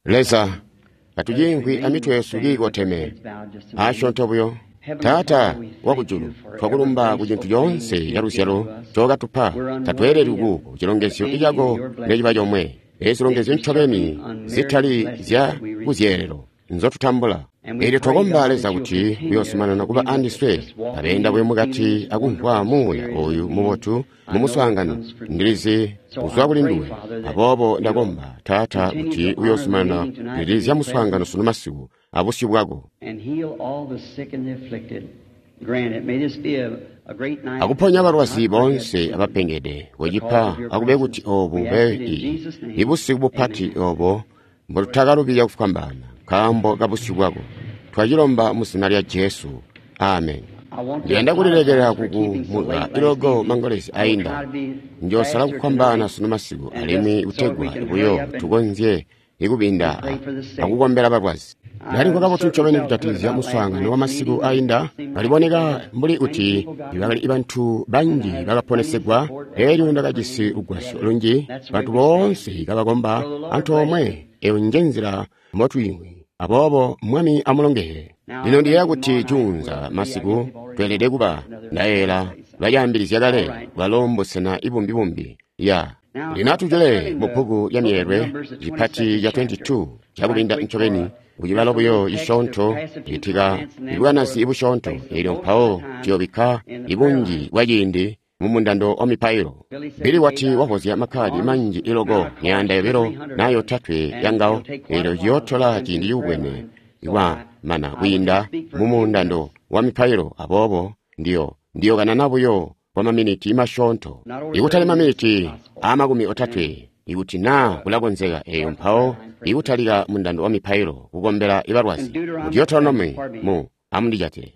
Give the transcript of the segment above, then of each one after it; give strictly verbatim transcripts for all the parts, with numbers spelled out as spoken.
Leza, katuciimvwi amitwe yesu kiikoteme asyoonto buyo. Taata wakujulu, twakulumba ku cintu coonse caluzyalo ncookatupa. Tatweeleli kuko cilongezyo cako neciba comwe. Ezi zilongezyo ncobeni zitali zya kuzyeelelo nzotutambula. Eelyo twakomba Leza kuti uyoozumanana kuba andiswe, abeenda buyo mukati akumvwa muuya ooyu mubotu mumuswaangano. Ndilizi kuzwa kuli nduwe. Aboobo ndakomba, Taata, kuti uyoozumanana kulilizya muswaangano sunu masiku abusyu bwako. Akuponya balwazi boonse abapengede, kocipa akube kuti oobu bube ibusiku bupati oobo mbotutakalubya kufwambaana nkaambo kabusyu bwako. Twacilomba mu zina lya Jesu. Amen. Ndiyanda kulilekela kukumuka ilogo mangolezi ainda. Njoosala kufwambaana sunu masiku alimwi kutegwa buyo tukonzye ikubinda akukombela balwazi. Ndalimvwa kabotu ncobeni kujatikizya muswaangano wamasiku ainda. Kaliboneka mbuli kuti bakali bantu banji bakaponesegwa. Elyo ndakajisi lugwasyo lunji, bantu boonse kabakomba antoomwe. Eyo njenzila mbotwiimvwi. Aboobo Mwami amulongeze. Lino ndiyeeya kuti juunza masiku tweelede kuba ndayeela bacaambilizya kale bwalo mbusena ibumbi-bumbi ya. Lino atujule mu bbuku lya Myeelwe cipati ca makumi aali abili cakubinda ncobeni kucibalo buyo cisyoonto citika ibwanazi busyoonto. Eelyo mpawo tuyoobikka ibunji bwa ciindi mu mundando wa mipailo. Billy wati wavozya makkadi manji iloko myaanda yobilo naa yotatwe yangawo. Eelyo ciyootola ciindi cikubwene kwamana kwiinda mu mundando wa mipailo. Aboobo ndiyo ndiyokanana buyo kwa maminiti masyoonto, ikutali maminiti aamakumi otatwe, ikuti naa kulakonzeka. Eyo mpawo ikutalika mundando wa mipailo kukombela ibalwazi. Mu Deuteronomy mu amundijatile.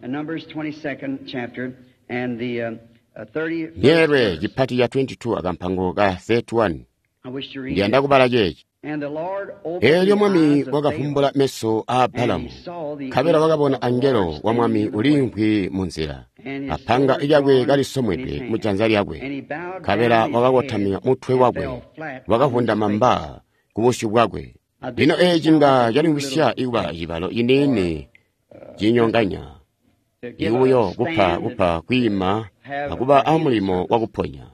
Myeelwe cipati ca makumi aali abili akampango ka makumi atatu alimwi. Ndiyanda kubala ceeci. Eelyo Mwami wakavumbula meso aa Balamu, nkabela wakabona angelo wa Mwami uliimvwi munzila, apanga lyakwe kalisomwedwe mujanza lyakwe. Nkabela wakakotamika mutwe wakwe, wakavundama mba kubusyu bwakwe. Lino eeci nga calimvwisya kuba cibalo ciniini cinyonganya, ikubuyo kupa kupa kwiima akuba amulimo wakuponya.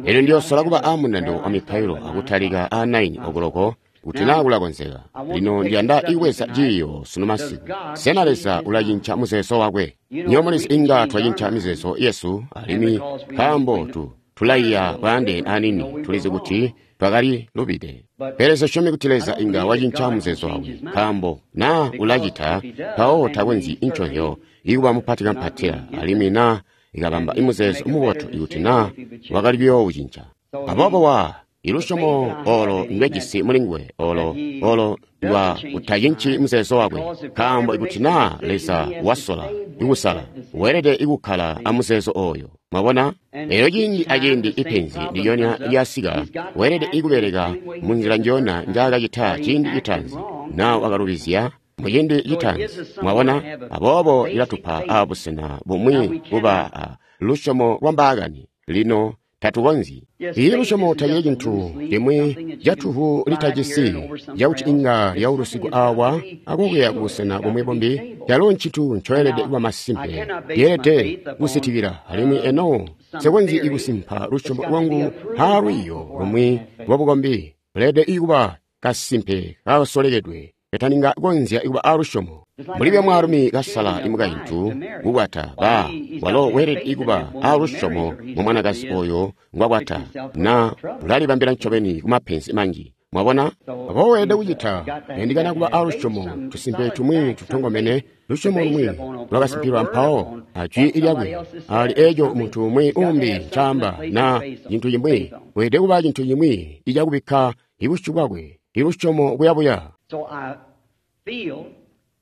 Elyo ndiyoosola kuba amundando wa mipailo akutalika aa naini okoloko kuti naa kulakonzeka. Lino ndiyanda ibweza ciiyo sunu masiku. Sena Leza ulacinca muzeezo wakwe? Nywebo mulizi inga twacinca mizeezo yesu, alimwi nkaambo tu tulaiya bwaandeene anini, tulizi kuti twakali lubide. Pele nsisyomi kuti Leza inga wacinca muzeezo wakwe, nkaambo naa ulacita, mpawo takonzyi incozyo ikuba mupati kampatila, alimwi naa ikabamba imuzeezo mubotu ikuti naa wakali kuyoowucinca. Aboobo wa ilusyomo olo ndwejisi mulinguwe, olo olo ndwa kutacinci muzeezo wakwe, nkaambo ikuti naa Leza wasola ikusala, weelede ikukkala amuzeezo oyo. Mwabona? Elyo ciindi aciindi ipenzi ndilyonya lyasika, weelede ikubeleka munzila njiyona njaakacita ciindi citaanzi, naa wakalubizya muciindi citaanzi. Mwabona? Aboobo ilatupa abusena bumwi kuba a lusyomo lwa mbaakani. Lino tatukonzyi. Ii lusyomo tacili cintu cimwi catuvu litajisi cakuti inga lyaulusigwa awa akukuya kubusena bumwi bumbi. Calo ncintu ncoelede kuba masimpe, yeelede kusitikila. Alimwi eno nsikonzyi ikusimpa lusyomo lwangu aalwiiyo lumwi lwabukombi. Leelede ikuba kasimpe kasolekedwe kataninga konzya kuba alusyomo. Mbuli mwaalumi kasala imukaintu kukwata, ba walo weelede kuba alusyomo mu mwanakazi oyo ngwakwata, na ulalibambila ncobeni kumapenzi manji. Mwabona? Aboobo weelede kucita yandikana kuba alusyomo, tusimpe tumwi tutongomene, lusyomo lumwi lwakasimpilwa mpawo ajwi lyakwe ali eeco muntu umwi umbi ncaamba na cintu cimwi. Weelede kuba cintu cimwi icakubikka ibusyu bwakwe, ilusyomo buyabuya.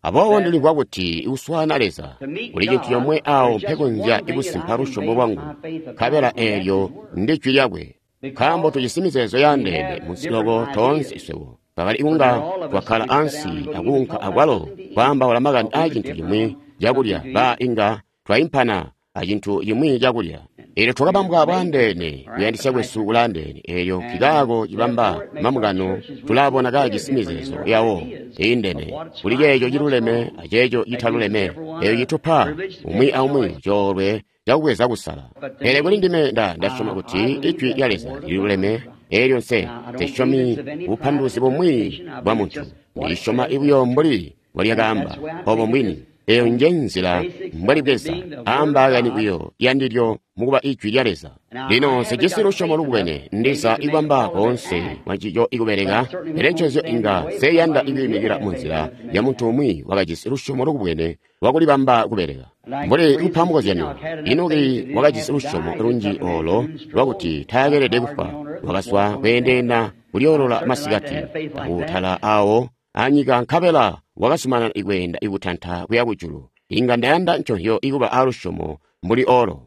Aboobo ndilimvwa kuti kuswaana Leza kuli cintu comwe awo mpekonzya kusimpa lusyomo lwangu, nkabela eelyo ndi jwi lyakwe. Nkaambo tujisi mizeezo yaandeene munsi loko toonse iswebo, twakali kunga twakkala ansi akuunka akwalo kwaambaula makani aa cintu cimwi cakulya, ba inga twaimpana acintu cimwi cakulya. Eelyo twakabambwa bwaandeene, kuyandisya kwesu kulaandeene. Eelyo nkikaako cibamba mambungano tulaabona kaajisi mizeezo yawo iindene kuli ceeco ciluleme aceeco citaluleme. Eeyo citupa umwi aumwi coolwe cakubweza kusala. Pele kuli ndime nda ndasyoma kuti Ijwi lya Leza liluleme. Eelyo nse nsesyomi bupanduluzi bumwi bwa muntu. Ndisyoma buyo mbuli mbwalyakaamba obo mbwini. Eyo nje nzila mbwalibweza aambaakani buyo yandilyo mukuba Ijwi lya Leza. Lino nsejisi lusyomo lubwene ndiza ikubamba koonse kwancico ikubeleka, pele ncozyo inga nseyanda ikwiimikila munzila ya muntu umwi wakajisi lusyomo lukubwene lwakulibamba kubeleka. Mbuli kupa mukozyanyo, Enoki wakajisi lusyomo lunji olo lwakuti taakeelede kufwa, wakazwa kweendeenda kulyoolola masikati akutala awo anyika nkabela wakazumanana ikweenda ikutanta kuya kujulu. Inga ndayanda nconzyo ikuba alusyomo mbuli olo.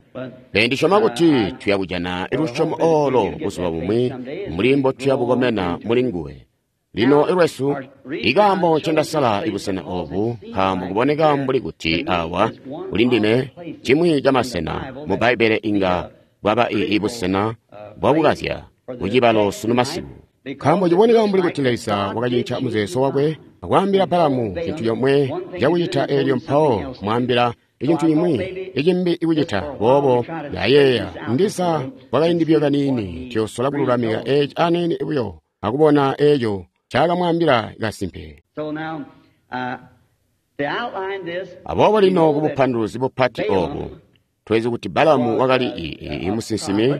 Pele ndisyoma kuti tuya kujana lusyomo olo buzuba bumwi mbuli mbotuya bukomena muli nguwe. Lino ilwesu, ikaambo ncendasala ibusena obu nkaambo kuboneka mbuli kuti awa kuli ndime cimwi camasena mu Bbaibbele inga bwaba ibusena bwakukazya kucibalo sunu masiku. Nkaambo ciboneka mbuli kuti Leza wakacinca muzeezo wakwe akwaambila Balamu cintu comwe cakucita eelyo mpawo kumwaambila icintu cimwi icimbi ikucita. Boobo ndayeeya ndiza kwakaindi buyo kaniini tuyosola kululamika eeci aniini buyo akubona eeco ncakamwaambila kasimpe. Aboobo lino kubupanduluzi bupati obu twezi kuti Balamu wakali musinsimi,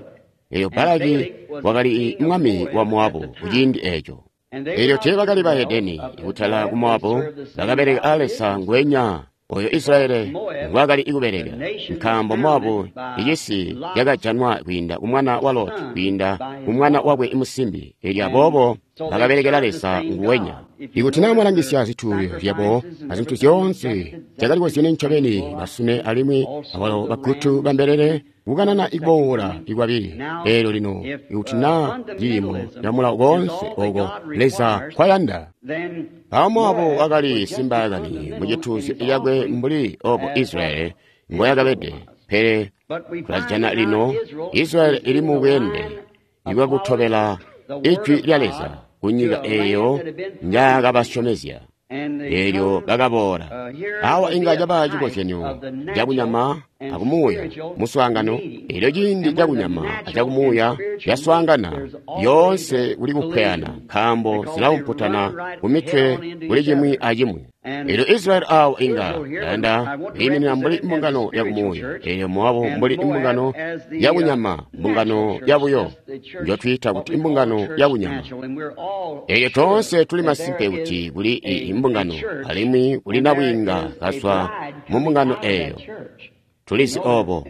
eelyo Balaki wakali mwami wa Moabu kuciindi eeco. Eelyo teebakali bahedeni kutala ku Moabu, bakabeleka a Leza ngwenya oyo Israeli ngwaakali kubeleka, nkaambo Moabu icisi cakajanwa kwiinda kumwana wa Loti kwiinda kumwana wakwe musimbi. Eelyo aboobo bakabelekela Leza nguwenya. Ikuti naa mwalangisya zituuzyo zyabo azintu zyoonse zyakalikozyenye ncobeni basune alimwi abalo bagutu bambelele kukanana ikuboola ikwabili. Eelyo lino ikuti naa ciimo camulawo koonse oko Leza kwayanda. Mpawo Moabu wakali simbaakani mucituuzyo cakwe mbuli obo Israeli ngoyakabede. Pele tulajana lino Israeli ili mu bweende ibwakutobela Ijwi lya Leza kunyika eeyo njaakabasyomezya. Eelyo bakaboola. Awa inga caba cikozyanyo cakunyama akumuuya muswaangano. Eelyo ciindi cakunyama acakumuuya yaswaangana, yoonse kuli kupweyana nkaambo zilaumputana kumitwe kuli cimwi acimwi. Eelyo Israeli awo inga yanda kwiiminina mbuli mbungano yakumuuya, eelyo Moabu mbuli mbungano yakunyama, mbungano yabuyo njotwiita kuti mbungano yakunyama. Eelyo toonse tuli masimpe kuti kuli imbungano alimwi kuli nabwiinga kazwa mu mbungano eeyo. Tulizi obo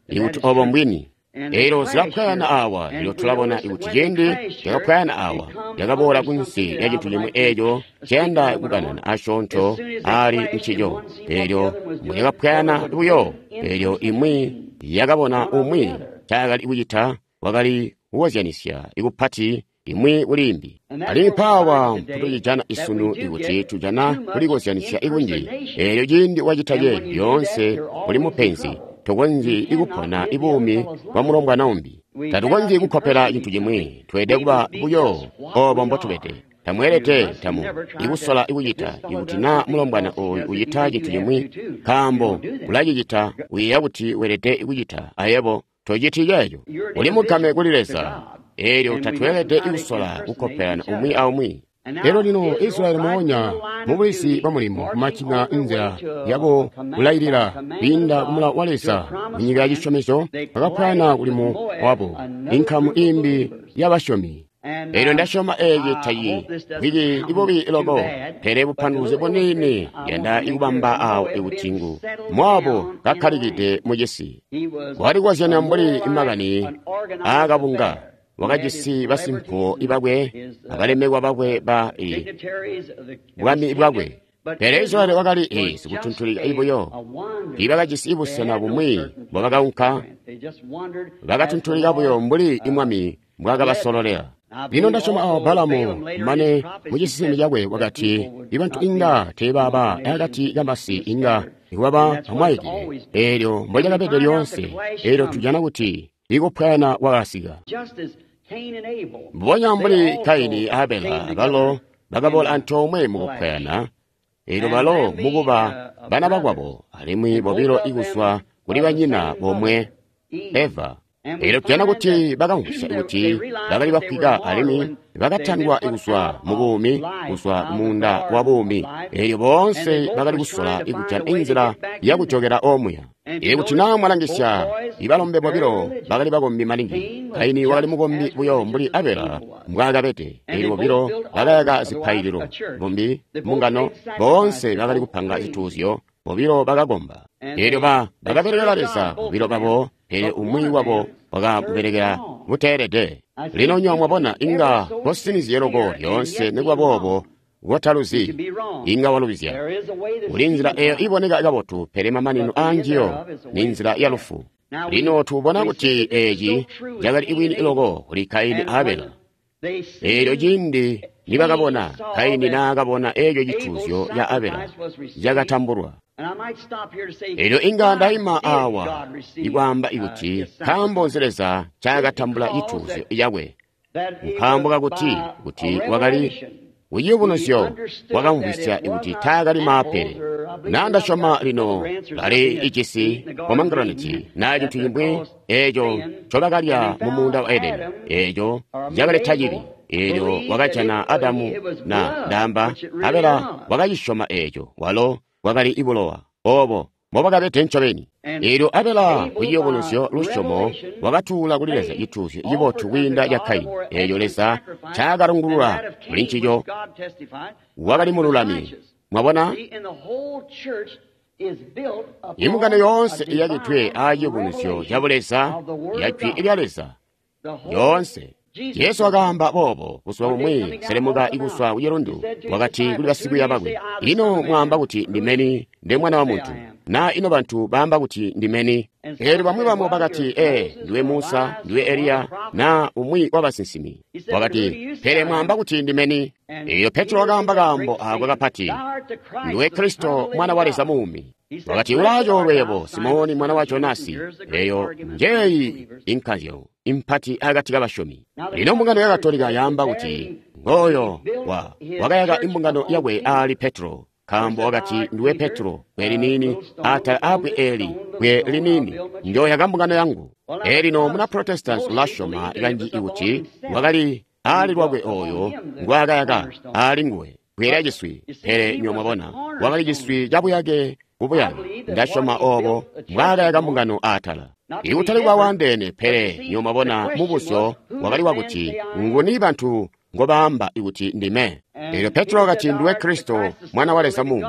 ikuti obo mbwini. Eelyo zilapwayana awa. Eelyo tulabona ikuti ciindi cakapwayana awa cakaboola kunsi lya cintu cimwi eeco ciyanda kukanana asyoonto ali ncico. Eelyo mbuyakapwayana buyo, eelyo imwi yakabona umwi ncaakali kucita wakali kukozyanisya ikupati imwi kuli imbi. Alimwi mpaawa mputucijana isunu ikuti tujana kulikozyanisya ikunji. Eelyo ciindi wacita ce lyoonse uli mupenzi, tokonzyi ikupona ibuumi bwa mulombwana umbi. Tatukonzyi kukkopela cintu cimwi, tweelede kuba buyo obo mbotubede. Tamweelede tamu ikusola ikucita ikuti naa mulombwana ooyu ucita cintu cimwi nkaambo ulacicita uyeeya kuti weelede kucita ayebo tociti ceeco. Uli mugame kuli Leza. Eelyo tatweelede ikusola kukkopelana umwi aumwi. Elyo lino Israeli moonya mubulizi bwa mulimo kumacinga nzila yabo kulailila kwiinda kumulawo wa Leza munyika ya cisyomezyo bakapwayana kuli Moabu inkamu imbi y'abasyomi. Eelyo ndasyoma eeci tayi bwili ibubi loko, pele bupanduluzi buniini yanda ikubamba awo ikuti ngu Moabu kakkalikide mucisi. Walikozyanya mbuli makani aakabunga. Wakajisi basimpuwo bakwe abalemekwa bakwe ba bwami bwakwe. Pele Israeli wakali sikutuntulika ibuyo. Tiibakajisi busena bumwi mbobakaunka, bakatuntulika buyo mbuli imwami mbwaakabasololela. Lino ndasyoma awo Balamu mane mucisisimi cakwe wakati ibantu inga teebaba akati kamasi inga iwaba amwaikile eelyo mbocakabede lyoonse eelyo tujana kuti ikupwayana kwakasika mbubonya mbuli Kaini a Abela balo bakaboola antoomwe mukupwayana eelyo balo mukuba bana bakwabo alimwi bobilo ikuzwa kuli banyina bomwe Eva. Eelyo tujana kuti bakamvwisya kuti bakali bafwika alimwi bakatandwa kuzwa mu buumi, kuzwa munda wa buumi. Eelyo boonse bakali kusola kujana inzila yakujokela omuya. Eelyo kuti naa mwalangisya, ibalombe bobilo bakali bakombi maningi. Kaini wakali mukombi buyo mbuli Abela mbwaakabede. Eelyo bobilo bakayaka zipaililo, bombi mbungano, boonse bakali kupanga zituuzyo, bobilo bakakomba. Eelyo ba bakabelekela Leza bobilo babo, pele umwi wabo wakamubelekela buteelede. Lino nywebo mwabona inga kosinizye loko lyoonse nikuba boobo kotaluzi inga walubizya. Kuli nzila eyo iboneka kabotu, pele mamanino aanjiyo ni nzila ya lufu. Lino tubona kuti eeci cakali bwini loko kuli Kaini a Abela. Eelyo ciindi nibakabona Kaini naakabona eeco cituuzyo ca Abela cakatambulwa. Eelyo inga ndaima awa ikwaamba ikuti nkaambo nzi Leza ncaakatambula cituuzyo cakwe. Nkaambo kakuti kuti wakali kuciyubunuzyo wakamvwisya kuti taakali maapele. Naa ndasyoma lino bali ijisi pomegranate naa cintu cimwi eeco ncobakalya mu muunda wa Edeni, eeco cakaleta cibi. Eelyo wakajana Adamu na ndaamba Abela wakacisyoma eeco, walo wakali ibulowa obo mbobakabede ncobeni. Eelyo Abela kuciyubunuzyo lusyomo wakatuula kuli Leza cituuzyo cibotu kwiinda ca Kaini. Eelyo Leza ncaakatungulula kuli ncico wakali mululami. Mwabona, imbungano yoonse iyakidwe aaciyubunuzyo ca Buleza ya Jwi lya Leza yoonse. Jesu wakaamba boobo buzuba bumwi selemuka ikuswa kucilundu, wakati kuli basikwiiya bakwe, ino mwaamba kuti ndimeni nde Mwana wa Muntu? Na ino bantu baamba kuti ndimeni? Eelyo bamwi bamo bakati, ee, ndiwe Musa, ndiwe Eliya, na umwi wabasinsimi. Wakati, pele mwaamba kuti ndimeni? Eelyo Petro wakaamba kaambo aako kapati, ndiwe Kristo Mwana wa Leza muumi. Wakati, ulaacoolwe yebo, Simoni mwana wa Jonasi. Eyo njeeyi inkazyo impati akati kabasyomi. Lino mbungano ya Katolika yaamba kuti ngooyo wa wakayaka imbungano yakwe aali Petro, nkaambo wakati ndiwe Petro bwe liniini atala aabwe eli bwe liniini njooyaka mbungano yangu. Eelino muna Protestants ulasyoma kanji ikuti wakali aali lwakwe ooyo ngwaakayaka aali nguwe bwe lya ciswi, pele nywebo mwabona wakali ciswi cabuyake kubuyake. Ndasyoma oobo mbwaakayaka mbungano aatala. Ikutali kuba waandeene, pele nywebo mwabona mubuzyo wakali wakuti nguni bantu ngobaamba ikuti ndime. Eelyo Petro wakati ndiwe Kristo Mwana wa Leza muumi.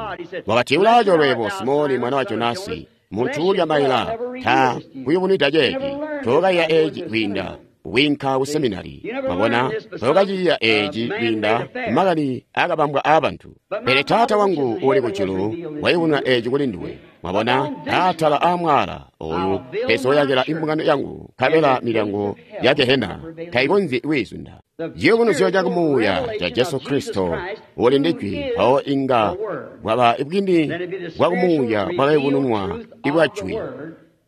Wakati ulaacoolwe yebo Simoni mwana wa Jonasi, muntu uulya maila ta kuyubunwida ceeci, tookaiya eeci kwiinda winka ku seminari. Mwabona, tookaciiya eeci kwiinda makani akabambwa aabantu. Pele Taata wangu uuli kujulu wayubununa eeci kuli nduwe. Mwabona, aatala aamwaala oyu mpezooyakila imbungano yangu, nkabela milyango ya Gehena taikonzyi kwiizunda. Ciyubunuzyo ca kumuuya ca Jesu Kristo uli ndi Jwi, mpawo inga bwaba bwini bwa kumuuya bwakayubununwa ibwa Jwi,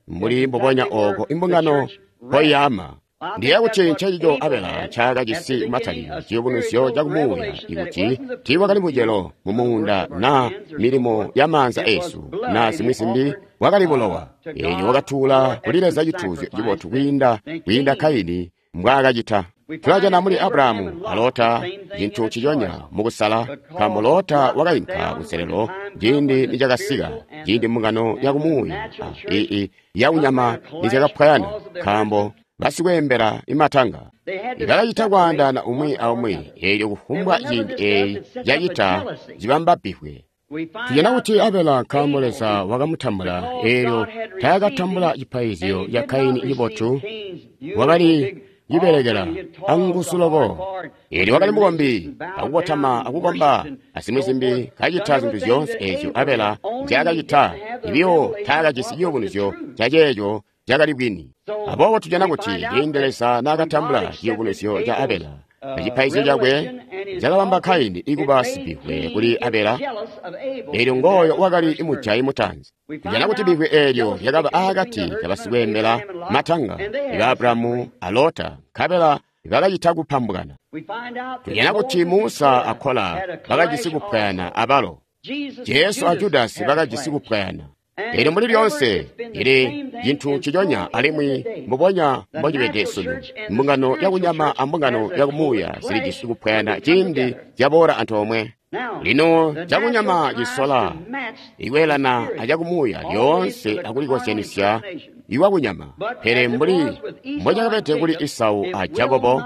mbuli mbubonya ooko imbungano mpoiyaama. Ndiyeeya kuti ncencico Abela ncaakajisi kumatalikilo, ciyubunuzyo ca kumuuya ikuti tiiwakali mucelo mu muunda naa milimo ya maanza eesu naa zimwi zimbi, wakali bulowa. Eelyo wakatuula kuli Leza cituuzyo cibotu kwiinda kwiinda Kaini mbwaakacita. Tulajana muli Abrahamu a Lota cintu nciconya mukusala, nkaambo Lota wakainka kunselelo ciindi nicakasika, ciindi mbungano ya kumuuya ii yaunyama nizyakapwayana, nkaambo basikweembela imatanga bakacita kwaandaana umwi aumwi. Eelyo kufumbwa ciindi eeyi cacita cibamba bbivwe. Tujana kuti Abela nkaambo Leza wakamutambula, eelyo taakatambula cipaizyo ca Kaini cibotu, wakali cibelekela anguzu loko. Eelyo wakali mukombi, akukotama akukomba azimwi zimbi, kacita zintu zyoonse eezyo Abela nzyaakacita, ibiyo taakajisi ciyubunuzyo caceeco cakali bwini. Aboobo tujana kuti ciindi Leza naakatambula ciyubunuzyo ca Abela acipaizyo cakwe, cakabamba Kaini ikuba sibivwe kuli Abela, eelyo ngooyo wakali mujayi mutaanzi. Tujana kuti bivwe eelyo lyakaba aakati kabasikweembela matanga iba Abulahamu a Lota, nkabela bakacita kupambukana. Tujana kuti Musa a Kola bakajisi kupwayana abalo. Jesu a Judasi bakajisi kupwayana. Eelyo mbuli lyoonse ili cintu nciconya alimwi mbubonya mbocibede sunu. Mbungano yakunyama ambungano yakumuuya zilijisi kupwayana ciindi zyaboola antoomwe. Lino cakunyama cisola ikweelana acakumuuya lyoonse akulikozyanisya iwakunyama, pele mbuli mbocakabede kuli Isau a Jakobo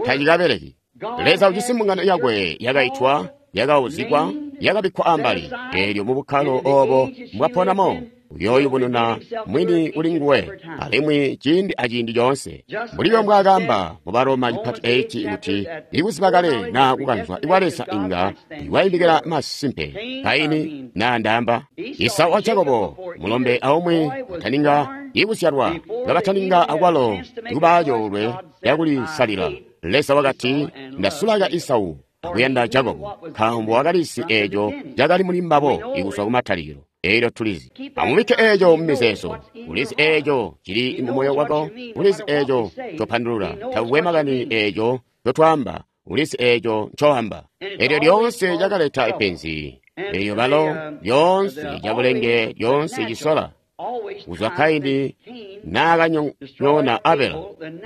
tacikabeleki. Leza ujisi mbungano yakwe yakaitwa, yakauzikwa, yakabikkwa ambali, eelyo mubukkalo oobo mbwaponamo uyooyubununa mwini kuli nguwe alimwi ciindi aciindi coonse. Mbuli mbwaakaamba mu Baroma cipati eeci kuti ikuziba kale naa kukanzwa kwa Leza inga iwayindikila masimpe Kaini naa ndaamba Isau a Jakobo mulombe aumwi bataninga ikuzyalwa kabataninga akwalo ikubaa coolwe cakulisalila. Leza wakati, ndasulaka Isau akuyanda Jakobo, nkaambo wakalizi eeco cakali muli mbabo ikuzwa kumatalikilo. Eelyo tulizi. Amubikke eeco mumizeezo. Ulizi eeco cili mumoyo wako. Ulizi eeco ncopandulula. Takukwe makani eeco ncotwaamba. Ulizi eeco ncoamba. Eelyo lyoonse cakaleta penzi. Eelyo balo lyoonse cabulenge lyoonse cisola kuzwa Kaini naakanyonyoona Abela.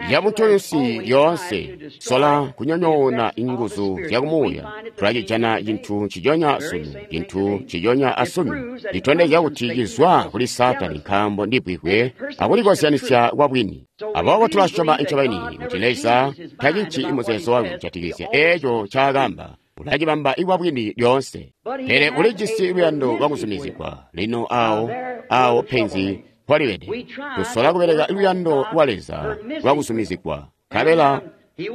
Yabuntunsi lyoonse sola kunyonyoona inguzu zyakumuuya. Tulacijana cintu nciconya sunu, cintu nciconya asunu. Citondezya kuti cizwa kuli Saatani nkaambo ndibwibwe akulikozyanisya kwabwini. Aboobo tulasyoma ncobeni kuti Leza tacinci muzeezo wakwe kujatikizya eeco ncaakaamba. Ulacibamba ikwabwini lyoonse, pele ulijisi luyando lwakuzumizigwa. Lino awo awo penzi mpolibede. Tusola kubeleka luyando lwa Leza lwakuzumizigwa, nkabela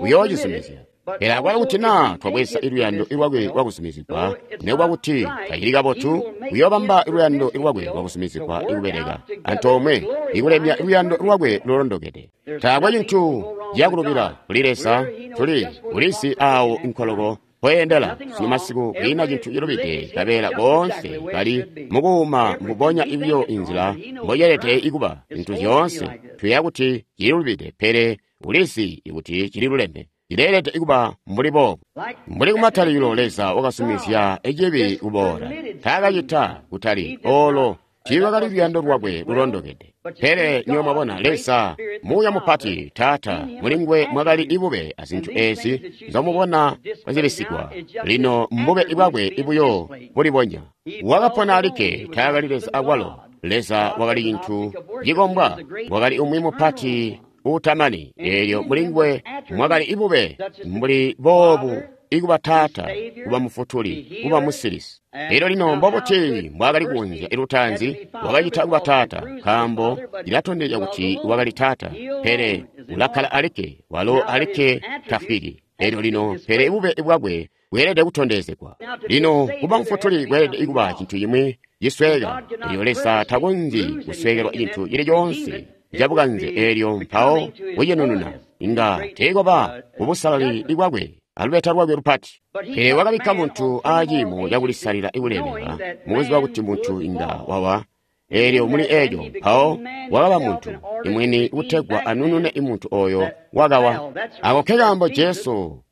uyoocizumizya. Pele akwalo kuti naa twabweza luyando lwakwe lwakuzumizigwa, nikuba kuti tacili kabotu, uyoobamba luyando lwakwe lwakuzumizigwa ikubeleka antoomwe ikulemya luyando lwakwe lulondokede. Taakwe cintu cakulubila kuli Leza, tuli ulizi awo nkoloko poyendela sunu masiku kwiina cintu cilubide, kabeela boonse bali mukuuma mbubonya ibiyo inzila mboyelede ikuba. Zintu zyoonse tuyeeya kuti cililubide, pele ulizi kuti cililuleme. Cileelede ikuba mbuli boobu. Mbuli kumatalikilo Leza wakazumizya cibi kuboola. Taakacita kutali oolo tiilwakali luyando lwakwe lulondokede. Pele niyo mwabona Leza muuya mupati Taata mulinguwe mwakali ibube azintu eezi nzomubona zilisigwa. Lino mbube bwakwe ibuyo bulibonya. Wakapona alikke, taakali Leza akwalo. Leza wakali cintu cikombwa, wakali umwi mupati uutamani. Eelyo mulinguwe mwakali ibube mbuli boobu ikuba Taata, kuba Mufutuli, kuba Musilisi. Elyo lino mbobuti mbwaakali kunzya ilutaanzi wakacita kuba Taata, nkaambo cilatondezya kuti wakali Taata, pele ulakkala alikke, walo alikke tafwiki. Elyo lino pele bube bwakwe bweelede kutondezegwa. Lino kuba Mufutuli kweelede kuba cintu cimwi cisweka. Elyo Leza takonzyi kuswekelwa cintu cili coonse cabukanze, eelyo mpawo kucinununa inga teekoba kubusalali bwakwe alubeta lwakwe lupati. Pele wakabikka muntu aaciimo cakulisalila ikulemeka, mukuziba kuti muntu inga wawa. Eelyo muli eeco mpawo wakaba muntu imwini kutegwa anunune imuntu oyo wakawa. Ako nkekaambo Jesu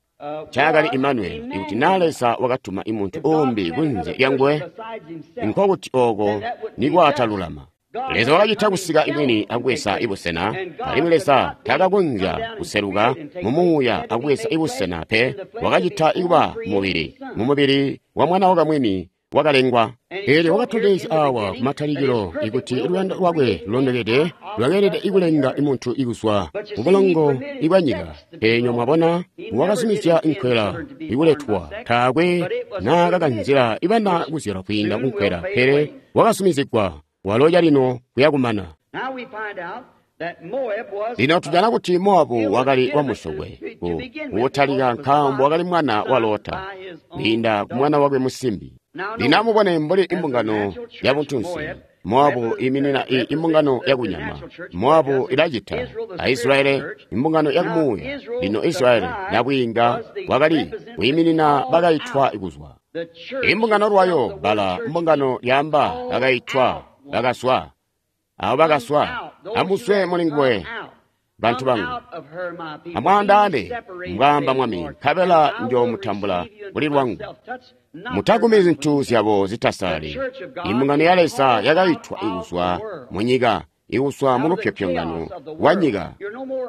ncaakali Imanueli. Ikuti naa Leza wakatuma imuntu uumbi kunze lyanguwe, nkokuti ooko nikwaatalulama. Leza wakacita kusika imwini akubweza ibusena, alimwi Leza taakakonzya kuseluka mumuuya akubweza ibusena pe, wakacita ikuba mubili, mumubili wa mwana wakamwini wakalengwa. Eelyo wakatondezya awa kumatalikilo ikuti luyando lwakwe lulondokede lwakeelede ikulenga imuntu ikuzwa mubulongo ibwanyika. Pele mwabona wakazumizya inkwela ikuletwa, taakwe naakakanzila ibana kuzyalwa kwiinda kunkwela, pele wakazumizigwa walo calino kuyakumana. Lino tujana kuti Mowabu wakali wamusokwe kutalika, nkaambo wakali mwana wa Lota kwiinda ku mwana wakwe musimbi. Lino amubone mbuli imbungano yabuntunsi Moabu iminina i imbungano yakunyama. Moabu ilacita a Israeli imbungano yakumuuya. Lino Israeli nabwiinga wakali kwiiminina bakaitwa kuzwa. Imbungano lwayo bala mbungano lyaamba bakaitwa bakazwa. Abo bakazwa amuzwe mulinguwe bantu bangu. Amwaandaane mbwaamba Mwami, nkabela njoomutambula kuli lwangu. Mutagumi zintu zyabo zitasali. Imbungano ya Leza yakaitwa ikuzwa munyika, ikuzwa mu lupyopyongano lwa nyika.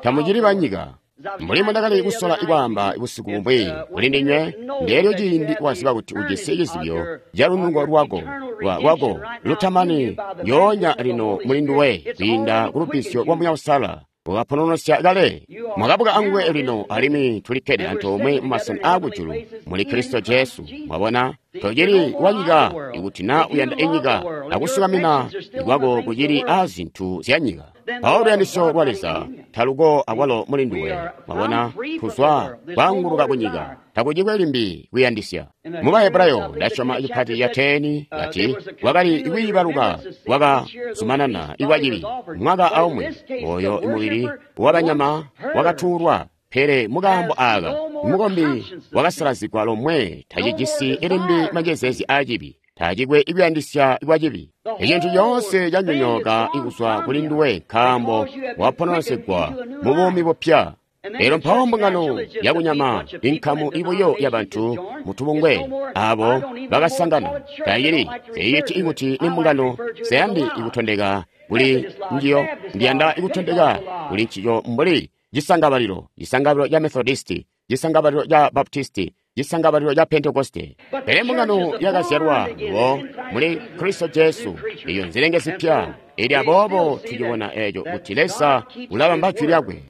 Tamucili banyika. Mbuli mbwandakali kusola ikwaamba busiku bumwi kuli ndinywe, ndeelyo ciindi waziba kuti ujisi cizibyo ca lunuko lwako lwako lutamani njoonya lino muli nduwe kwiinda ku lubbizyo lwa Muuya Uusalala. Wakapononosya kale. Mwakabuka anguwe lino alimwi tulikkede antoomwe mu masena aakujulu muli Kristo Jesu. Mwabona, tocili wanyika ikuti naa uyanda inyika akusukamina kwako kucili aazintu zya nyika. Mpawo luyandisyo lwa Leza taluko akwalo muli nduwe. Mwabona, tuzwa kwaanguluka kunyika, takucikwe limbi kuyandisya. Mu Bahebrayo ndasyoma cipati ca teni kati kwakali kwiibaluka kwakazumanana ikwacili mwaka aumwi oyo mubili wabanyama wakatuulwa. Pele mukaambo aaka mukombi wakasalazigwa lomwe tacijisi limbi manjezeezi aacibi, tacikwe ikuyandisya kwacibi. Icintu coonse canyonyooka ikuzwa kuli nduwe nkaambo wapononosegwa mu buumi bupya. Lero mpawo mbungano yakunyama inkamu ibuyo yabantu mutubungwe abo bakasangana tayili seyiti ikuti ni mbungano seyandi ikutondeka kuli njiyo ndiyanda ikutondeka kuli njiyo mbuli cisangabalilo, cisangabalilo ca Methodisti, cisangabalilo ca Baptisti, cisangabalilo ca Pentekoste. Pele mbungano yakazyalwa lubo muli Kristo Jesu, iyo nzilenge zipya. Ili aboobo tucibona eco kuti Leza ulabamba jwi lyakwe.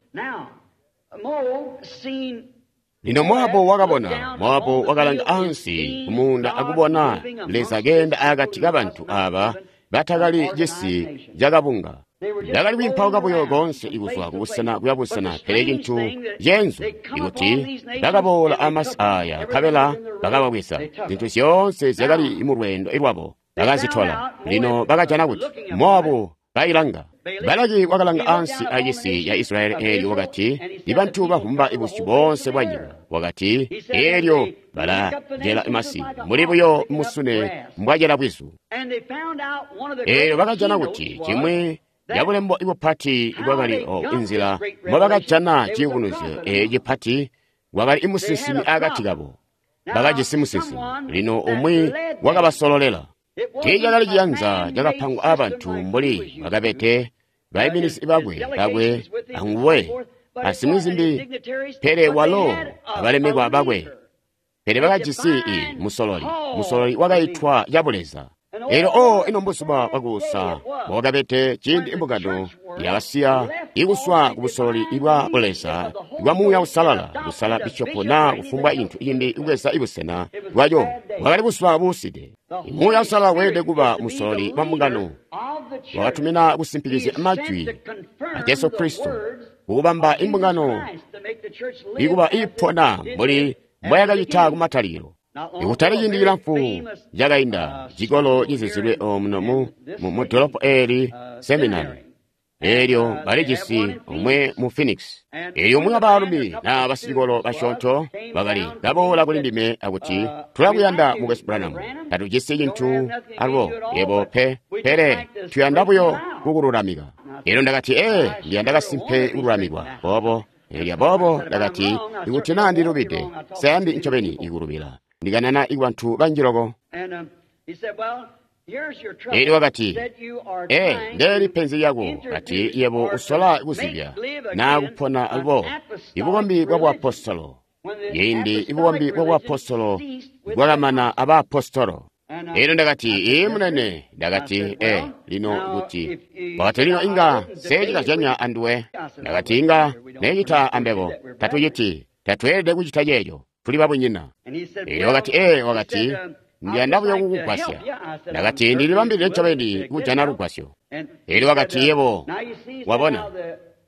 Lino Moabu wakabona, Moabu wakalanga ansi kumuunda akubona Leza keenda akati kabantu aba batakali cisi cakabunga. Ndakali kwiimpauka buyo koonse ikuzwa kubusena kuya busena, pele cintu ceenzu ikuti bakaboola amasi aya nkabela bakababweza. Zintu zyoonse zyakali mu lweendo lwabo bakazitola. Lino bakajana kuti Moabu kailanga. Balaki wakalanga ansi acisi ya Israeli eelyo wakati, ibantu bavumba ibusyu boonse bwa nyika. Wakati, eelyo balajela masi mbuli buyo musune mbwajela bwizu. Eelyo bakajana kuti cimwi cabulembo ibupati bwakali inzila mbobakajana ciyubunuzyo eeci cipati wakali imusinsimi akati kabo. Bakajisi musinsimi. Lino umwi wakabasololela. Tiicakali ciyanza cakapangwa aabantu mbuli bakabete baiminizi bakwe bakwe anguwe azimwi zimbi, pele walo abalemekwa bakwe. Pele bakajisi i musololi, musololi wakaitwa cabuleza. Elyo o ino mbuzuba bwakuusa bwakabete ciindi imbungano yakasiya ikuswa kubusololi bwa buleza bwa Muuya Uusalala kusala bishopo naa kufumbwa cintu cimbi kubweza ibusena bwayo. Bwakali buzuba buuside. Muuya Uusalala weelede kuba musololi wa mbungano. Wakatumina kusimpikizya majwi a Jesu Kristo kukubamba imbungano ikuba ipona mbuli mbwayakacita kumatalikilo. Ikutali ciindi cilamfu cakainda, cikolo cizizilwe omuno mu dolopo eeli seminari. Eelyo balijisi umwe mu Phoenix. Eelyo umwi wabaalumi naa basicikolo basyoonto bakali kaboola kuli ndime akuti, tulakuyanda Mukwesu Branham, tatujisi cintu alwo yebo pe, pele tuyanda buyo kukululamika. Eelyo ndakati, ee, ndiyanda kasimpe kululamikwa boobo. Eelyo aboobo ndakati, ikuti naa ndilubide, sayandi ncobeni ikulubila. Ndikanana ikubantu banji loko. Eelyo wakati, ee, ndeeli penzi lyako, kati yebo usola kuzibya naa kupona alubo ibukombi bwa buapostolo. Ciindi ibukombi bwa buapostolo bwakamana abaapostolo. Eelyo ndakati, ee munene, ndakati, ee, lino kuti, wakati lino inga seecikazyanya anduwe. Ndakati inga neecita ambebo, tatuciti, tatweelede kucita ceeco. Tuli babunyina. Eelyo wakati, ee, wakati, ndiyanda buyo kukugwasya. Ndakati, ndilibambilile ncobeni kujana lugwasyo. Eelyo wakati, yebo, wabona.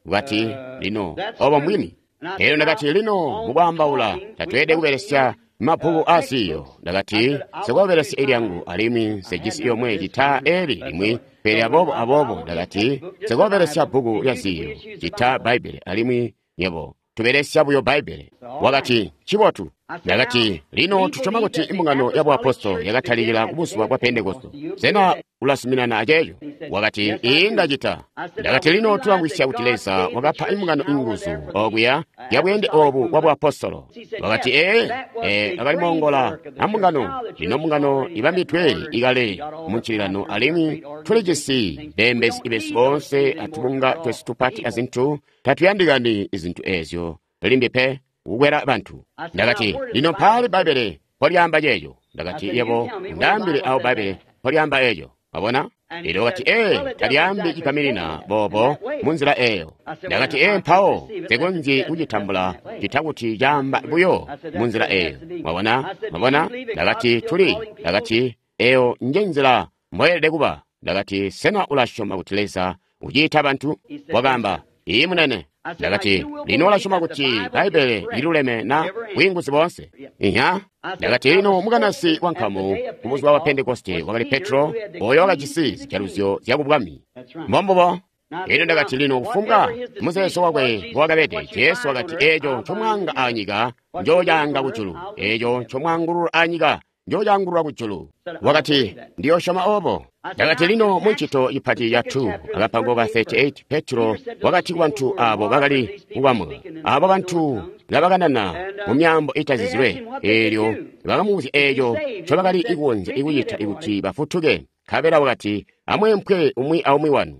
Wakati, lino, obo mbwini. Eelyo ndakati, lino, mukwaambaula, tatweelede kubelesya mabbuku aasiyo. Ndakati, nsikobelesya ilyangu alimwi nsejisi yomwe cita eli limwi, pele aboobo aboobo ndakati, nsikobelesya bbuku lya ziyo cita Bbaibbele alimwi nyebo tubelesya buyo Bbaibbele. Wakati, ncibotu. Ndakati, lino tusyoma kuti imbungano ya buapostolo yakatalikila kubuzuba bwa Pentekoste. Sena ulazuminana aceeco? Wakati, ii ndacita. Ndakati, lino tulamvwisya kuti Leza wakapa imbungano inguzu okuya ya bweende obu bwa buapostolo. Wakati, ee, ee, akali moongola ambungano. Lino mbungano ibambidwe ikale mu ncililano alimwi tulijisi beembezi besu boonse atubunga twesu tupati azintu. Tatuyandikani izintu ezyo limbi pe kukwela bantu. Ndakati, lino mpaali Bbaibbele mpolyaamba ceeco? Ndakati, yebo ndaambile awo Bbaibbele mpolyaamba eeco. Wabona? Elyo wakati, ee, talyaambi cigaminina boobo munzila eeyo. Ndakati, ee, mpawo nsikonzyi kucitambula cita kuti caamba buyo munzila eeyo. Mwabona? Mwabona? Ndakati, tuli. Ndakati, eyo nje nzila mboyelede kuba. Ndakati, sena ulasyoma kuti Leza uciita bantu? Wakaamba, ii munene. Ndakati, lino ulasyoma kuti Bbaibbele liluleme na bwiinguzi boonse? Inya. Ndakati, lino mukanasi wa nkamu kubuzuba bwa Pentekoste wakali Petro, oyo wakajisi zijaluzyo zya kubwami. Mbombubo. Elyo ndakati, lino kufumbwa muzeezo wakwe mbowakabede, Jesu wakati, eeco ncomwaanga anyika njoocaanga kujulu, eeco ncomwaangulula anyika njoocaangulula kujulu. Wakati, ndiyosyoma obo. Ndakati, lino muncito ipati ya two akapango ka thirty-eight, Petro wakati kubantu abo bakali kukwamwa, abo bantu ngabakanana mu myaambo itazizilwe, eelyo bakamubuzya eeco ncobakali kukonzya kucita kuti bafutuke. Nkabela wakati, amweempwe umwi aumwi wanu,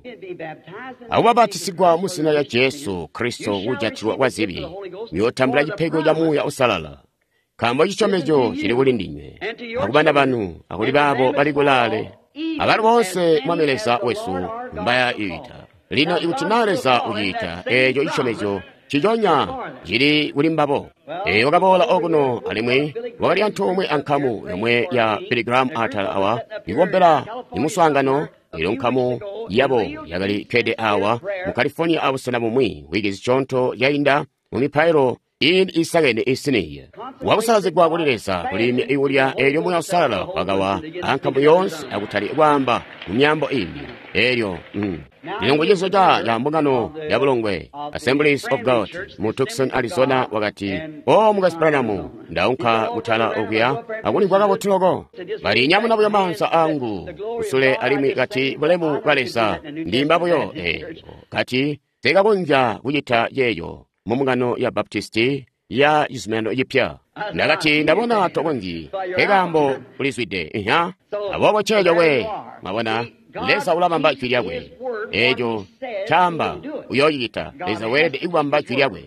akubapatisigwa mu zina lya Jesu Kristo kujatilwa kwa zibi, muyootambula cipego ca Muuya Uusalala. Nkaambo cisyomezyo cili kuli ndinywe, akubana banu, akuli baabo bali kulaale, abalo boonse Mwami Leza wesu mbaya iita. Lino ikuti naa Leza uciita, eeco cisyomezyo ciconya cili kuli mbabo. Eeyo wakaboola okuno alimwi wakali antoomwe ankamu yomwe ya Billy Graham atala awa ikombela imuswaangano. Elyo nkamu yabo yakali kkede awa mu California abusena bumwi wiki zisyoonto zyainda mu mipailo iini isakene isiniya. Wakusalazigwa kuli Leza kuliimya ikulya, eelyo Muuya Uusalala wakawa ankamu yoonse akutali kwaamba mu myaambo imbi. Eelyo mm. Lino ngucizo ca ca mbungano ya bulongwe Assemblies of God mu Tucson, Arizona. Wakati, o Mukwesu Branham, ndaunka kutala okuya akulimvwa kabotu loko. Bali nyamuna buyo maanza angu kusule alimwi kati, bulemu bwa Leza, ndimba buyo. Eelyo kati, sikakonzya kucita ceeco mu mbungano ya Baptisti ya cizuminano cipya. Ndakati, ndabona tokonzyi, nkekaambo ulizwide. Inya. Aboobo ceeco we, mwabona, Leza ulabamba jwi lyakwe. Eeco caamba uyoocicita. Leza weelede kubamba jwi lyakwe.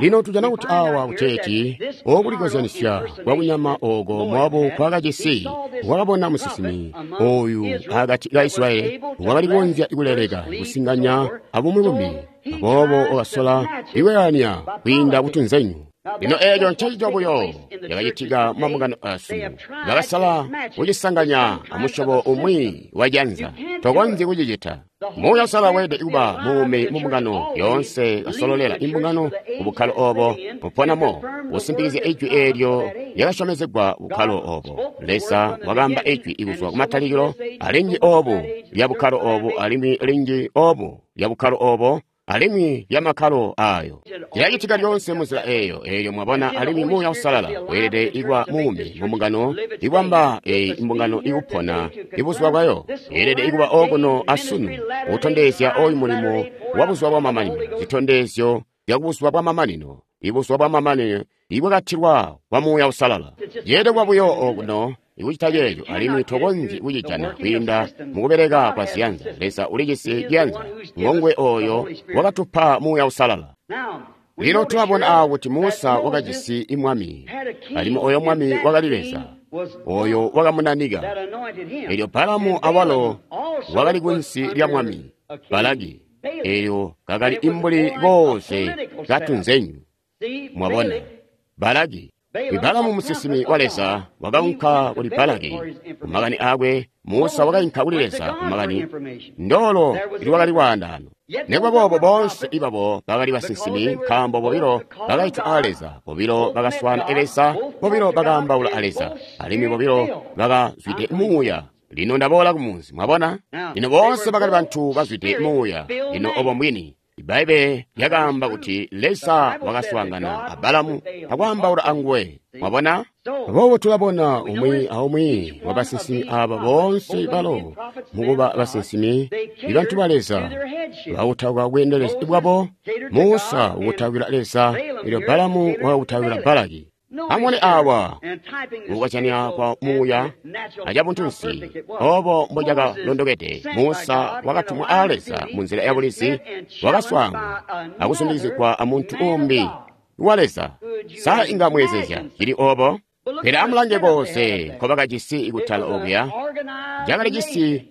Lino tujana kuti awa kuteeti okulikozyanisya kwakunyama oko Mowabu kwakajisi, wakabona musinsimi oyu akati ka Israyeli wakali kukonzya kuleleka kusinganya abumwi bumbi, aboobo wakasola ikwelania kwiinda kutunzenyu. Lino eeco ncencico buyo cakacitika mu mabungano asunu. Bakasala kucisanganya amusyobo umwi wa janza. Tokonzyi kucicita. Muuya Uusalala weelede kuba muumi mu mbungano yoonse, kasololela imbungano kubukkalo obo buponamo, kusimpikizya ijwi eelyo lyakasyomezegwa bukkalo obo. Leza wakaamba ijwi kuzwa kumatalikilo, alinji obu lya bukkalo obu, alimwi linji obu lya bukkalo obo, alimwi lya makkalo ayo. Cilacitika lyoonse munzila eeyo. Eelyo mwabona, alimwi Muuya Uusalala weelede kuba muumi mu mbungano, ikwamba eyi imbungano ikupona ibuzuba bwayo. Yeelede kuba okuno asunu, kutondezya oyu mulimo wa buzuba bwa mamanino, zitondezyo zya buzuba bwa mamanino, ibuzuba bwa mamanino ibwakatilwa kwa Muuya Uusalala. Yeelede kuba buyo okuno ikucita ceeco, alimwi tokonzyi kucijana kwiinda mukubeleka kwa ziyanza. Leza ulijisi ciyanza, ngongwe oyo wakatupa Muuya Uusalala. Lino tulabona awo kuti Musa wakajisi mwami, alimwi oyo mwami wakali Leza, oyo wakamunanika. Elyo Balamu awalo wakali kunsi lya mwami Balaki, elyo kakali imbuli koose katunzenyu. Mwabona, Balaki. Balamu musinsimi wa Leza wakaunka kuli Balaki kumakani aakwe. Musa wakainka kuli Leza kumakani. Ndolo lwakali lwaandaano. Nikuba boobo boonse ibabo bakali basinsimi, nkaambo bobilo bakaitwa a Leza, bobilo bakaswaana Leza, bobilo bakaambaula a Leza, alimwi bobilo bakazwide Muuya. Lino ndaboola kumunzi, mwabona? Lino boonse bakali bantu bazwide Muuya. Lino obo mbwini. Ibbaibbele lyakaamba kuti Leza wakaswaangana a Balamu akwaambaula anguwe. Mwabona? Aboobo tulabona umwi aumwi wa basinsimi aaba boonse balo mukuba basinsimi, ibantu ba Leza bakutauka bweendelezi bwabo. Musa ukutaukila Leza, elyo Balamu wakakutaukila Balaki. Amubone awa mukukozyanya kwa muuya acabuntunsi obo mbocakalondokede. Musa wakatumwa a Leza munzila ya bulizi, wakaswaangwa akusundikizigwa amuntu umbi wa Leza. Sa inga mweezezya cili obo? Pele amulange konse nkobakajisi kutala okuya, cakali cisi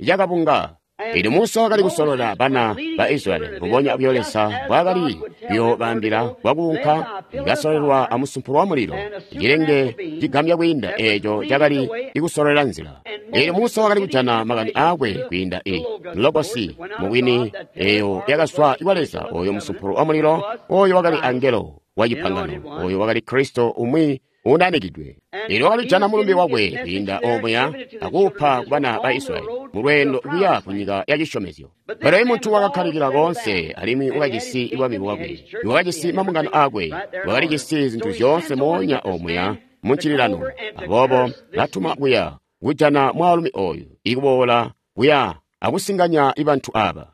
cakabunga. Elyo Musa wakali kusolola bana ba Israyeli mbubonya buyo Leza mbwaakali kuyoobaambila bwakuunka, ikasololelwa amusumpulo wa mulilo, cilenge cigambya kwiinda eeco cakali ikusololela nzila. Elyo Musa wakali kujana makani aakwe kwiinda i Logosi, mubwini eeyo yakazwa kwa Leza, oyo musumpulo wa mulilo, oyo wakali angelo wa cipangano, oyo wakali Kristo umwi unanikidwe. Elyo wakalijana mulumbe wakwe kwiinda omuya akuupa kubana ba Israyeli mulweendo kuya ku nyika ya cisyomezyo. Pele muntu wakakkalikila koonse, alimwi wakajisi bwami bwakwe, wakajisi mabungano aakwe, wakalijisi zintu zyoonse moonya omuya muncililano. Aboobo batuma kuya kujana mwaalumi oyu ikuboola kuya akusinganya bantu aba.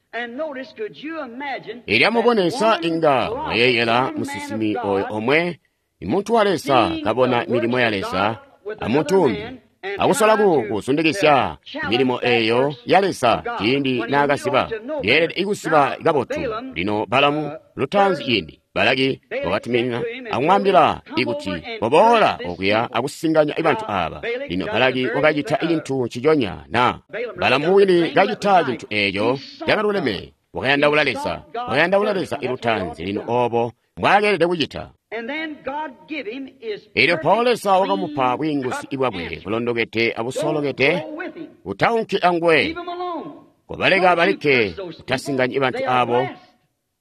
Elyo amubone, sa inga mwayeeyela musinsimi oyo omwe, muntu wa Leza, kabona milimo ya Leza amuntu umbi, akusola kusundikisya milimo eyo ya Leza ciindi naakasiba. Yeelede ikusiba kabotu. Lino Balamu lutaanzi ciindi Balaki wakatumina akumwaambila ikuti koboola okuya akusinganya bantu aba. Lino Balaki wakacita cintu nciconya na Balamu wini kacita cintu eeco cakaluleme. Wakayandaula Leza, wakayandaula Leza ilutaanzi. Lino obo mbwaakeelede kucita. Elyo mpawo Leza wakamupa bwiinguzi bwakwe bulondokede abusolokede. Utaunki anguwe, kobaleka balikke, utasinganyi bantu abo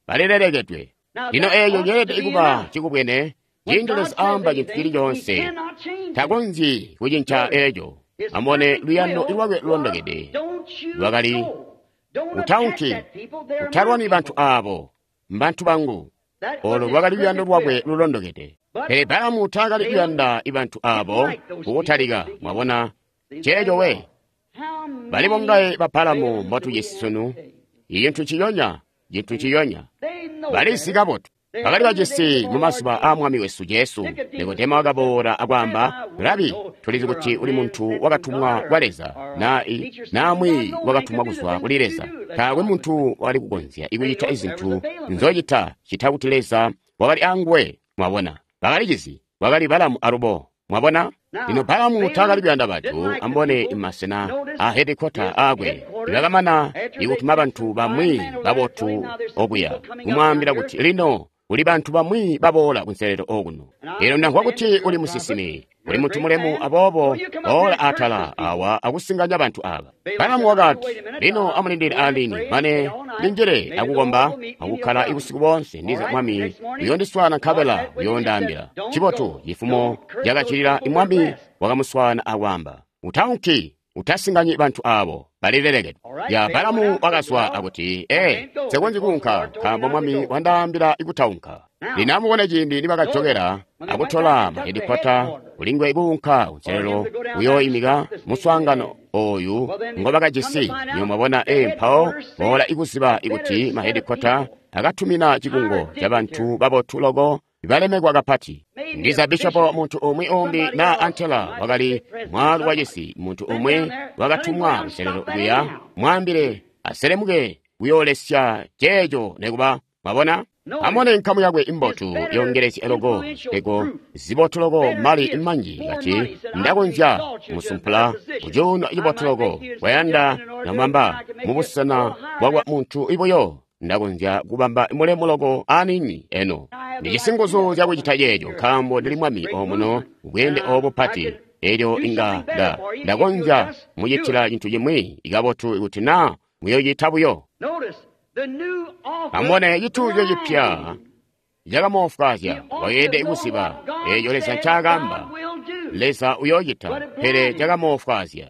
balilelekedwe. Lino eeco ceelede kuba cikubwene. Ciindi Leza aamba cintu cili coonse, takonzyi kucinca eeco. Amubone luyando lwakwe lulondokede lwakali, utaunki, utalwani bantu abo, mbantu bangu. Olo lwakali luyando lwakwe lulondokede. Pele Balamu taakali kuyanda bantu abo kukutalika. Mwabona ceeco we? Bali bongaye ba Balamu mbotujisi sunu. Icintu ciyonya, cintu ciyonya. Balizi kabotu. Bakali bajisi mu mazuba aa Mwami wesu Jesu. Nikodemo wakaboola akwaamba, Rabi, tulizi kuti uli muntu wakatumwa kwa Leza, na namwi wakatumwa kuzwa kuli Leza. Taakwe muntu wakali kukonzya ikucita izintu nzocita cita kuti Leza wakali anguwe. Mwabona, bakalicizi wakali Balamu alubo. Mwabona? Lino Balamu taakali kuyanda bantu ambone masena a hedikota aakwe. Bakamana ikutuma bantu bamwi babotu okuya kumwaambila kuti lino kuli bantu bamwi baboola kunselelo okuno. Elyo ndamvwa kuti uli musinsimi, uli muntu mulemu, aboobo boola atala awa akusinganya bantu aba. Balamu wakati, lino amulindile alini mane ndinjile akukomba akukkala ibusiku boonse, ndiza Mwami uyondiswaana nkabela uyondaambila. Cibotu cifumo cakacilila Mwami wakamuswaana akwaamba, utaunki, utasinganyi bantu abo balilelekedwe. Ya Balamu wakazwa akuti, ee, nsekonzyi kuunka nkaambo Mwami wandaambila ikutaunka. Lino amubone ciindi nibakajokela akutola mahedikota kulingwe kuunka kunselelo kuyooimika muswaangano oyu ngobakajisi. Niyo mwabona, ee, mpawo boola ikuziba ikuti mahedikota akatumina cikungo ca bantu babotu loko balemekwa kapati. Ndiza bishopo muntu umwi umbi na antela wakali mwaalu wa cisi, muntu umwi wakatumwa kunselelo kuya mwaambile aselemuke kuyoolesya ceeco nekuba. Mwabona? Amone nkamu yakwe imbotu yongelezya loko ego zibotu loko mali manji kati ndakonzya musumpula kucuuno cibotu loko kwayanda namwamba mubusena bwakwa muntu ibuyo ndakonzya kubamba mulemu loko anini eno. Ndijisi nguzu zyakucita ceeco nkaambo ndili mwami omuno bweende obu pati. Elyo inga nda ndakonzya mucitila cintu cimwi ikabotu kuti na muyocita buyo. Amubone cituuzyo cipya cakamoofwaazya. Wakeelede kuziba eeco Leza ncaakaamba. Leza uyoocita, pele cakamoofwaazya.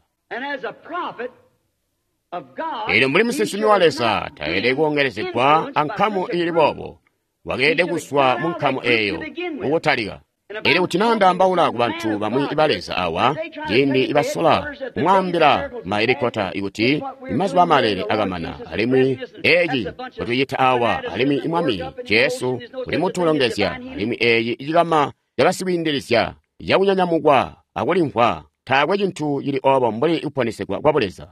Eelyo mbuli musinsimi wa Leza taelede kuongelezegwa ankamu iili boobo. Wakeelede kuzwa mu nkamu eeyo mukutalika. Elyo kuti naa ndaambaula ku bantu bamwi ba Leza awa, ciindi ibasola kumwaambila maelikota ikuti mazuba amalele akamana, alimwi eeci ncotucita awa, alimwi Mwami Jesu uli mutulongezya, alimwi eeci cikama cabasikwiindilizya cakunyanyamukwa akulimvwa, taakwe cintu cili obo mbuli kuponesegwa kwa Buleza.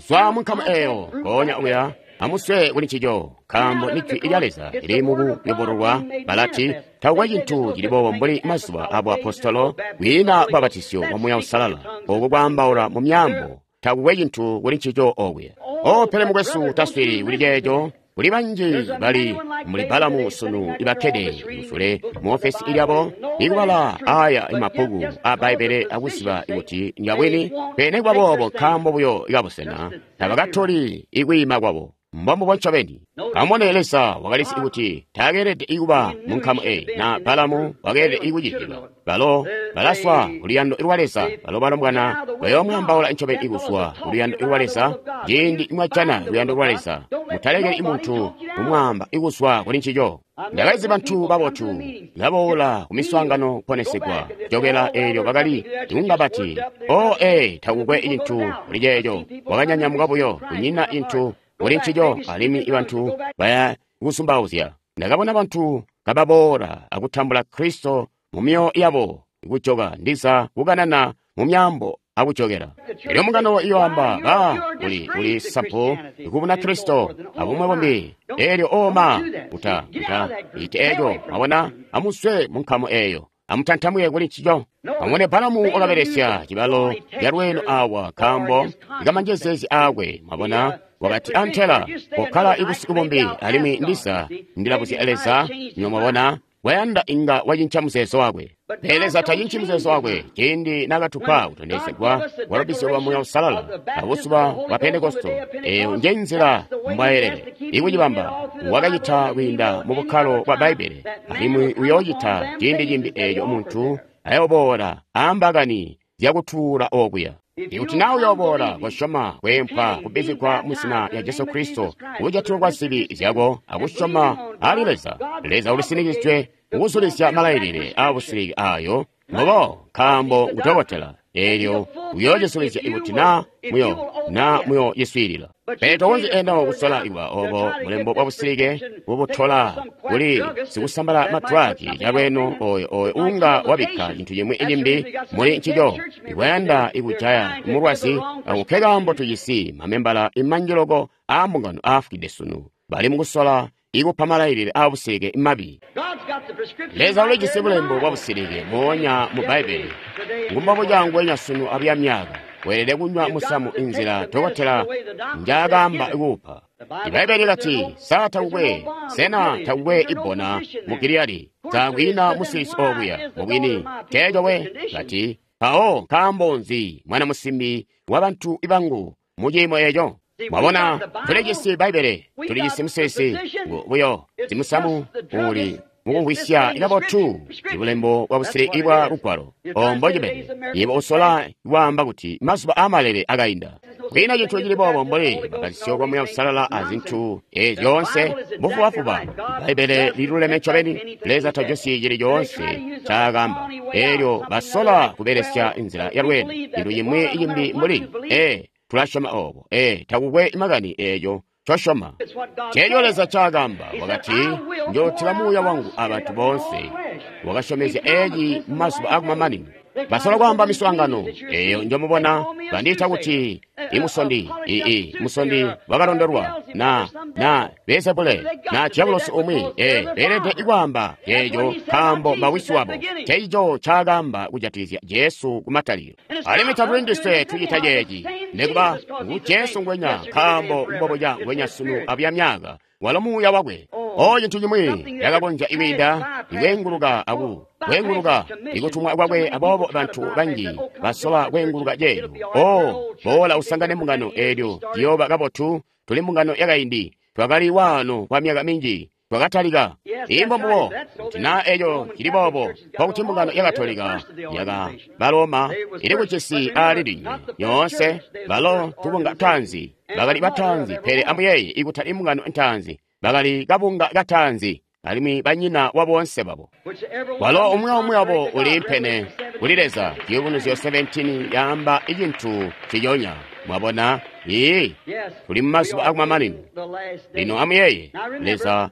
Zwa mu nkamu eeyo, goonya uya, amuswe kuli ncico, nkaambo ni jwi lya Leza lili mukuyobololwa. Balati takukwe cintu cili boobo mbuli mazuba a buapostolo, kwiina lubapatisyo lwa Muuya Uusalala, oku kwaambaula mu myaambo, takukwe cintu kuli ncico okuya. O, pele mukwesu, taswili kuli ceeco. Kuli banji bali muli Balamu sunu ibakkede musule mu ofesi lyabo ikubala aya mabbuku a Bbaibbele akuziba kuti ngabwini, pele nikuba boobo nkaambo buyo kabusena tabakatoli ikwiima kwabo. Mbombubo ncobeni. Amubone, Leza wakalizi kuti taakeelede kuba mu nkamu eyi, na Balamu wakeelede kuciziba. Balo balaswa kuluyando lwa Leza, balo balombwana bayoomwaambaula ncobeni kuzwa kuluyando lwa Leza. Ciindi mwajana luyando lwa Leza, mutalekeli muntu kumwaamba kuzwa kuli ncico. Ndakalizi bantu babotu baboola ku miswaangano kuponesegwa, jokela eelyo bakali kunga bati, "O, ee, takukwe cintu kuli ceeco, wakanyanyamuka buyo, kunyina cintu kuli ncico," alimwi bantu baya kusumbauzya. Ndakabona bantu kababoola akutambula Kristo mu myoyo yabo, kujoka ndiza kukanana mu myaambo akujokela. Elyo mbungano iyoamba, ba uli uli sampu kubuna Kristo abumwe bumbi. Elyo oma uta uta ite eco, mwabona, amuswe mu nkamu eeyo, amutantamuke kuli ncico. Amubone, Balamu wakabelesya cibalo calweeno awa nkaambo kamanjezeezi aakwe, mwabona. Wakati, antela kokkala ibusiku bumbi, alimwi ndiza ndilabuzya Leza. Nyo mwabona, wayanda inga wacinca muzeezo wakwe. Pele Leza tacinci muzeezo wakwe. Ciindi nakatupa kutondezegwa kwa lubbizyo lwa Muuya Uusalala abuzuba bwa Pentekosto, eeyo nje nzila mbwaelele ikucibamba. Wakacita kwiinda mu bukkalo bwa Bbaibbele, alimwi uyoocita ciindi cimbi eeco muntu ayoboola aambakani zyakutuula okuya. Ikuti naa uyooboola kosyoma kweempwa kubbizigwa mu zina lya Jesu Kristo kujatilwa kwa zibi zyako akusyoma ali Leza, Leza ulisinikizwe kukuzulizya malailile aabusiliki aayo mbubo, nkaambo ngudokotela. Eelyo uyoocizulizya ikuti naa muyo naa muyociswiilila. Pele tokonzyi eno kusola kuba obo bulembo bwa busilike bubutola kuli sikusambala madragi calweeno oyo oyo unga wabikka cintu cimwi cimbi muli ncico ikwayanda ikujaya mulwazi. Ako nkekaambo tujisi mamembala imanji loko aambungano aafwide sunu, bali mukusola ikupa malailile aabusilike mabi. Leza ulijisi bulembo bwa busilike moonya mu Bbaibbele. Ngumbobo cangwenya sunu abuya myaka. Weelede kunywa musamu inzila dokotela njaakaamba kuupa. Ibbaibbele lati, sa takukwe, sena takukwe ibbona mu Giliyadi, taakwiina musilisi okuya. Mubwini teeco we. Lati, mpawo nkaambo nzi mwana musimbi wa bantu bangu mu ciimo eco? Mwabona, tulijisi Bbaibbele, tulijisi musilisi buyo zimusamu uli mukumvwisya kabotu ibulembo bwa busiliki bwa lugwalo. Ombo cibede yebo usola kwaamba kuti mazuba aamalele akainda. Kwiina cintu cili boobo mbuli lubbizyo lwa Muuya Uusalala azintu eezi zyoonse mbufubafuba. Bbaibbele liluleme ncobeni. Leza tajosyi cili coonse ncaakaamba. Eelyo basola kubelesya nzila yalweeno, cintu cimwi cimbi mbuli, ee, tulasyoma obo, ee, takukwe makani eeco ncosyoma. Ceeco Leza ncaakaamba, wakati, njootila Muuya wangu abantu boonse. Wakasyomezya eeci mumazuba akumamanino. Basola kwaamba miswaangano eeyo njomubona bandiita kuti imusondi, ii musondi wakalondolwa, na na Beelzebule, na diabolosi umwi. Ee, beelede kwaamba ceeco nkaambo mawisi wabo. Ceeco ncaakaamba kujatikizya Jesu kumatalikilo. Alimwi tatuli ndiswe tucita ceeci, nikuba ngu Jesu ngwenya, nkaambo mbobuca ngwenya sunu abuya myaka, walo Muuya wakwe. O cintu cimwi cakakonzya ikwiinda ikweenguluka aku kweenguluka ikutumwa kwakwe, aboobo bantu banji basola kweenguluka ceeco. O boola usangane mbungano eelyo ciyooba kabotu. Tuli mbungano yakaindi, Twakali waano kwa myaka minji. Twakatalika. Imbo mbubo. Kuti naa eco cili boobo, nkokuti mbungano ya Katolika yaka Baloma ili kucisi aali linywe. Yoonse balo tubunga taanzi. Bakali bataanzi, pele amuyeeye ikutali mbungano ntaanzi. Bakali kabunga kataanzi, alimwi banyina wa boonse babo. Walo umwi aumwi wabo uliimpene kuli Leza. Ciyubunuzyo seventeen yaamba icintu ciyonya. Mwabona? Ii, tuli mumazuba akumamanino. Lino amuyeeye, Leza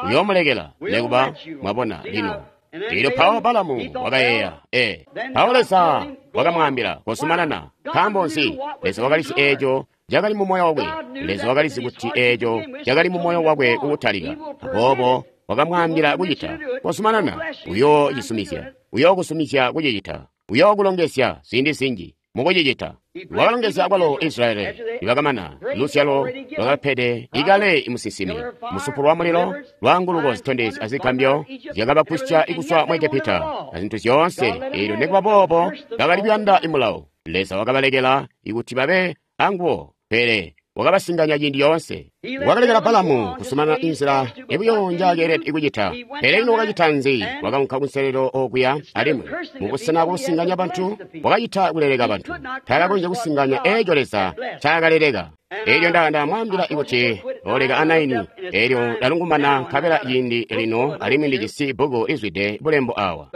uyoomulekela nekuba. Mwabona? Lino Lino mpawo Balamu wakayeeya, ee, mpawo Leza wakamwaambila kozumanana. Nkaambo nzi? Leza wakalizi eeco cakali mu moyo wakwe. Leza wakalizi kuti eeco cakali mu moyo wakwe kukutalika. Aboobo wakamwaambila kucita. Kozumanana, uyoocisumizya, uyookusumizya kucicita, uyookulongezya ziindi zinji mukucicita. Wakalongezya kwalo Israyeli nibakamana luzyalo lwakapede ikale imusinsimi musupu lwa mulilo lwaanguluko zitondezyo azigambyo zyakabagwisya ikuzwa mu Egepita azintu zyoonse. Eelyo nikuba boobo bakali kuyanda imulawo. Leza wakabalekela ikuti babe anguwo, pele wakabasinganya ciindi yoonse. Wakalekela Balamu kusumana inzila ibuyo njaakeelede kucita. Pele ino wakacita nzi? Wakaunka kunselelo okuya alimwi mubusena bwakusinganya bantu wakacita kuleleka bantu. Taakakonzya kusinganya eeco Leza ncakaleleka. Eelyo ndamwaambila kuti oleka anaini. Eelyo ndalungumana nkabela ciindi lino alimwi ndijisi bbuku lizwide bulembo awa.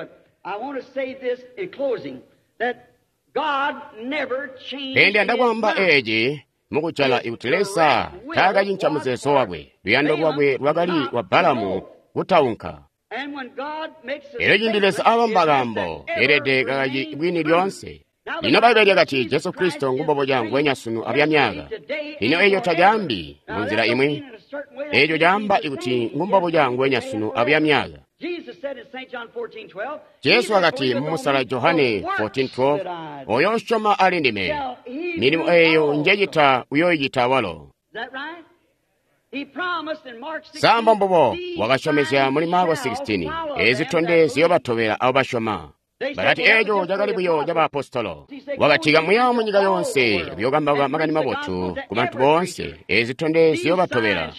Pele ndiyanda kwaamba eeci mukujala ikuti Leza taakacinca muzeezo wakwe. Luyando lwakwe lwakali lwa Balamu kutaunka. Elyo ciindi Leza abamba kaambo, elede kakaci bwini lyoonse. Lino Bbaibbele lyakati Jesu Kristo ngumboboca nguwenya sunu abuya myaka. Lino eeco tacaambi munzila imwi. Eeco caamba ikuti ngumboboca nguwenya sunu abuya myaka. Jesu wakati mumusala Johane fourteen twelve, oyo usyoma ali ndime, milimo eeyo njecita uyoyicita walo. Samba mbubo wakasyomezya muli Marko sixteen, eezi zitondezyo ziyobatobela abo basyoma. Bakati eeco cakali buyo cabaapostolo. Wakati kamuya munyika yoonse kuyokambauka makani mabotu ku bantu boonse. Eezi zitondezyo ziyobatobela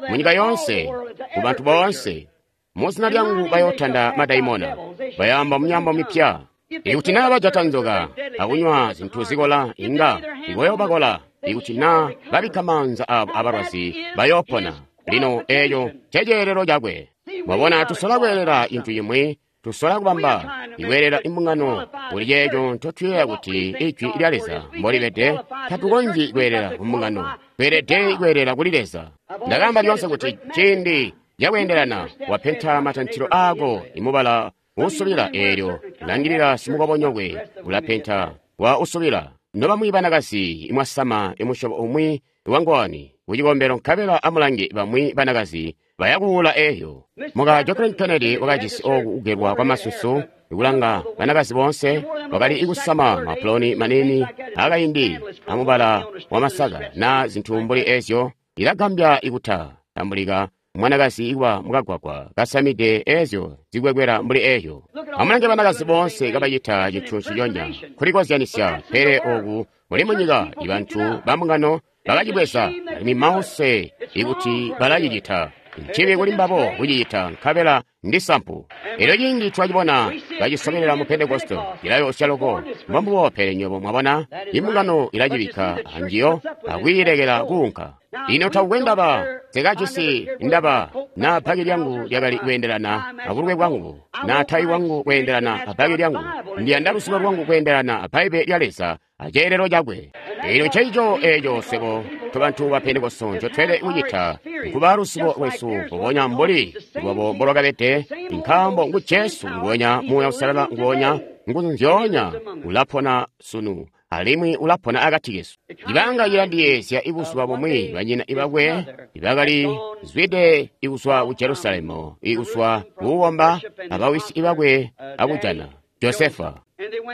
munyika yoonse ku bantu boonse. Muzina lyangu bayotanda madaimona, bayamba mumyaambo mipya. Ikuti naa bajata nzoka akunywa zintu zikola, inga ikoyobakola. Ikuti naa babikka maanza abo abalwazi, bayopona. Lino eeco nceceelelo cakwe. Mwabona, tusola kweelela cintu cimwi, tusola kubamba ikweelela imbungano kuli ceeco ncotuyeeya kuti ijwi lya Leza mbolibede. Tatukonzyi kweelela kumbungano, tweelede kweelela kuli Leza. Ndakaamba lyoonse kuti ciindi cakweendelana wapenta matantilo aako imubala usubila, eelyo langilila simukobonyokwe ulapenta wa usubila. Nobamwi banakazi imwasama imusyobo umwi wangowani kucikombelo, nkabela amulange bamwi banakazi bayakuula eeyo. Muka Jacqueline Kennedy wakajisi oku kugelwa kwamasusu ikulanga banakazi boonse wakali ikusama mapuloni manini akaindi amubala wamasaka na zintu mbuli eezyo. Ilagambya ikuta tambulika mwanakazi iwa mukagwagwa kasamide eezyo zikwekwera mbuli eeyo. Amulange banakazi boonse kabacita cintu ciyonya kulikozyanisya. Pele oku muli munyika ibantu bambungano bakacibweza alimwi mause ikuti balacicita. Nchibi kuli mbabo kucicita nkabela ndi sampu. Elyo ciindi twacibona bacisobelela mu Pentekoste cilayoosya loko. Mbombubo, pele nywebo mwabona imbungano ilacibikka anjiyo akwiilekela kuunka. Lino takukwe ndaba, nsekajisi ndaba naa bbaki lyangu lyakali kweendelana abulwe bwangu, naa tayi wangu kweendelana abbaki lyangu. Ndiyanda lusulo lwangu kweendelana abbaibbele lya Leza aceelelo cakwe. Elyo ncencico eeco swebo tobantu ba Pentekoste ncotweelede kucita, nkuba lusulo lwesu mbubonya mbuli lwabo mbolwakabede, nkaambo ngu Jesu nguwenya, Muuya Uusalala nguwonya, nguzu nzyoonya ulapona sunu alimwi ulapona akati kesu. Ibanga cilandiyeezya ibuzuba bumwi banyina ibakwe ibakali zwide ikuzwa ku Jerusalemu, ikuzwa kuuwomba abawisi ibakwe akujana Josefa.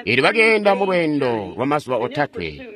Eelyo bakeenda mu lweendo lwamazuba otatwe,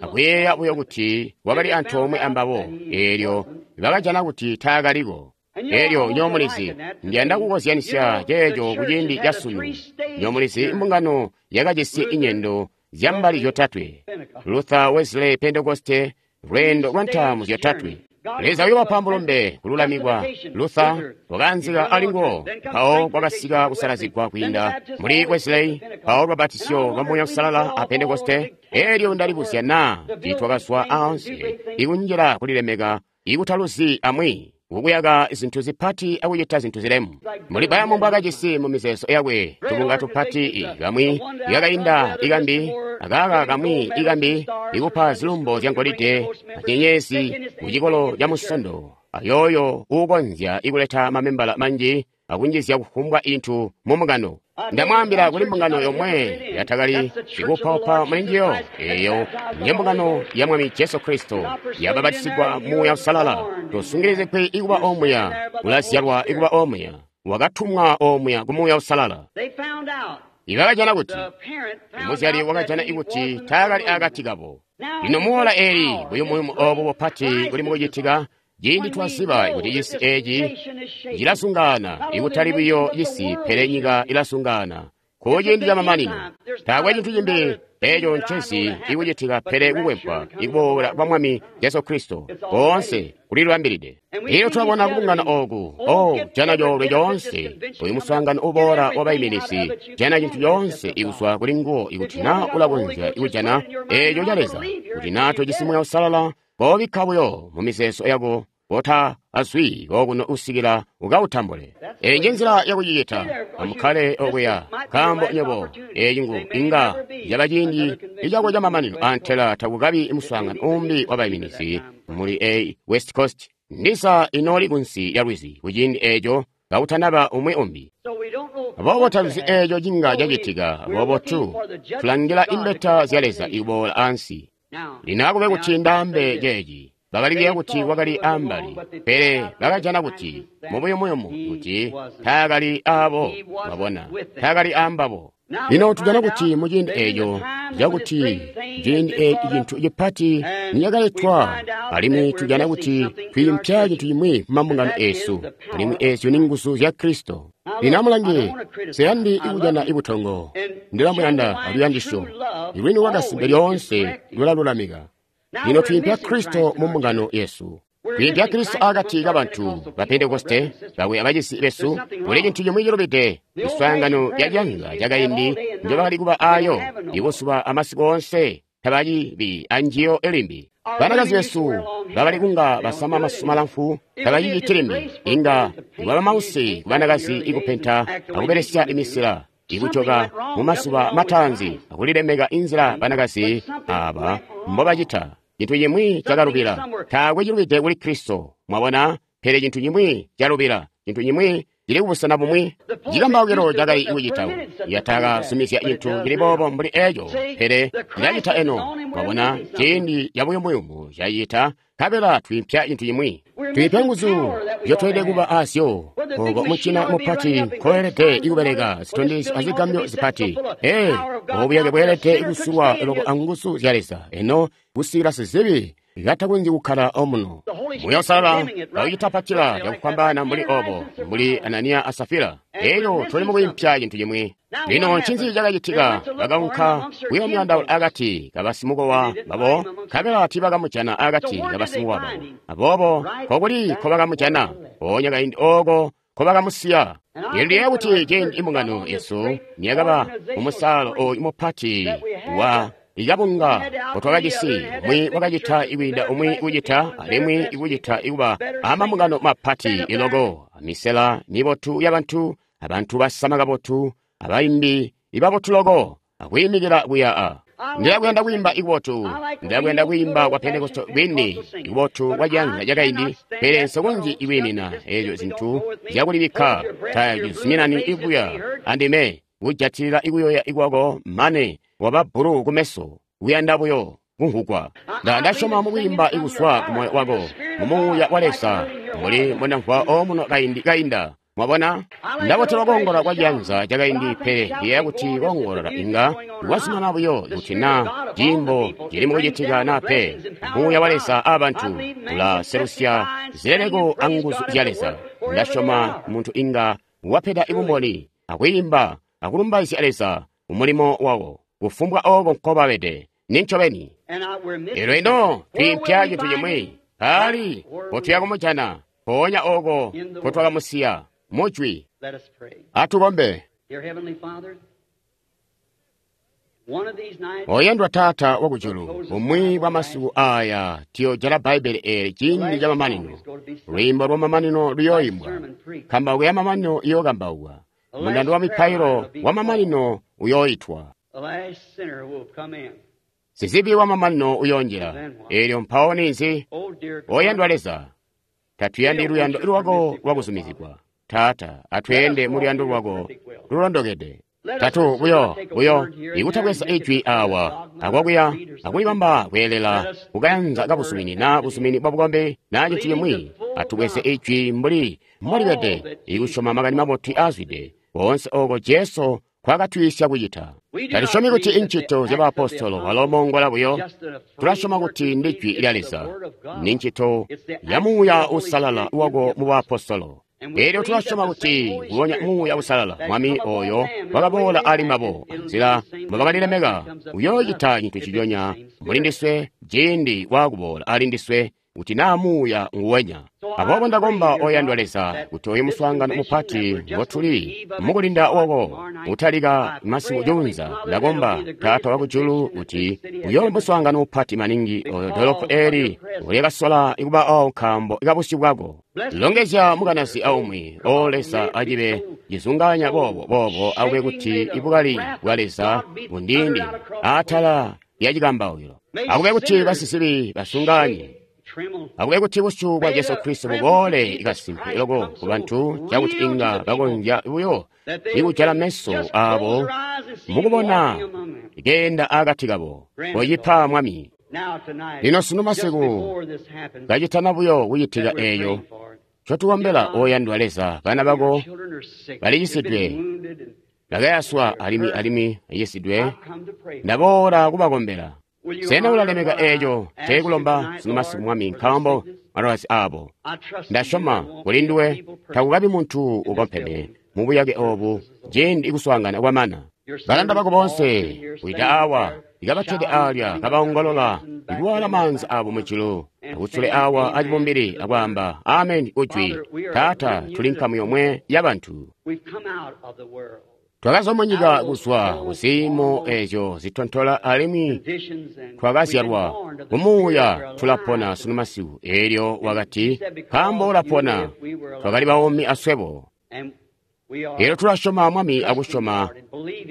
akuyeeya buyo kuti wakali antoomwe ambabo. Eelyo bakajana kuti taakaliko. Eelyo nyomulizi, ndiyanda kukozyanisya ceeco kuciindi ca sunu. Nyomulizi, imbungano yakajisi inyendo zyambali zyotatwe: Luther, Wesley, Pentekoste, lweendo lwa ntaamu zyotatwe. Leza uyobapa mulumbe kululamikwa. Luther wakaanzika ali nguwo, mpawo kwakasika kusalazigwa kwiinda muli Wesley, mpawo lubapatizyo lwa Muuya Uusalala a Pentekoste. Elyo ndalibuzya naa tiitwakazwa aansi ikunjila kulilemeka ikutaluzi amwi kukuyaka zintu zipati akucita zintu zilemu. Muli Balamu mbwakajisi mu mizeezo yakwe tubunga tupati kamwi ikakainda ikambi akaka kamwi ikambi ikupa zilumbo zya ngolide anyenyezi mu cikolo ca musondo ayooyo uukonzya ikuleta mamembala manji akunjizya kufumbwa intu mu mbungano. Ndamwaambila kuli mbungano yomwe yatakali ikuupaupa muli njiyo, eeyo nye mbungano ya Mwami Jesu Kristo yabapatisigwa Muuya Uusalala. Tosungilizigwi ikuba omuya, ulazyalwa ikuba omuya, wakatumwa omuya ku Muuya Uusalala. Ibakajana kuti muzyali wakajana ikuti taakali akati kabo. Lino muwola eeli buyumuyumu oobu bupati buli mukucitika. Ciindi twaziba kuti cisi eeci cilasungaana, ikutali buyo cisi pele nyika ilasungaana. Kuciindi camamanino, taakwe cintu cimbi eeco ncezi ikucitika pele kukwempwa ikuboola kwa Mwami Jesu Kristo koonse kulilibambilide. Elyo tulabona kubungana ooku, oh, jana coolwe coonse, uyu muswaangano uboola wabaiminizi, jana cintu coonse ikuzwa kuli nguwo ikuti naa ulakonzya ikujana eeco ca Leza, kuti naa tojisi Muuya Uusalala, kobikka buyo mu mizeezo yako kota azwi kokuno usikila ukautambule. Eyi nje nzila yakucicita. Amukkale okuya, nkaambo nywebo eyi ngu inga yaba ciindi icako camamanino antela takukabi muswaangano umbi wabaiminizi muli eyi West Coast. Ndiza inooli kunsi ya lwizi kuciindi eeco kakutanaba umwi umbi. Aboobo taluzi eeco cinga cacitika, aboobo tu tulangila imbeta zya Leza ikuboola ansi. Lino akube kuti ndaambe ceeci. Bakali kuti wakali ambali, pele bakajana kuti mubuyumuyumu kuti taakali aabo, mwabona, taakali aambabo. Lino tujana kuti muciindi eeco cakuti ciindi eeci cintu cipati nicakaletwa, alimwi tujana kuti twiimpya cintu cimwi kumambungano eesu, alimwi eezyo ni nguzu zya Kristo. Lino amulange, nseyandi ikujana ibutongo, ndilamuyanda aluyandisyo, ilwini lwakasimpe lyoonse lulalulamika. Lino twiimpya Kristo mu mbungano yesu. Twiimpya Kristo akati kabantu ba Pentekoste bakwe abacisi besu. Kuli cintu cimwi cilubide, miswaangano ya ciyanza cakaindi njobakali kuba aayo ibuzuba amasiku oonse tabacibi anjiyo limbi. Banakazi besu bakali kunga basama masusu malamfu tabaciciti limbi. Inga kwaba mause kubanakazi ikupenta akubelesya imisila ikujoka mumazuba mataanzi akulilemeka inzila banakazi aaba mbobacita. Cintu cimwi cakalubila. Taakwe cilubide kuli Kristo, mwabona, pele cintu cimwi calubila, cintu cimwi cili kubusena bumwi. Cikambaukilo cakali kucita yatakazumizya cintu cili boobo mbuli eeco, pele cilacita eno, mwabona, ciindi cabuyumuyumu cacita, nkabela twiimpya cintu cimwi. Twiimpya nguzu nzyotweelede kuba azyo, ooko mucina mupati nkoelede ikubeleka zitondezyo azigambyo zipati. Ee, obuyake bweelede kusulwa loko anguzu zya Leza, eno kusikila sizibi katakonzyi kukkala omuno. Muuya Uusalala kaucitapatila cakufwambaana mbuli obo, mbuli Ananiya a Safira. Elyo tuli mukwiimpya cintu cimwi. Lino ncinzi cakacitika? Bakaunka kuyoomyandaula akati kabasimukowa babo, nkabela tiibakamujana akati kabasimukowa babo. Aboobo nkokuli nkobakamujana, mpoonya kaindi ooko nkobakamusiya. Lino ndiyeeya kuti ciindi imbungano yesu niyakaba mumusaalo ooyu mupati wa ikabunga kotwakajisi, umwi wakacita ikwiinda umwi kucita, alimwi ikucita ikuba amambungano mapati iloko, amisela mibotu yabantu, abantu basama kabotu, abaimbi ibabotu loko, akwiimikila kuya a. Ndilakuyanda kwiimba ikubotu, ndilakuyanda kwiimba kwa Pentekoste kwini ikubotu kwa ciyanza cakaindi, pele nsikonzyi ikwiimina eezyo zintu zyakulibikka tacizuminani ikuya andime kujatilila ikuyoya ikwako mane waba bbulu kumeso, kuyanda buyo kumvugwa. Ndasyoma mukwiimba ikuzwa kumoyo wako mumuuya wa Leza, mbuli mbondamvwa omuno kaindi kainda. Mwabona, ndabotelwa koongola kwa ciyanza cakaindi, pele ndiyeeya kuti koongolola inga kwazumana buyo kuti naa ciimbo cili mukucitika naa pe. Muuya wa Leza aabantu ulaselusya zileleko anguzu zya Leza. Ndasyoma muntu inga wapeda ibumboni akwiimba akulumbaizya Leza mumulimo wawo kufumbwa ooko nkobabede. Nincobeni. Elyo ino twiimpya cintu cimwi. Mpaali mpotuya kumujana? Mpoonya oko mpotwakamusiya, mujwi. Atukombe. Oyandwa Taata wakujulu, bumwi bwa masiku aya tuyojala Bbaibbele eeli ciindi camamanino. Lwiimbo lwamamanino luyooimbwa, kambauko yamamanino iyookambaukwa, mundando wa mipailo wamamanino uyooitwa, sizibi wamamanino uyoonjila. Eelyo mpawo ninzi? Oyandwa Leza, tatuyandi luyando lwako lwakuzumizigwa. Taata, atweende mu luyando lwako lulondokede. Tatu buyo buyo ikutabweza ijwi awa akwakuya akulibamba kweelela kukayanza kabuzumini na buzumini bwa bukombi na cintu cimwi. Atubweze ijwi mbuli mbolibede, ikusyoma makani mabotu aazwide koonse oko Jesu kwakatwiisya kucita. Tatusyomi kuti incito zya baapostolo balomongola buyo. Tulasyoma kuti ndi jwi lya Leza, ni ncito ya Muuya Uusalala wako mu baapostolo. Elyo tulasyoma kuti nguwonya Muuya Uusalala Mwami oyo wakaboola ali mbabo nzila mbobakalilemeka uyoocita cintu nciconya muli ndiswe ciindi waakuboola ali ndiswe, kuti naa Muuya nguwenya. Aboobo ndakomba, oyandwa Leza, kuti oyu muswaangano mupati ngotuli mukulinda woko utalika masiku juunza, ndakomba Taata wakujulu kuti uyobe muswaangano mupati maningi oyo dolopo eli ulyakasola ikuba awo nkaambo kabusyu bwako. Longezya mukanazi aumwi, o Leza, acibe cizunganya boobo boobo akube kuti ibukali bwa Leza bundindi atala lya cikambaukilo. Akube kuti basisibi basunganye. Akube kuti busyu bwa Jesu Kristo buboole kasimpe loko ku bantu cakuti inga bakonzya buyo ikujala meso abo mukubona keenda akati kabo. Kocipa, Mwami. Lino sunu masiku kacitana buyo kucitika eeyo ncotukombela, oyandwa Leza, bana bako balicisidwe, bakayaswa alimwi alimwi acisidwe. Ndaboola kubakombela. Sena ulalemeka eeco ncekulomba sunu masiku, Mwami, nkaambo malwazi aabo? Ndasyoma kuli nduwe takukabi muntu ukompeme mubuyake obu ciindi kuswaangana kwamana. Balanda bako boonse kuita awa ikabakkede aalya kabaongolola ikuwaala maanza abo mujulu akutsule awa acibumbili akwaamba ameni ujwi. Taata, tuli nkamu yomwe ya bantu. Twakazwa munyika kuzwa kuziimo ezyo zitontola alimwi twakazyalwa mumuuya, tulapona sunu masiku. Eelyo wakati, nkaambo ulapona, twakali baumi aswebo. Eelyo tulasyoma, Mwami, akusyoma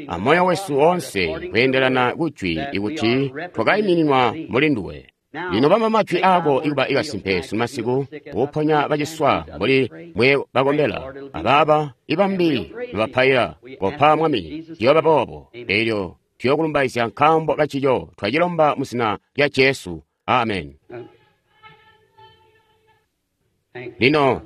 amoyo wesu woonse kweendelana kujwi ikuti twakaimininwa muli nduwe. Lino bamba majwi aako ikuba ikasimpe sunu masiku, kuponya baciswa mbuli mwe bakombela, abaaba ibambi bapaila. Kopa, Mwami, ciyooba boobo. Eelyo tuyokulumbaizya nkaambo kancico twacilomba mu zina lya Jesu. Amen. Lino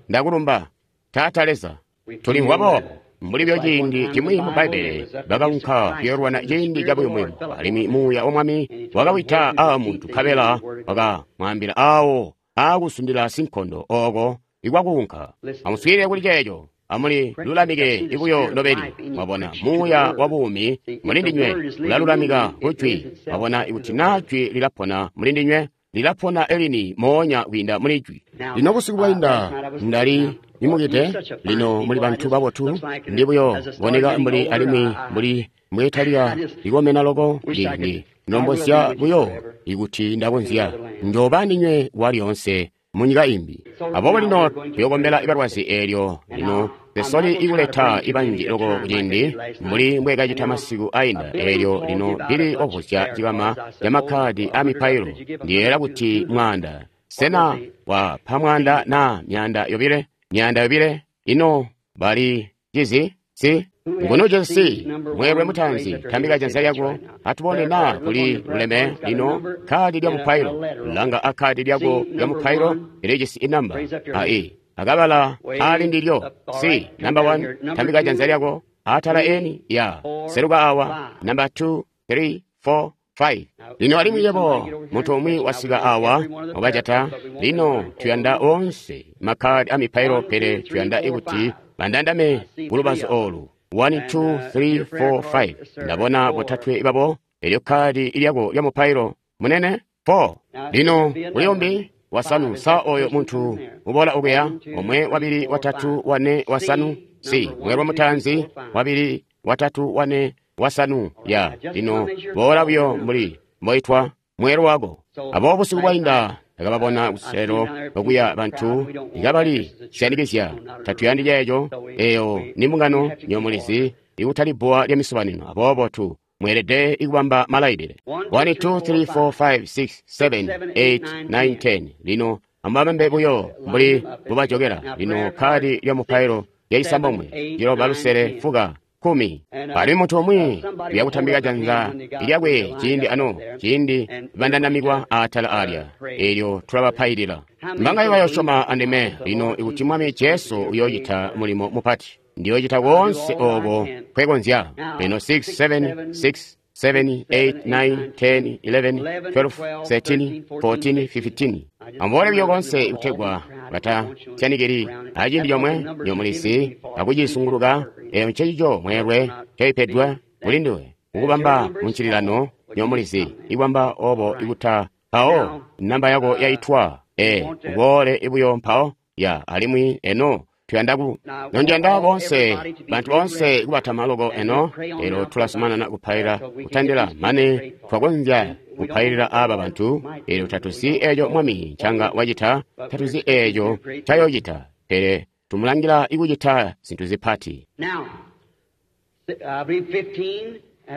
ndakulumba, Taata Leza. Tulimvwa boobo mbuli byo ciindi cimwi mu Bbaibbele bakaunka kuyoolwana ciindi cabuyumuyumu, alimwi Muuya wa Mwami wakawita aa muntu nkabela wakamwaambila aawo aakusundila sinkondo ooko ikwakuunka. Amuswiilile kuli ceeco, amuli lulamike ibuyo nobeni. Mwabona, Muuya wa buumi muli ndinywe ulalulamika kujwi. Mwabona, ikuti naa jwi lilapona muli ndinywe, lilapona elini moonya kwiinda muli jwi. Lino busiku bwainda ndali nimukite. Lino muli bantu babotu, ndi buyo boneka mbuli alimwi mbuli mbwetalika likomena loko. Ndi ndombozya buyo ikuti ndakonzya njoba ndinywe walyoonse munyika imbi. Aboobo lino tuyokombela ibalwazi eelyo lino sesoli ikuleta ibanji loko kuciindi mbuli mbwekacita masiku ainda. Eelyo lino ndili wavuzya cikama ca makkadi a mipailo. Ndiyeeyela kuti mwaanda. Sena wapa mwaanda na myaanda yobile? Myaanda yobile? Ino bali cizi? Si? Ngunu jesi mweelwe mutaanzi, tambika janza lyako atubone naa kuli luleme. Lino kadi lya mupailo, langa akadi lyako lya mupailo ilijisi inamba ai akabala ali ndilyo. Si namba one, tambika janza lyako atala eni ya seluka awa namba two, three, four, five. Lino alimwi yebo muntu umwi wasika awa wakajata. Lino tuyanda onse makkadi a mipailo, pele tuyanda ikuti bandandame kulubazu olu. one, two, three, four, five. Ndabona botatwe babo. Elyo kadi lyako lya mupailo munene four. Lino kuli umbi wasanu. Sa oyo muntu uboola okuya? Omwe, wabili, watatu, wane, wasanu. Si mweelwe mutaanzi, wabili, watatu, wane, wasanu. Ya lino boola buyo mbuli mboitwa mweelwe wako. Aboobo busiku bwainda ndakababona kuselelo okuya bantu ikabali syanikizya. Tatuyandi ceeco. Eyo ni mbungano nyomulizi ikutali bbuwa lya misobanino. Aboobo tu mweelede ikubamba malailile. one two three four five six seven eight nine ten. Lino amubabambe buyo mbuli mbubajokera. Lino kadi lya mupailo lyacisambomwe, ciloba, lusele, fuka, kumi. Alimwi muntu umwi uyakutambika janza lyakwe ciindi ano, ciindi bandandamikwa atala alya, eelyo tulabapailila. Mbangaye bayosyoma andime lino ikuti Mwami Jesu uyoocita mulimo mupati? Ndiyoocita koonse ooko nkwekonzya. Lino six seven six seven eight nine ten eleven twelve thirteen fourteen fifteen. Amuboole buyo koonse kutegwa batasyanikili aciindi comwe nyomulizi akucisunguluka. Eyo ncencico mweelwe ncoipedwe kulinduwe kukubamba muncililano nyomulizi ikubamba obo ikuta mpawo namba yako yaitwa. E uboole buyo mpawo ya alimwi eno tuyanda ku nondiyanda boonse bantu boonse kubatama loko eno. Elo tulazumanana kupaila kutandila mane twakonzya kupailila aba bantu. Elyo tatuzi eeco Mwami ncanga wacita, tatuzi eeco ncayoocita, pele tumulangila ikucita zintu zipati.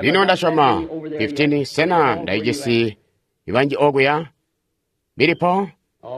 Lino ndasyoma fifteen. Sena ndaijisi ibanji okuya bilipo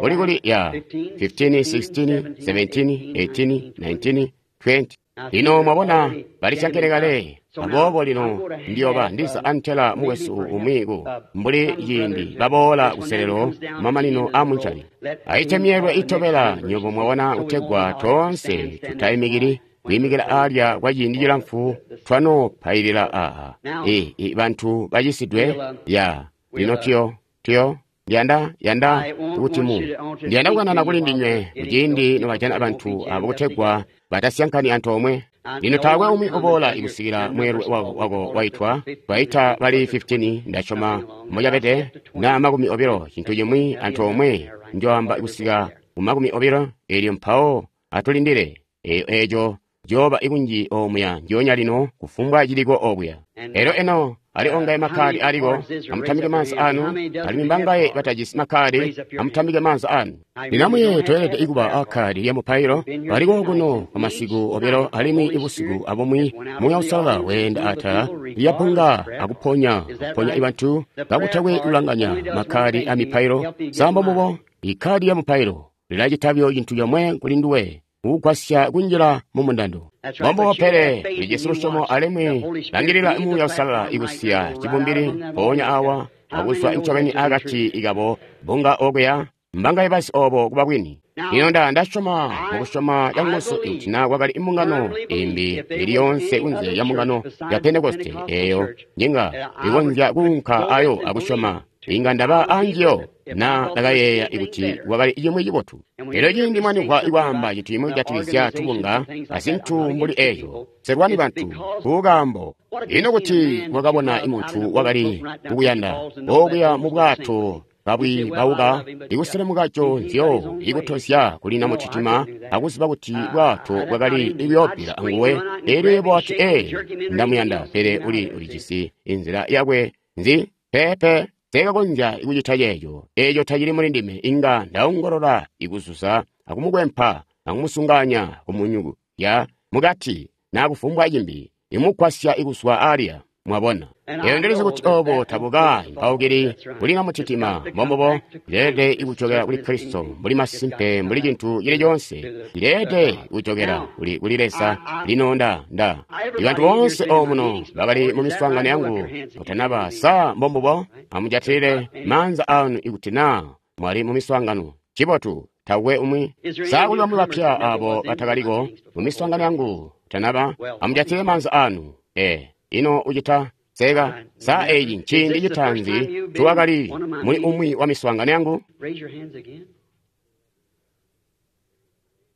uli kuli ya fifteen sixteen seventeen eighteen nineteen twenty. Lino mwabona balisyankene kale. Aboobo lino ndiyoba ndiza antela mukwesu umwi ku mbuli ciindi baboola kuselelo mamanino a muncali. Aite myeelwe itobela nyobo mwabona kutegwa toonse tutaimikili kwiimikila alya kwa ciindi cilamfu twanopailila aa e, e, bantu bacisidwe ya lino tuyo tuyo ndiyanda yanda kuti mu ndiyanda kukanana kuli ndinywe kuciindi nobajana bantu abo kutegwa batasyankani antoomwe. Lino taakwe umwi uboola ikusikila mweelwe wako, wako waitwa. Twaita bali fifteen ndasyoma mocabede na makumi obilo cintu cimwi antoomwe njoamba kusika ku makumi obilo. Elyo mpawo atulindile eyo eco jooba ikunji omuya njoonya lino kufumbwa ciliko okuya. Elyo eno ali ongaye makkadi aliko, amutambike maanza anu. Alimwi mbangaye batajisi makkadi, amutambike maanza anu. Lino amuye toyelede ikuba akkadi lya mupailo. Baliko kuno kwa masiku obilo alimwi ibusiku abumwi Muuya Uusalala weenda atala lyapunga akuponya kuponya ibantu kakutakwe kulanganya makkadi a mipailo. Sambo mubo ikkadi ya mupailo lilacita buyo cintu comwe kuli nduwe, kugwasya kunjila mu mundando. Mbombo pele lijisi lusyomo alimwi langilila Muuya Uusalala ikusiya cibumbili mpoonya awa akuzwa ncobeni akati ikabo bunga okuya mbangaye basi obo kuba bwini. Lino nda ndasyoma mukusyoma canguzu kuti na kwakali imbungano imbi ili yonse kunze ya mbungano ya Pentekoste eyo nyinga ikonzya kuunka ayo akusyoma inga ndaba anjiyo na ndakayeeya ikuti kwakali cimwi cibotu. Elyo ciindi mwanimvwa ikwaamba cintu cimwi kujatikizya tubunga azintu mbuli eeyo, selwani bantu kukaambo. Ino kuti mwakabona imuntu wakali kukuyanda okuya mu bwato kabwi bauka ikuselemuka conzyo ikutozya kuli namutitima akuziba kuti bwato bwakali ibyoopila anguwe. Elyo yebo wati, ee, ndamuyanda, pele uli ulijisi inzila yakwe nzi pepe sekakonzya kucita ceeco. Eeco tacili muli ndime. Inga ndaongolola ikuzuza akumukwempa akumusunganya kumunyuku ya mukati na kufumbwa cimbi imugwasya ikuzwa alya. Mwabona, eyo ndilizi kuti obo tabuka mpaukili kuli namutitima. Mbombobo ileelede ikujokera kuli Kristo mbuli masimpe mbuli cintu cili conse ileelede kujokera kuli kuli Leza. Lino nda nda ibantu boonse omuno bakali mu miswaangano yangu kutanaba sa mbombobo amujatilile maanza anu ikuti na mwali mu miswaangano. Cibotu tawe umwi sa kuli bamwi bapya abo batakaliko mu miswaangano yangu kutanaba amujatilile maanza anu. E ino ucita seka sa eyi nciindi citanzi tuwakali muli umwi wa miswaangano yangu.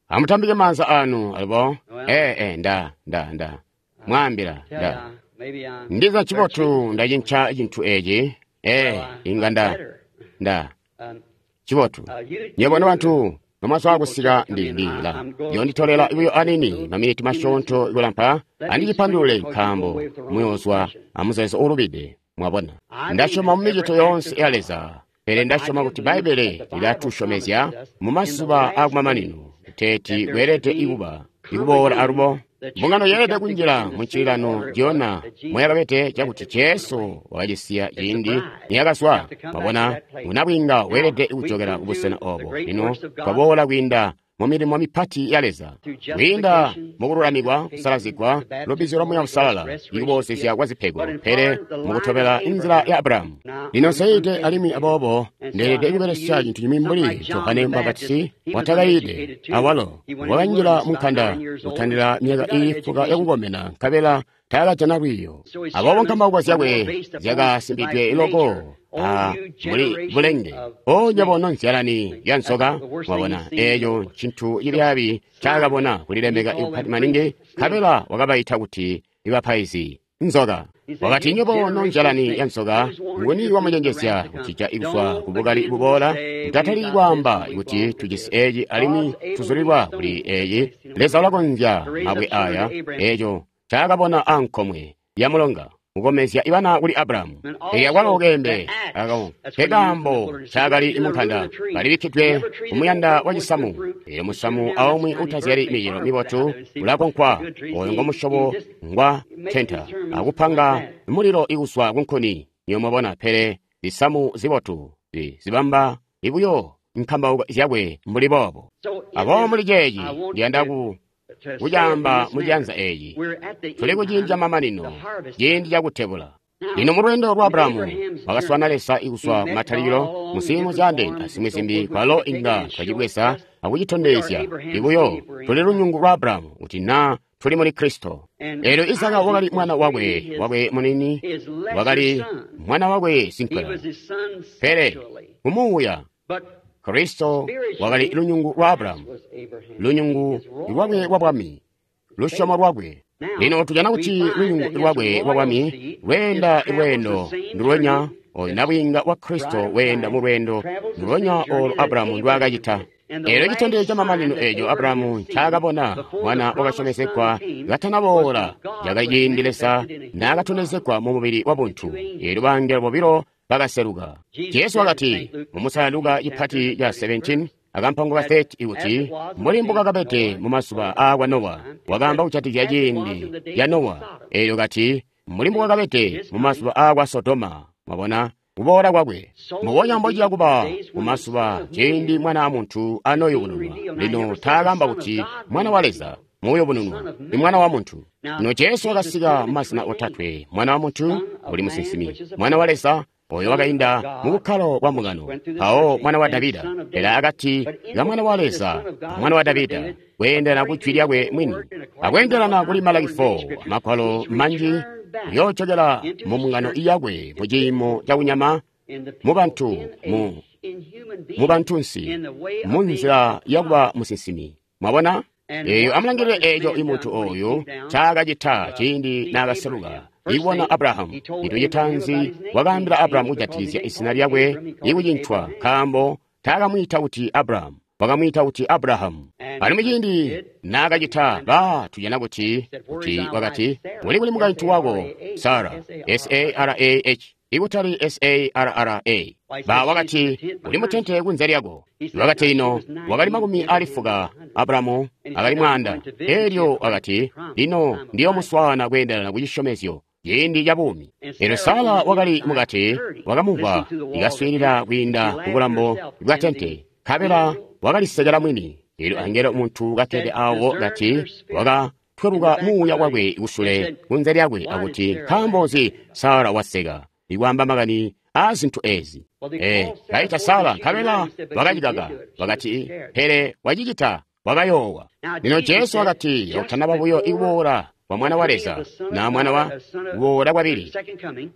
Amutambike maanza anu alibo. E e nda nda nda mwambila nda ndiza cibotu ndacinca cintu eci. E inga nda nda Cibotu. Nywebo nobantu nomwazwa kusika ndi ndila yonditolela buyo anini maminiti masyoonto kulampa andicipandulule nkaambo muyozwa amuzeezo uulubide. Mwabona, ndasyoma mu micito yoonse ya Leza, pele ndasyoma kuti Bbaibbele lilatusyomezya mu mazuba aakumamanino kuteeti kweelede ikuba ikuboola alubo. Mbungano yeelede kunjila muncililano jona moyakabede cakuti Jesu wakacisiya ciindi niyakazwa. Mwabona, unabwinga weelede kujokela kubusena obo. Lino twaboola kwiinda mu milimo mipati ya Leza, kwiinda mukululamikwa, kusalazigwa, lubbizyo lwa Muuya Uusalala, ikuboozezya kwa zipego, pele mukutobela inzila ya Abrahamu. Lino nseide alimwi aboobo ndeelede kubelesya cintu cimwi mbuli Johane Mubapatizi watakayiide awalo wakanjila munkanda kutandila myaka iili fuka yakukomena nkabela taakajana lwiiyo. Aboobo nkambauko zyakwe zyakasimbidwe loko a muli bulenge. O nywebo nonzyalani ya nzoka, mwabona eeco ncintu cibyaabi ncaakabona kulilemeka ikupati maningi, nkabela wakabaita kuti ibapaizi nzoka. Wakati, nywebo nonzyalani ya nzoka, nguni wamucenjezya kutija kuzwa kubukali buboola? Mutatali kwaamba kuti tujisi eeci alimwi tuzulilwa kuli eeci. Leza ulakonzya mabwe aya, eeco ncaakabona ankomwe ya mulonga, kukomezya ibana kuli Abrahamu. Pele akwalo keembe ako nkekaambo ncaakali munkanda, kalibikkidwe kumuyanda wacisamu. Eelyo musamu aumwi utazyali micelo mibotu ulakonkwa, oyo ngomusyobo ngwa tenta akupanga mulilo ikuzwa kunkuni. Niyo mwabona, pele zisamu zibotu zibamba ibuyo nkambauko zyakwe mbuli boobo. Aboobo muli ceeci ndiyanda ku kucaamba muciyanza eeci, tuli kuciindi camamanino, ciindi cakutebula. Lino mulweendo lwa Abrahamu wakaswana Leza ikuzwa kumatalikilo muziimo zyaandeene azimwi zimbi, kwalo inga twacibweza akucitondezya ibuyo tuli lunyungu lwa Abrahamu kuti naa tuli muli Kristo. Eelyo Isaka wakali mwana wakwe wakwe munini, wakali mwana wakwe sinkwela, pele kumuuya Kristo wakali lunyungu lwa Abrahamu, lunyungu lwakwe lwa bwami, lusyomo lwakwe. Lino tujana kuti lunyungu lwakwe lwa bwami lweenda lweendo ndulwenya oyo nabwiinga wa Kristo weenda mu lweendo ndulwenya olo Abrahamu ndwaakacita. Eelyo citondezyo camamanino eeco Abrahamu ncaakabona mwana wakasyomezegwa katanaboola cakali ciindi Leza naakatondezegwa mu mubili wabuntu. Eelyo bangelo bobilo bakaseluka. Jesu wakati mumusala Luka cipati ca seventeen akampango ka thirty kuti mbuli mbukakabede mu mazuba aakwa Nowa, wakaamba kujatikizya ciindi ya Nowa. Eelyo kati mbuli mbukakabede mu mazuba aakwa Sodoma, mwabona kuboola kwakwe. Mbubonya mbociya kuba mu mazuba ciindi Mwana wa Muntu anoyubununwa. Lino taakamba kuti Mwana wa Leza muyubununwa, ni Mwana wa Muntu. Lino Jesu wakasika mu mazina otatwe: Mwana wa Muntu uli musinsimi, Mwana wa Leza oyo wakainda mu bukkalo bwa mbungano, mpawo Mwana wa Davida. Pele akati ka Mwana wa Leza Mwana wa Davida kweendelana ku jwi lyakwe mwini, akweendelana kuli Malaki four, magwalo manji kuyoocokela mu mbungano yakwe mu ciimo cakunyama, mu bantu mu mu bantunsi, mu nzila yakuba musinsimi. Mwabona? Eeyo amulangilile eeco imuntu oyu ncaakacita ciindi naakaseluka ikubona Abrahamu. Cintu citaanzi wakaambila Abrahamu kujatikizya izina lyakwe ikucincwa, nkaambo taakamwiita kuti Abrahamu, wakamwiita kuti Abrahamu. Alimwi ciindi naakacita, ba tujana kuti kuti wakati uli kuli mukaintu wako Sara, S A R A H, ikutali S A R R A. Ba wakati uli mutente kunze lyako. Wakati ino wakali makumi ali fuka, Abrahamu akali mwaanda. Eelyo wakati lino ndiyomuswaana kweendelana ku cisyomezyo ciindi ca buumi. Eelyo Sara wakali mukati wakamumvwa ikaswiilila kwiinda ku bulambo bwa tente, nkabela wakalisekela mwini. Eelyo angelo muntu kakkede awo kati wakatweluka muuya wakwe kusule kunze lyakwe akuti nkaambo nzi Sara waseka ikwaamba makani aa zintu ezi. Eh, kaita Sara nkabela wakacikaka, wakati pele wacicita, wakayoowa. Lino Jesu wakati utanaba buyo ikuboola kwa Mwana wa Leza na mwana wa kuboola kwabili,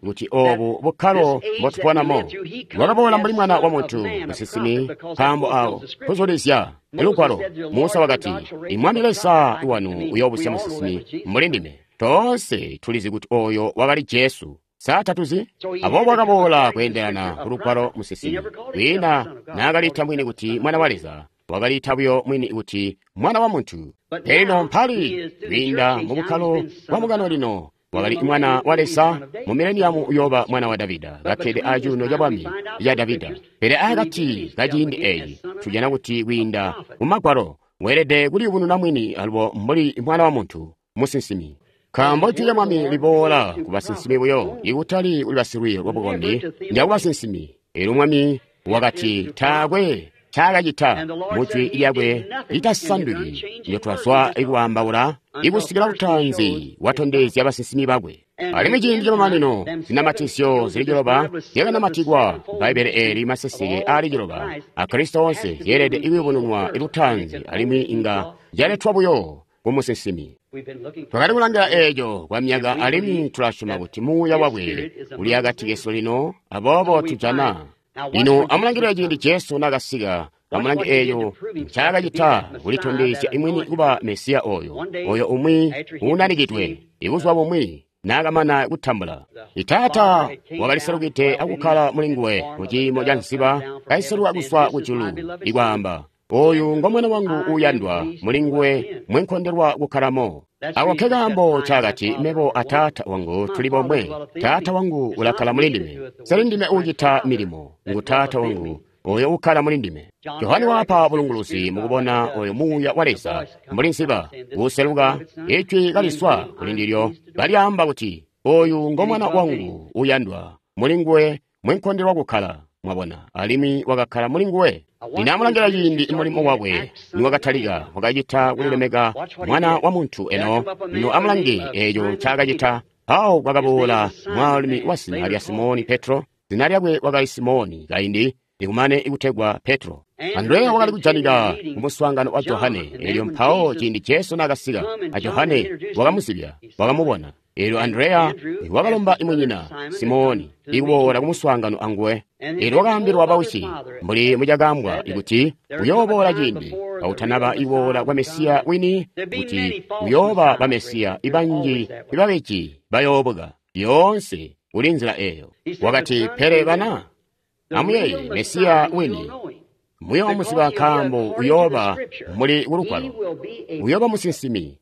kuti obu bukkalo mbotubonamo wakaboola mbuli Mwana wa Muntu, musinsimi, nkaambo awo kuzulizya lugwalo. Musa wakati Imwami Leza wanu uyoobusya musinsimi mbuli ndime. Toonse tulizi kuti oyo wakali Jesu. Sa tatuzi? Aboobo wakaboola kweendelana ku lugwalo musinsimi. Kwiina naakaliita mwini kuti mwana wa Leza, wakaliita buyo mwini kuti mwana wa muntu. Pele lino mpali kwiinda mu bukkalo bwa mukano lino wakali mwana wa Leza, mu mileniamu uyooba mwana wa Davida, kakkede acuuno ca bwami ca Davida. Pele akati ka ciindi eeci tujana kuti kwiinda mu Magwalo weelede kuliyubununa mwini alubo mbuli mwana wa muntu, musinsimi. Nkaambo jwi lya Mwami liboola ku basinsimi buyo, ikutali kuli basilwiiyo lwabukombi, ndya ku basinsimi. Eelyo Mwami wakati taakwe ncaakacita mu jwi lyakwe litasanduki ndyo twazwa ikwaambaula ikusikila lutaanzi watondezya basinsimi bakwe. Alimwi ciindi camamanino zinamatizyo zili ciloba zyakanamatikwa Bbaibbele eeli maseseke aali ciloba a Kristo onse zyeelede ikuyubununwa lutaanzi alimwi inga zyaletwa buyo ku musinsimi. Twakali kulangila eeco kwa myaka alimwi tulasyoma kuti muuya wakwe uli akati kesu lino, aboobo tujana. Lino amulangilile ciindi Jesu naakasika, amulange eeco ncaakacita kulitondezya imwini kuba Mesiya oyo, oyo umwi uunanikidwe, ibuzuba bumwi naakamana kutambula. Taata wakaliselukide akukkala mulinguwe muciimo ca nziba kaiseluka kuzwa kujulu, ikwaamba, oyu ngo mwana wangu uuyandwa, mulinguwe mwenkondelwa kukkalamo. Ako nkekaambo ncaakati, mebo a Taata wangu tuli bomwe. Taata wangu ulakkala mulindime. Seli ndime uucita milimo, ngu Taata wangu oyo ukkala mulindime. Johane wapa bulunguluzi mukubona oyo muuya wa Leza mbuli nziba uuseluka, ijwi kaliswa kulindilyo kalyaamba kuti, oyu ngo mwana wangu uuyandwa, mulinguwe mwenkondelwa kukkala. Mwabona, alimwi wakakkala mulinguwe. Lino amulangila ciindi mulimo wakwe niwakatalika, wakacita kulilemeka mwana wa muntu eno. Lino amulange eeco ncaakacita. Mpawo kwakaboola mwaalumi wa zina lya Simoni Petro, zina lyakwe wakali Simoni kaindi likumane ikutegwa Petro. Andreya wakali kujanika kumuswaangano wa Johane, eelyo mpawo ciindi Jesu naakasika, a Johane wakamuzibya, wakamubona. Eelyo Andreya wakalomba imunyina Simoni ikuboola kumuswaangano anguwe. Eelyo wakaambilwa bausyi mbuli mucakaambwa ikuti uyooboola ciindi kautanaba iboola kwa Mesiya wini, kuti uyooba ba Mesiya ibanji ibabeji bayoobuka. Yoonse uli nzila eeyo. Wakati, pele bana, amuyeeye Mesiya wini muyoomuziba nkaambo uyooba muli kulugwalo, uyooba musinsimi.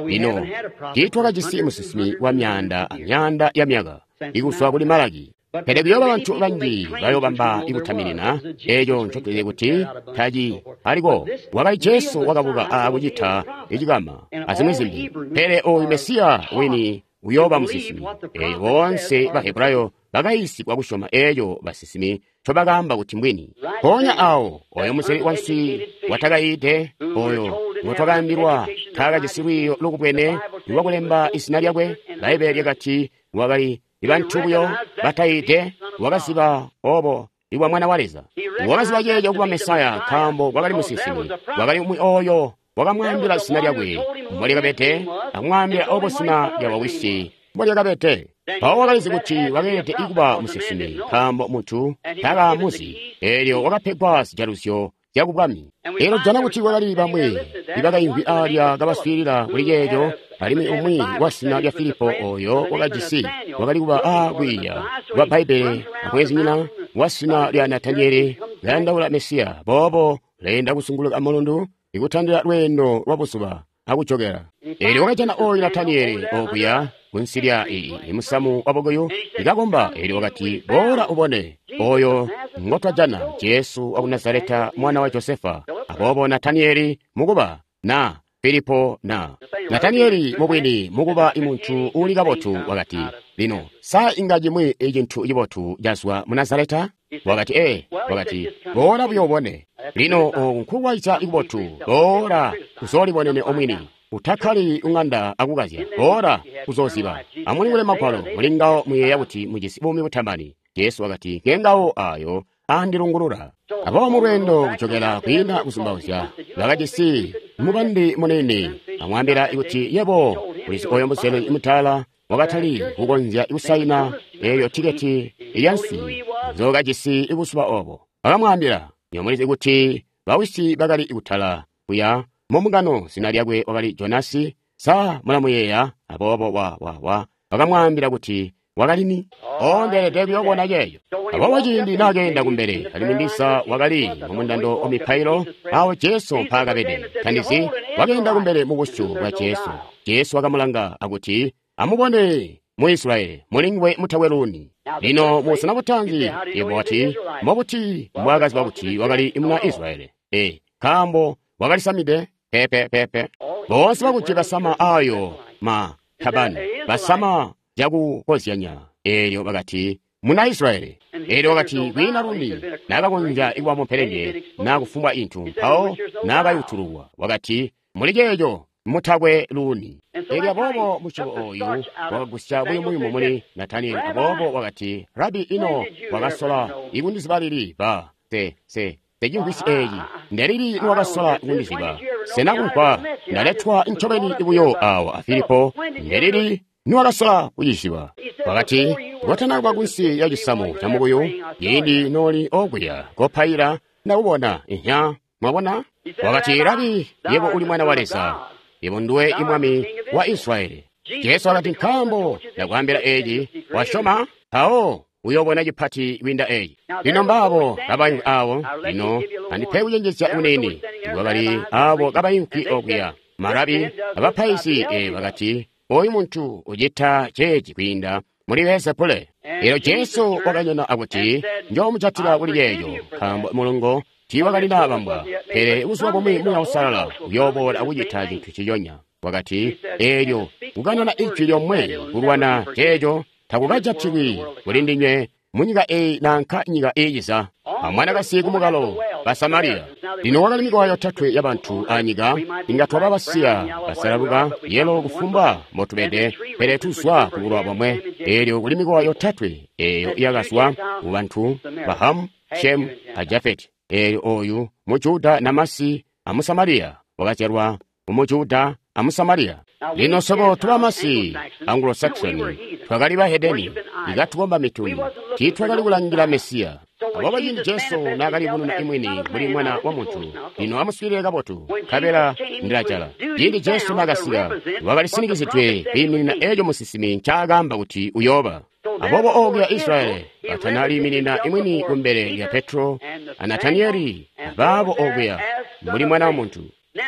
Lino tiitwakajisi musinsimi wa myaanda amyaanda ya myaka ikuzwa kuli Malaki. Pele kuyooba bantu banji bayoobamba ikutaminina eeco ncotuzyi kuti taci aliko. Wakali Jesu wakabuka akucita icikama azimwi zimbi. Pele oyu Mesiya wini uyooba musinsimi. Eelyo boonse Bahebrayo bakayiisigwa kusyoma eeco basinsimi ncobakaamba kuti mbwini. Mpoonya awo oyo muzeli wanswi watakayiide, oyo ngotwakaambilwa taakajisi lwiiyo lukubwene lwakulemba izina lyakwe, Bbaibbele lyakati wakali ibantu buyo batayiide, wakaziba obo ibwa mwana wa Leza. Wakaziba ceeco kuba Mesaya nkaambo kwakali musinsimi, wakali umwi oyo wakamwaambila zina lyakwe mbolyakabede, akumwaambila obo zina lya wawisi mbolyakabede. Mpawo wakalizi kuti wakeelede kuba musinsimi nkaambo muntu taakamuzi, eelyo wakapegwa zijaluzyo zyakubwami. Eelyo tujana kuti kwakali bamwi ibakaimvwi aalya kabaswiilila kuli ceeco, alimwi umwi wa zina lya Filipo oyo wakajisi wakali kuba aakwiiya kwa Bbaibbele amweenzinyina wa zina lya Natanieli kayandaula Mesiya. Boobo leenda kuzunguluka mulundu ikutandila lweendo lwa buzuba akujokela. Eelyo wakajana oyu Natanieli okuya kunsi lya musamu wa bukuyu ikakomba. Eelyo wakati, boola ubone oyo ngotwajana, Jesu wa ku Nazareta mwana wa Josefa. Aboobo Natanieli mukuba na Filipo na Natanieli mubwini mukuba imuntu uuli kabotu wakati, lino sa inga cimwi icintu cibotu cazwa mu Nazareta? Wakati, ee. Wakati, boola buyo ubone. Lino oku nkukulwaizya ikubotu, boola uzoolibonene omwini. Utakkali ung'anda akukazya, boola uzooziba. Amulingule Magwalo, mulingawo muyeeya kuti mujisi buumi butamani. Jesu wakati, ngengawo ayo andilungulula. Aboobo mulweendo kujokela kwiinda kuzumbauzya, bakajisi mubandi munene. Amwaambila kuti, yebo ulizi oyo muzeli mutala wakatali kukonzya kusaina eeyo tiketi yanswi nzookajisi buzuba obo. Akamwaambila, nyomulizi kuti bawisi bakali kutala kuya mumungano, zina lyakwe wakali Jonasi. Sa mulamuyeeya? Aboobo wa wa wa wakamwaambila kuti Wakali ni? O, ndeelede kuyobona ceeco. Aboobo ciindi naakeenda kumbele, alimwi ndiza wakali mumundando wa mipailo awo Jesu mpaakabede. Tandizi, wakeenda kumbele mu busyu bwa Jesu. Jesu wakamulanga akuti, amubone mu Israyeli, mulinguwe mutakwe luuni. Lino musana butanzi, yebo wati, mbobuti mbwaakaziba kuti wakali muna Israyeli? E, nkaambo wakalisamide pepe pepe. Boonse bakuti basama ayo ma tabani, basama cakukozyanya. Eelyo bakati, muna Israyeli. Eelyo wakati, kwiina luuni naakakonzya kuba mupelenge naa kufumbwa intu. Mpawo naakayutululwa, wakati, muli ceeco mutakwe luuni. Eelyo aboobo musyobo oyu wakagusya buyumuyumu muli Nataniyeli. Aboobo wakati, Rabi, ino wakasola ikundiziba lili? Ba se se secimvwisi eeci ndelili niwakasola kundiziba? Sena kumvwa ndaletwa ncobeni buyo awa a Filipo? Ndelili niwakasola kuciziba? Wakati, kotana kunsi ya cisamu ca mukuyu, ciindi nooli okuya kopaila ndakubona. Inya, mwabona? Wakati, Rabi, yebo uli mwana wa Leza, yebo nduwe imwami wa Israyeli. Jesu wakati, nkaambo ndakwaambila eeci, wasyoma? Mpawo uyobona cipati kwiinda eeci. Lino mbaabo kabayimvwi awo. Lino andipe kucenjezya kunini. Kwakali aabo kabayimvwi okuya, marabi abapaizi, e bakati, oyu muntu ucita ceeci kwiinda muli Beelzebule. Eelyo Jesu wakanyona akuti, njoomujatila kuli ceeco, nkaambo mulungo tiiwakali naabambwa, pele buzuba bumwi Muuya Uusalala uyooboola akucita cintu ciyonya. Wakati, eelyo kukanana ijwi lyomwe kulwana ceeco takukajatilwi kuli ndinywe munyika eyi nanka nyika iiciza. Amwanakasi kumukalo ba Samariya. Lino wakali mikowa yotatwe yabantu anyika, inga twaba basiya, basalaluka, yelo kufumbwa mbotubede, pele tuzwa kubulowa bomwe. Eelyo kuli mikowa yotatwe eeyo yakazwa kubantu ba Hamu, Shemu a Jafeti. Eelyo oyu mu Juda namasi amu Samariya wakazyalwa mu Juda amu Samariya. Lino swebo tubamasi Anglo-Saxon twakali bahedeni, ikatukomba mituni, tiitwakali kulangila Mesiya. Aboobo ciindi Jesu naakalibununa imwini mbuli mwana wa muntu, lino amuswiilile kabotu, nkabela ndilajala. Ciindi Jesu naakasika, wakalisinikizidwe kwiiminina eeco musinsimi ncaakaamba kuti uyooba. Aboobo okuya Israyeli batanaliiminina imwini kumbele lya Petro a Nataniyeli abaabo okuya mbuli mwana wa muntu.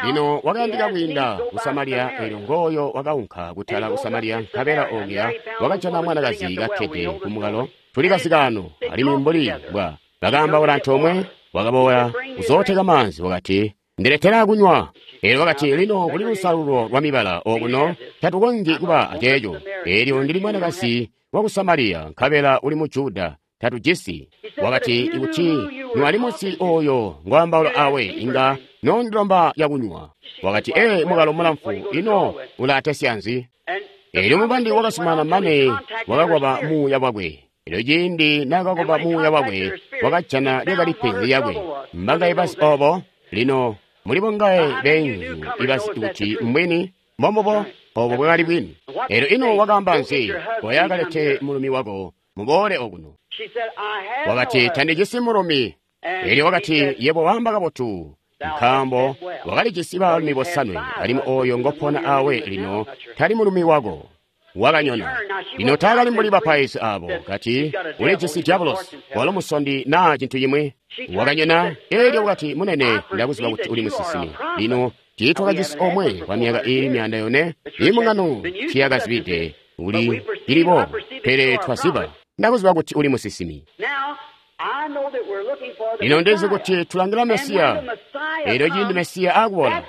Lino wakayandika kwiinda ku Samariya. Eelyo ngooyo wakaunka kutala ku Samariya, nkabela okuya wakajana mwanakazi kakkede kumukalo. Tuli kasikaano, alimwi mbuli bwa bakaambaula antoomwe, wakaboola kuzooteka maanzi. Wakati, ndiletera kunywa. Eelyo wakati, lino kuli lusalululo lwa mibala okuno, tatukonzyi kuba aceeco. Eelyo ndili mwanakazi waku Samariya, nkabela uli mu Juda, tatujisi. Wakati, ikuti niwali munsi oyo ngwaambaula awe, inga nondilomba yakunywa. Wakati, ee, mukalo mulamfu, ino ulatesya nzi? Eelyo mubandi wakasumana mane wakakwaba muuya wakwe. Eelyo ciindi naakakwaba muuya wakwe, wakajana lyakali penzi lyakwe. Mbangaye bazi obo? Lino muli bongaye beenzu ibazi kuti mbwini? Mbombubo, obo bwakali bwini. Eelyo ino wakaamba nzi? Koya kalete mulumi wako, muboole okuno. Wakati, tandijisi mulumi. Eelyo wakati, yebo waamba kabotu, nkaambo wakalijisi baalumi bosanwe, alimwi oyo ngopona awe lino tali mulumi wako. Wakanyona. Lino taakali mbuli bapaizi abo, kati, ulijisi diabolosi, walo musondi naa cintu cimwi. Wakanyona. Eelyo wakati, munene, ndakuziba kuti uli musinsimi. Lino tiitwakajisi omwe kwa myaka iili myaanda yone, imbungano tiyakazibide uli ilibo, pele twaziba. Ndakuziba kuti uli musinsimi. Lino ndizi kuti tulangila Mesiya. Eelyo ciindi Mesiya akuboola,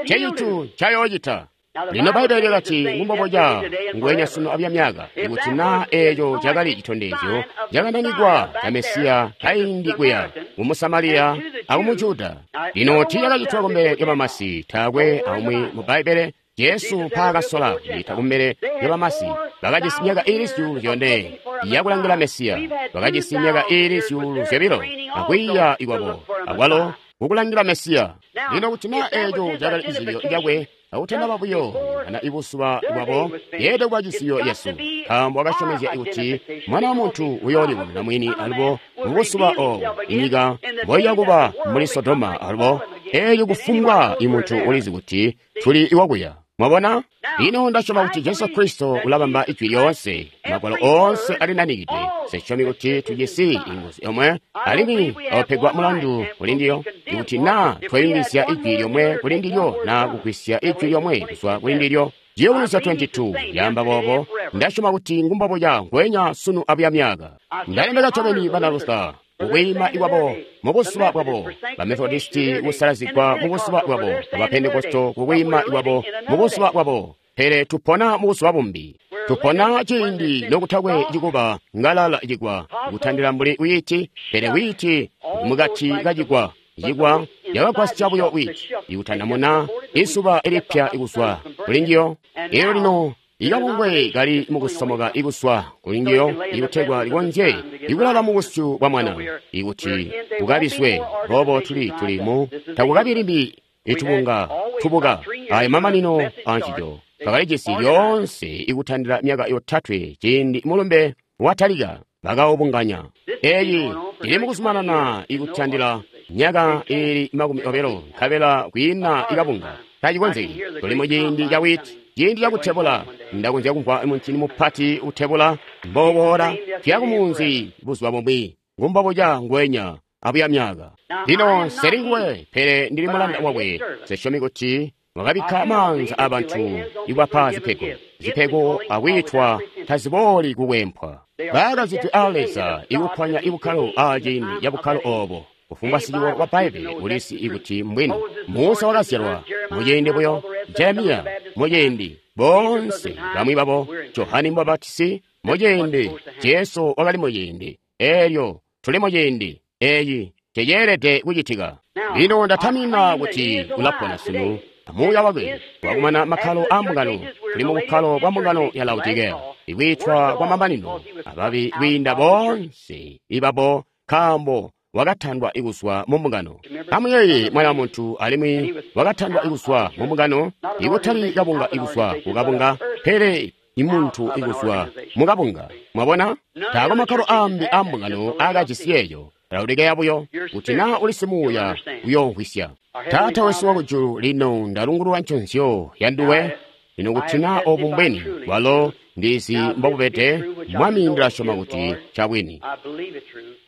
ncecintu ncayoocita. Lino Bbaibbele lyakati ngumboboca nguwenya sunu abya myaka, ikuti naa eeco cakali citondezyo cakananikwa ca Mesiya kaindi kuya mu Musamariya aku mu Juda. Lino tiicakacitwa kumbele lya bamasi, taakwe aumwi mu Bbaibbele Jesu mpaakasola kucita kumbele lya bamasi. Bakajisi myaka iili zyuulu zyone yakulangila Mesiya, bakajisi myaka iili zyuulu zyobilo akwiiya ikwabo akwalo kukulangila Mesiya. Lino kuti naa eeco cakali cizibyo cakwe, akutanaba buyo kana ibuzuba bwabo, yeelede kuba cizibyo yesu, nkaambo wakasyomezya kuti Mwana wa Muntu uyoolibonena mwini alubo mubuzuba oobo inyika mboiyakuba mbuli Sodoma alubo. Eelyo kufumbwa imuntu ulizi kuti tuli iwakuya. Mwabona? Lino ndasyoma kuti Jesu Kristo ulabamba ijwi lyoonse, magwalo oonse alinanikidwe. Sisyomi kuti tujisi inguzu yomwe, alimwi awapegwa mulandu kuli ndilyo, ikuti naa twayungizya ijwi lyomwe kuli ndilyo naa kugwisya ijwi lyomwe kuzwa kuli ndilyo. Ciyubunuzyo twenty-two yaamba boobo. Ndasyoma kuti ngumbobuya ngweenya sunu abuya myaka. Ndalemeka ncobeni bana Luther kukwiima ikwabo mubuzuba bwabo, ba Methodisti kusalazigwa mubuzuba bwabo, ba Pentekosto kukwiima ikwabo mubuzuba bwabo. Pele tupona mubuzuba bumbi. Tupona ciindi nokutakwe cikuba ngalala cigwa kutandila mbuli wiiti, pele wiiti mukati kacigwa. Cigwa yakagwasya buyo wiiti ikutanamuna isuba ilipya ikuzwa kuli njiyo. Elyo lino ikabungwe kali mukusomoka ikuswa kuli njiyo ikutegwa likonzye ikulala mubusyu bwa mwana ikuti kukabiswe. Boobo tuli tuli mu takukabi limbi itubunga tubuka ayo mamanino ancico. Twakalijisi lyoonse ikutandila myaka yotatwe ciindi mulumbe watalika bakawubunganya. Eyi ili mukuzumanana ikutandila myaka ili makumi obilo nkabela kwiina ikabunga tacikonzeki. Tuli muciindi ca wiiti, ciindi cakutebula. Ndakonzya kumvwa muncini mupati utebula mboboola tuya kumunzi buzuba bumwi ngumbobuca ngwenya abuya myaka. Lino nseli nguwe, pele ndili mulanda wakwe. Sisyomi kuti mwakabikka maanza abantu ikwapa zipego. Zipego akwiitwa tazibooli kukwempwa. Bakazidwe a Leza ikuphwanya ibukkalo a ciindi cabukkalo oobo. Kufumbwa siciwo wa Bbaibbele ulisi ikuti mbwini. Musa wakazyalwa muciindi buyo, Jeremiya muciindi, boonse bamwi babo, Johane Mubapatizi muciindi, Jesu wakali muciindi. Eelyo tuli muciindi eeci ceceelede kucitika. Lino ndatamina kuti ulapona sunu amuuya wakwe wakumana makkalo a mbungano. Tuli mubukkalo bwa mbungano ya Laodikea, ikwiitwa kwa mamanino ababi kwiinda boonse ibabo, nkaambo wakatandwa ikuzwa mu mbungano. Amuyeeye mwana wa muntu alimwi wakatandwa ikuzwa mu mbungano, ikutali kabunga ikuzwa kukabunga, pele imuntu ikuzwa mukabunga. Mwabona? Taako makkalo ambi a mbungano akajisi eeyo. Laodikea buyo, kuti naa uli simuuya uyoomvwisya. Taata wesu wakujulu, lino ndalungulula nconzyo yanduwe. Lino kuti naa obu mbwini, walo ndizi mbobubede, Mwami, ndilasyoma kuti ncabwini.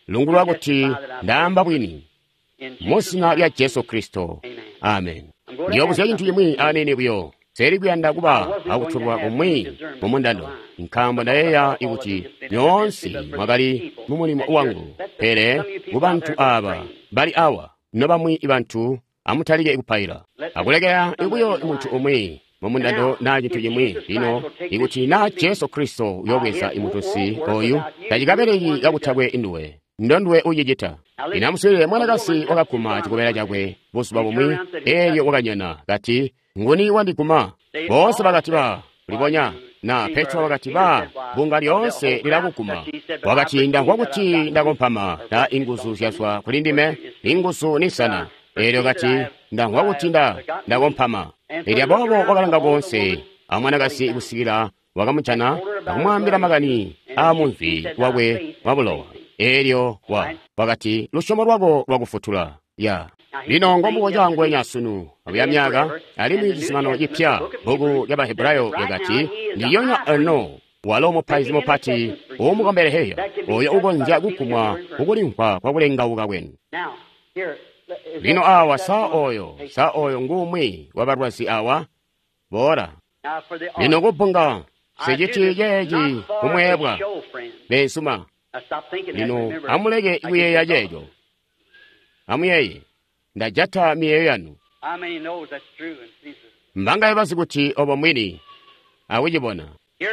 Lungulula kuti ndaamba bwini. Muzina lya Jesu Kristo. Amen. Ndiyobuzya cintu cimwi aniini buyo. Seli kuyanda kuba akutulwa kumwi mumundando, nkaambo ndayeeya ikuti nyoonse mwakali mumulimo wangu. Pele kubantu aaba bali awa, nobamwi bantu, amutalike kupaila akulekela ikuyo muntu umwi mumundando naa cintu cimwi. Lino ikuti naa Jesu Kristo uyobweza imutusi oyu, tacikabeleki kakutakwe induwe, ndonduwe ucicita. Lino amuswiilile mwanakasi wakaguma cikobela cakwe buzuba bumwi, eelyo wakanyona kati, nguni wandiguma? Boonse bakati ba kulibonya na Petro wakati ba bunga lyoonse lilakuguma. Wakati ndamvwa kuti ndakompama na inguzu zyazwa kuli ndime, inguzu nisana. Eelyo kati ndamvwa kuti nda ndakompama. Elya boobo wakalanga koonse amwanakasi kusikila wakamujana akumwaambila makani aamumvi wakwe wabulowa. Eelyo wa wakati lusyomo lwako lwakufutula. Ya lino ngombuboca ngwenya sunu abuya myaka, alimwi cizuminano cipya bbuku lya Bahebrayo lyakati ndiyonya eno walo mupaizi mupati uumukombeleheyo oyo ukonzya kugumwa kukulimvwa kwakulengauka kwenu. Lino awa sa oyo sa oyo ngumwi wabalwazi awa boola. Lino kubbunga siciti ceeci kumweebwa beensuma. Lino amuleke kuyeeya ceeco. Amuyeeye, ndajata miyeeyo yanu. Mbangaye bazi kuti obo mwini akucibona.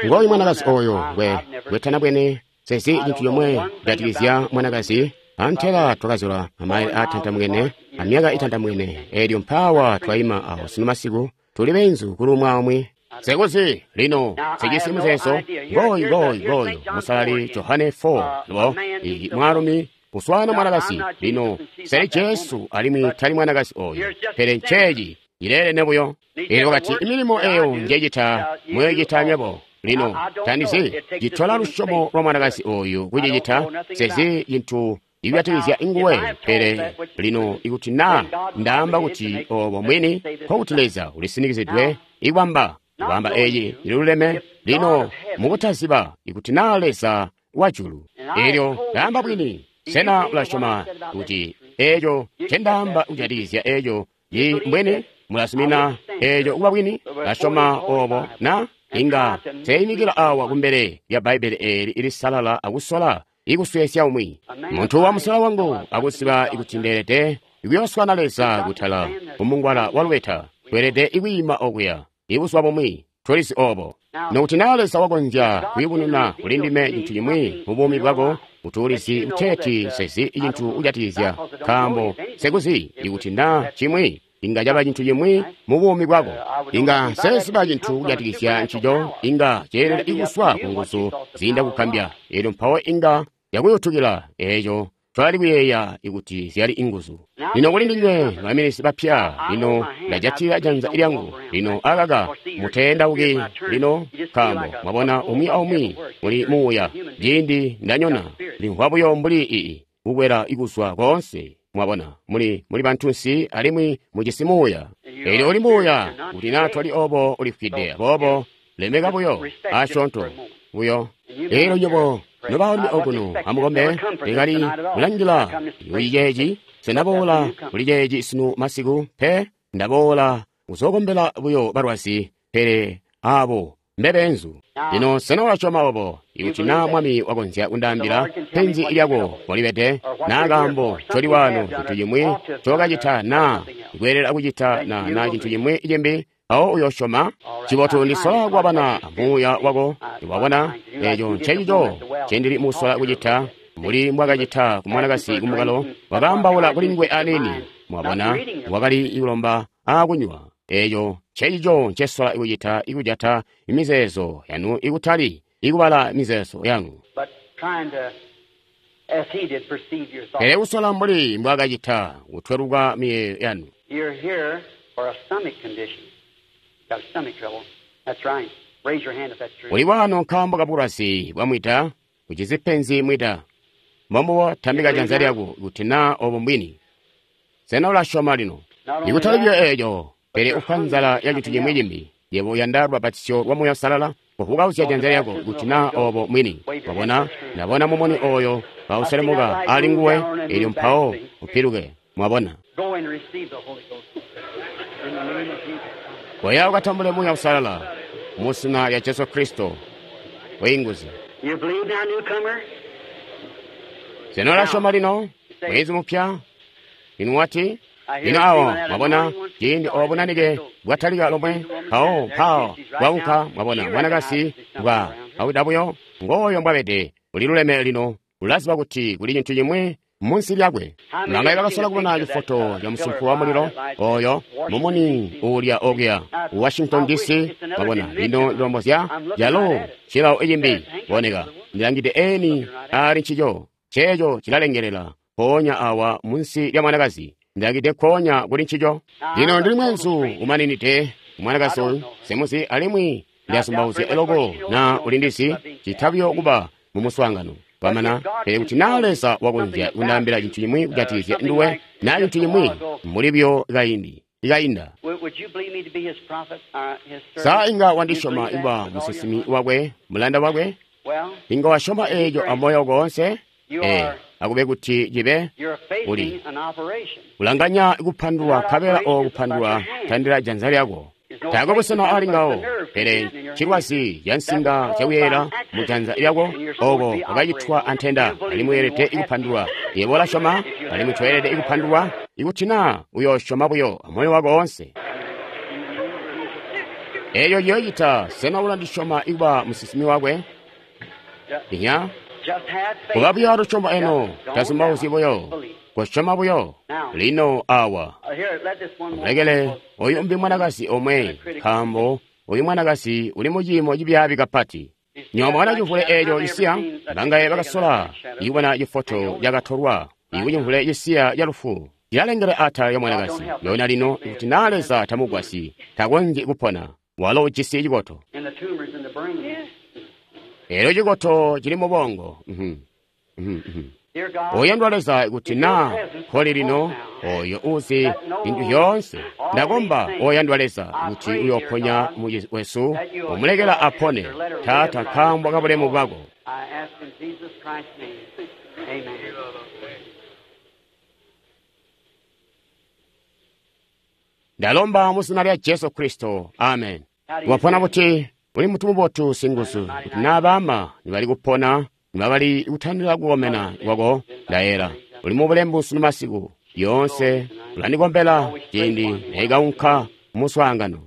Ngooyu mwanakazi oyo ngwe ngwetana bwene sezi cintu comwe kujatikizya mwanakazi. Antela twakazula amaile aatantamukene amyaka itantamukene, eelyo mpaawa twayima awo sinu masiku tuli beenzu kuli umwi aumwi. Sekuzi lino sijisi muzeezo. Ngooyu ngooyu ngooyu musalali Johane four lo iyi mwaalumi kuswana mwanakazi. Lino seli Jesu alimwi tali mwanakazi oyo, pele nceeci ileelene buyo. Eelyo wakati imilimo eyo njecita muyoicita nywebo. Lino tandizi citola lusyomo lwa mwanakazi oyu kucicita, sezi cintu ikujatikizya nguwe. Pele lino ikuti naa ndaamba kuti obo mwini, nkokuti Leza ulisinikizidwe ikwamba kwamba eyi iluleme. Lino mukutaziba ikuti naa Leza wajulu, elyo ndaamba bwini, sena ulasyoma kuti eeco ncendaamba kujatikizya eeco yi mbwini? Mulazumina eeco kuba bwini? Lasyoma obo na? Inga teimikila awa kumbele lya Bbaibbele eeli ilisalala akusola ikusweesya umwi muntu wa musela wangu akuziba ikuti ndeelede ikuyooswana Leza kutala kumungwala wa lubeta. Tweelede ikwiima okuya ibuzuba bumwi, tulizi obo. Nokuti naa Leza wakonzya kuyubununa kuli ndime cintu cimwi mu buumi bwako, kuti ulizi kuteeti sezi cintu kujatikizya, nkaambo sekuzi ikuti naa cimwi inga caba cintu cimwi mu buumi bwako, inga seziba cintu kujatikizya ncico, inga ceelede ikuswa ku nguzu ziinda kukambya, elyo mpawo inga yakuyutukila eeco twali kuyeeya ikuti zyali inguzu. Lino kuli ndinywe baminisi bapya, lino ndajatila janza lyangu. Lino akaka muteendauki lino, nkaambo mwabona umwi aumwi uli muuya. Ciindi ndanyona limvwa buyo mbuli ii kukwela ikuzwa koonse. Mwabona muli muli bantunsi alimwi mujisi muuya. Elyo uli muuya kuti naa twali obo ulifwide, aboobo lemeka buyo asyoonto buyo. Elyo nyobo nobaalumi okuno amukombe, ndikali kulangila kuli ceeci. Sendaboola kuli ceeci sunu masiku pe, ndaboola kuzookombela buyo balwazi, pele abo mbebeenzu. Lino sena ulasyoma obo? Ikuti naa Mwami wakonzya kundaambila penzi lyako kolibede, naa kaambo ncoli waano, cintu cimwi ncokacita naa kweelela kucita na naa cintu cimwi cimbi, mpawo uyosyoma. Cibotu ndisola kuwabana muuya wako. Wabona, eeco ncencico ncendili musola kucita, mbuli mbwakacita ku mwanakazi kumukalo, wakaambaula kuli nguwe aniini. Mwabona, wakali kulomba akunywa. Eeco ncencico ncesola kucita, ikujata mizeezo yanu ikutali ikubala mizeezo yangu, pele kusola mbuli mbwakacita kutweluka miyeeyo yanu. Uli waano nkaambo kabulwazi bwa mwida, ucizi penzi mwida. Mbombubo, tambika janza lyako kuti naa obo mbwini. Sena ulasyoma lino? Ikutali buyo eeco, pele ufwa nzala ya cintu cimwi cimbi. Yebo uyanda lubapatizyo lwa Muuya Uusalala, kuvukauzya janza lyako kuti naa obo mwini. Wabona, ndabona mumuni oyo kauselemuka ali nguwe, elyo mpawo upiluke. Mwabona, koya ukatambule Muuya Uusalala mu zina lya Jesu Kristo. Bwiinguzi. Sena ulasyoma lino, mwezi mupya? Inu wati? Lino awo mwabona ciindi obo bunanike bwatalika lomwe, mpawo mpawo bwaunka. Mwabona mwanakazi bwa awida buyo, ngooyo mbwabede, uliluleme lino, ulaziba kuti kuli cintu cimwi munsi lyakwe. Bangaye bakasola kubona cifoto ca musumpu wa mulilo oyo mumuni uulya okuya Washington D C. Mwabona lino ndilombozya calo cilawo icimbi boneka ndilangide eni ali ncico, ceeco cilalengelela mpoonya awa munsi lya mwanakazi. Ndilangide nkoonya kuli ncico. Lino ndili mweenzu umaninide mwanakazi oyu semuzi, alimwi ndiyazumbauzya eloko na ulindizi citabyo kuba mu muswaangano kwamana. Pele kuti naa Leza wakonzya kundaambila cintu cimwi kujatikizya nduwe, naa cintu cimwi mbuli buyo kaindi ikainda, sa inga wandisyoma kuba musinsimi wakwe, mulanda wakwe? Inga wasyoma eeco amoyo wako woonse? Ee, akube kuti cibe uli kulanganya kupandulwa, nkabela oo kupandulwa tandila janza lyako. Taakwe busena ali ngawo, pele cilwazi ca nsinga zyakuyeyela mu janza lyako, oko kwakacitwa antenda, alimwi weelede kupandulwa. Yebo ulasyoma, alimwi toyelede kupandulwa, ikuti naa uyoosyoma buyo amoyo wako woonse. Eeco ciyoocita. Sena ulandisyoma kuba musinsimi wakwe? Inya? Kuba buyo alusyomo eno, tazumbauzyi buyo, kusyoma buyo. Lino awa amulekele oyu mbi mwanakazi omwe, nkaambo oyu mwanakazi uli mu ciimo cibyaabi kapati. Nywebo mwabona cimvule eeco cisiya? Bangaye bakasola ikubona cifoto cakatolwa ikucimvule cisiya ca lufu cilalengela atala lya mwanakazi. Yona lino ikuti naa Leza tamugwasyi, takonzyi kupona. Walo ujisi cikoto. Elyo cikoto cili mu bongo. Oyandwa Leza, kuti naa nkoli lino oyo uzi zintu zyoonse, ndakomba oyandwa Leza kuti uyoponya mucizi wesu, umulekela apone, Taata, nkaambo kabulemu bwako. Ndalomba mu zina lya Jesu Kristo, amen. Wapona buti? Uli mutu mubotu singuzu, kuti naa baama nibali kupona nibabali kutandila kukomena kwako, ndayela uli mubulembu sunu masiku yoonse ulandikombela ciindi neikaunka muswaangano.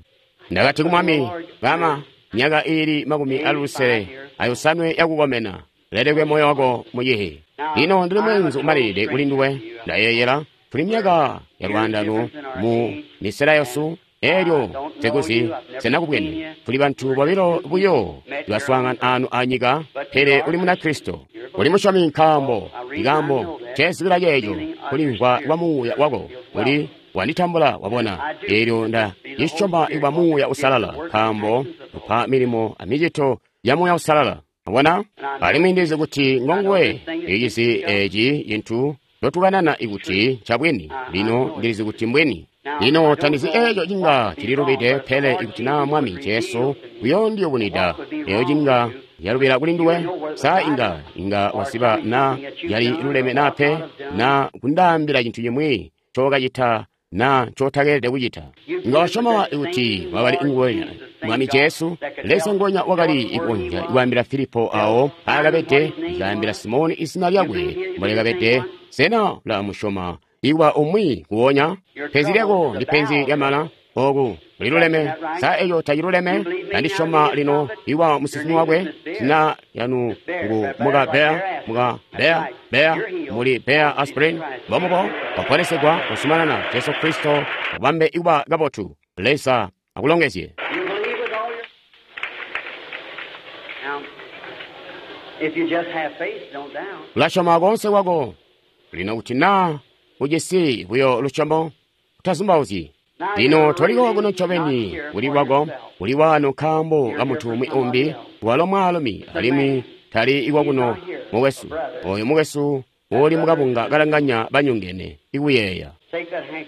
Ndakati ku Mwami, bama myaka iili makumi alusele ayosanwe yakukomena, lelekwe moyo wako mucihi. Lino ndili mweenzu umalilide kuli nduwe, ndayeeyela tuli myaka ya lwaandano mu misela yesu, elyo sekuzi senakubwene. Tuli bantu bobilo buyo baswaangana anu anyika, pele uli Munakristo, uli musyomi, nkaambo ikaambo cezibila ceeco kulimvwa kwa muuya wako uli wanditambula wabona. Elyo nda cisyoma ikwa Muuya Usalala, nkaambo upa milimo amicito ya Muuya Usalala. Wabona? Alimwi ndizi kuti ngonguwe icizi eci cintu ndotukanana ikuti ncabwini. Lino ndilizi kuti mbwini. Lino tandizi eco cinga cililubide, pele ikuti naa Mwami Jesu uyoondiyubunwida eyo cinga yalubila kuli nduwe, sa inga inga wasiba na yali luleme na pe, na kundaambila cintu cimwi ncokacita na ncotakeelede kucita. Inga wasyoma ikuti wakali nguwenya Mwami Jesu, Leza ngonya wakali ikonzya kwaambila Filipo awo aakabede, ikaambila Simoni izina lyakwe mbolekabede. Sena ulamusyoma iwa umwi kuwonya? Penzi lyako ndi penzi lyamala, oku liluleme. Sa eco taciluleme? Ndandisyoma lino iwa musinsimi wakwe, zina lyanu ngu muka Bea, muka Bea, Bea, muli Bea aspirin. Mbomubo waponesegwa kusumanana. Jesu Kristo akubambe ikuba kabotu. Leza akulongezye. Ulasyoma koonse kwako lino kuti naa ujisi buyo lusyomo, utazumbauzyi. Lino toliko kuno ncobeni kuli kwako, kuli wano nkaambo ka muntu umwi umbi, walo mwaalumi, alimwi tali ikwakuno mukwesu. Oyo mukwesu uli mukabunga kalanganya banyongene ikuyeeya.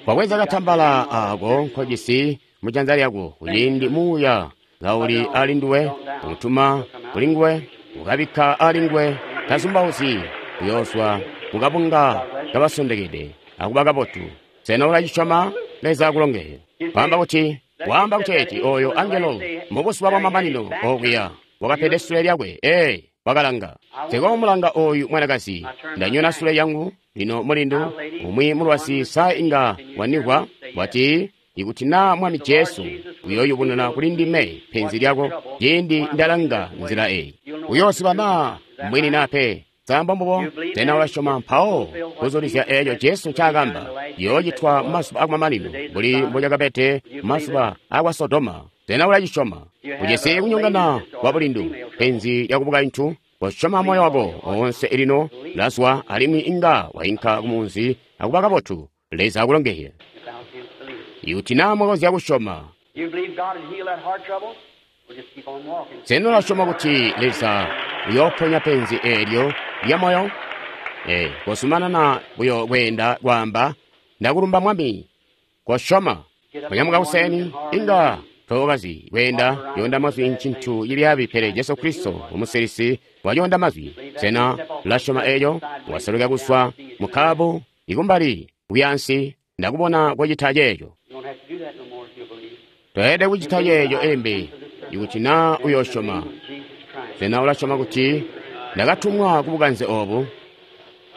Wabweza katambala ako nkojisi mujanza lyako, kuciindi muuya kauli ali nduwe, utuma kuli nguwe, ukabikka ali nguwe, tazumbauzyi, uyoozwa mukabunga kabasondekede akuba kabotu. Sena ulacisyoma? Leza akulongeze. Waamba kuti, waamba kuteeti oyo angelo mubuzuba bwamamanino okuya wakapede sule lyakwe. Ee, wakalanga. Nsikomulanga oyu mwanakazi. Ndanyona sule yangu. Lino mulindu umwi mulwazi sa inga wanigwa wati, ikuti naa Mwami Jesu uyoyubununa kuli ndime penzi lyako ciindi ndalanga nzila eyi, uyoosiba naa mbwini naa pe. Samba mbubo? Sena ulasyoma mpawo kuzulizya eeco Jesu ncaakamba yoocitwa mumazuba akumamanino mbuli mbocakabede mumazuba akwa Sodoma? Sena ulacisyoma? Ujisi kunyongana kwa bulindu, penzi lyakubukaintu. Kosyoma moyo wako oonse lino lazwa, alimwi inga wainka kumunzi akuba kabotu. Leza akulongezye. Ikuti naa mwakonzya kusyoma. Sena ulasyoma kuti Leza uyooponya penzi eelyo lya moyo? Ee, kozumanana buyo kweenda kwaamba, ndakulumba Mwami. Kosyoma. Kunyamuka kuseni, inga tookazi kweenda yoonda mazwi ncintu cibyaabi, pele Jesu Kristo umusilisi wayoonda mazwi. Sena ulasyoma eeco? Waseluka kuzwa mukaabu ikumbali kuyansi, ndakubona kocita ceeco. Toyelede kucita ceeco embi ikuti naa uyosyoma. Sena ulasyoma kuti ndakatumwa kubukanze obu?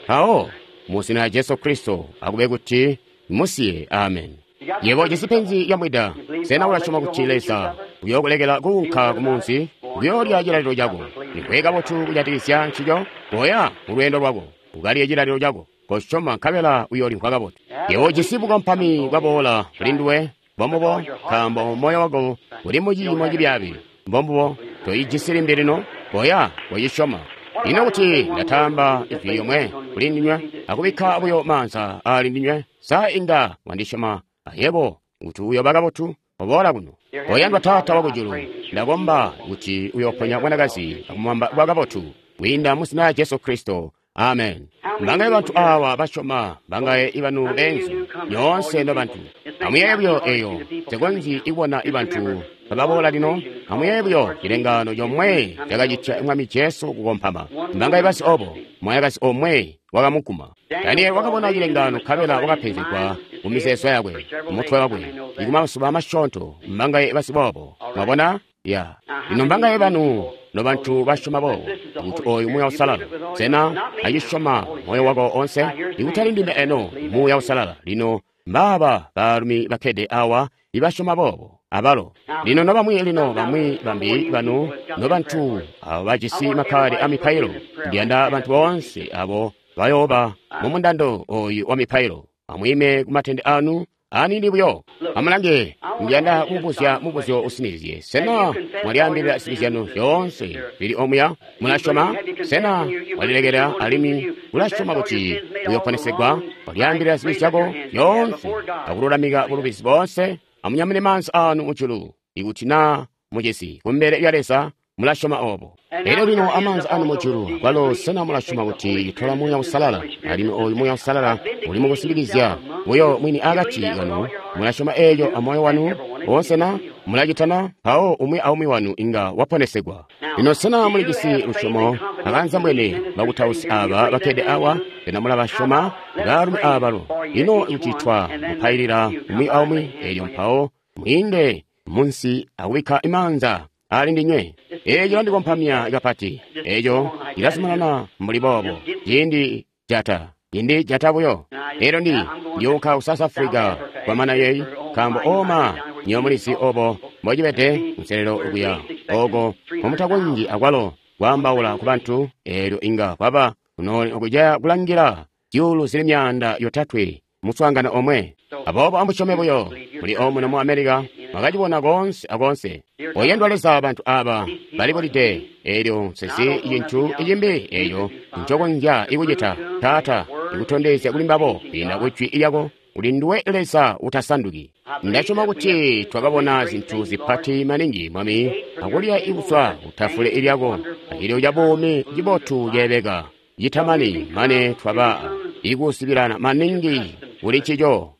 Mpawo mu zina lya Jesu Kristo akube kuti musiye. Amen. Yebo ujisi penzi lya mwida. Sena ulasyoma kuti Leza uyookulekela kuunka kumunzi uyoolya cilalilo cako? Nikwe kabotu kujatikizya ncico. Koya mu lweendo lwako ukalye cilalilo cako. Kosyoma nkabela uyoolimvwa kabotu. Yebo ujisi bukompami bwaboola kuli nduwe. Mbombubo, nkaambo moyo wako uli muciimo cibyaabi. Mbombubo, toijisi limbi lino. Koya kocisyoma. Ino kuti ndatamba ijwi lyomwe kuli ndinywe akubikka buyo maanza ali ndinywe, sa inga wandisyoma ayebo kuti uyooba kabotu? Oboola kuno. Oyandwa Taata wakujulu, ndakomba kuti uyooponya mwanakazi akumubamba kuba kabotu kwiinda mu zina lya Jesu Kristo. Amen. Mbangaye bantu awa basyoma, mbangaye ibanu beenzu, nyoonse no bantu. Amuyeeye buyo eyo, nsekonzyi kubona ibantu bababoola lino. Amuyeeye buyo cilengaano comwe cakacitya Mwami Jesu kukompama. Mbangaye basi obo, mwanakazi omwe wakamuguma. Daniel wakabona cilengaano nkabela wakapenzegwa mu mizeezo yakwe, mutwe wakwe, ikumasuba masyoonto. Mbangaye basi boobo, mwabona? Ya. Lino mbangaye banu no bantu basyoma boobo, kuti oyu Muuya Uusalala. Sena acisyoma moyo wako onse? Ikutali ndime eno, Muuya Uusalala. Lino mbaaba baalumi bakkede awa ibasyoma boobo abalo. Lino nobamwi lino bamwi bambi banu nobantu abo bajisi makkaadi a mipailo. Ndiyanda bantu boonse abo bayooba mu mundando oyu wa mipailo. Amwiime ku matende anu aniini buyo. Amulange, ndiyanda kumubuzya mubuzyo usinizye. Sena mwalyaambilila zibi zyanu zyoonse zili omuya? Mulasyoma? Sena mwalilekela alimwi mulasyoma kuti muyoponesegwa? Mwalyaambilila zibi zyako zyoonse akululamika bulubizi boonse? Amunyamune maanza anu mujulu ikuti naa mujisi kumbele lya Leza. Mulasyoma obo. Elyo lino amaanza anu mujulu kwalo, sena mulasyoma kuti itola Muuya Uusalala? Alimwi oyu Muuya Uusalala uli mukusimbikizya buyo mwini akati kanu. Mulasyoma eeco amoyo wanu woonse na? Mulacitana? Mpawo umwi aumwi wanu inga waponesegwa. Lino sena mulijisi lusyomo akanza mbwene bakutausi aba bakkede awa? Sena mulabasyoma baalumi abalo? Lino kuti twa mupailila umwi aumwi, elyo mpawo mwiinde munsi akubikka imaanza ali ndinywe. Eco cilandikompamya kapati. Eco cilazumanana mbuli boobo. Ciindi jata, ciindi jata buyo. Elyo ndi ndiyunka ku South Africa kwamana yeyi, nkaambo oma nyo mulizi obo mbocibede nselelo okuya oko komutakonzyi akwalo kwaambaula ku bantu. Elyo inga kwaba kunooli okuja kulangila zyuulu zili myaanda yotatwe muswaangano omwe. Aboobo amusyome buyo. Muli omuno mu America mwakacibona koonse akoonse. Oyandwa Leza, bantu aba balibulide. Elyo nsezi cintu cimbi eco ncokonzya ikucita, Taata, ikutondezya kuli mbabo kwiinda ku jwi lyako kuti nduwe Leza utasanduki. Ndasyoma kuti twakabona zintu zipati maningi, Mwami, akulya ikuzwa kutafule lyako acilyo ca buumi cibotu ceebeka citamani, mane twaba ikusibilana maningi kuli ncico.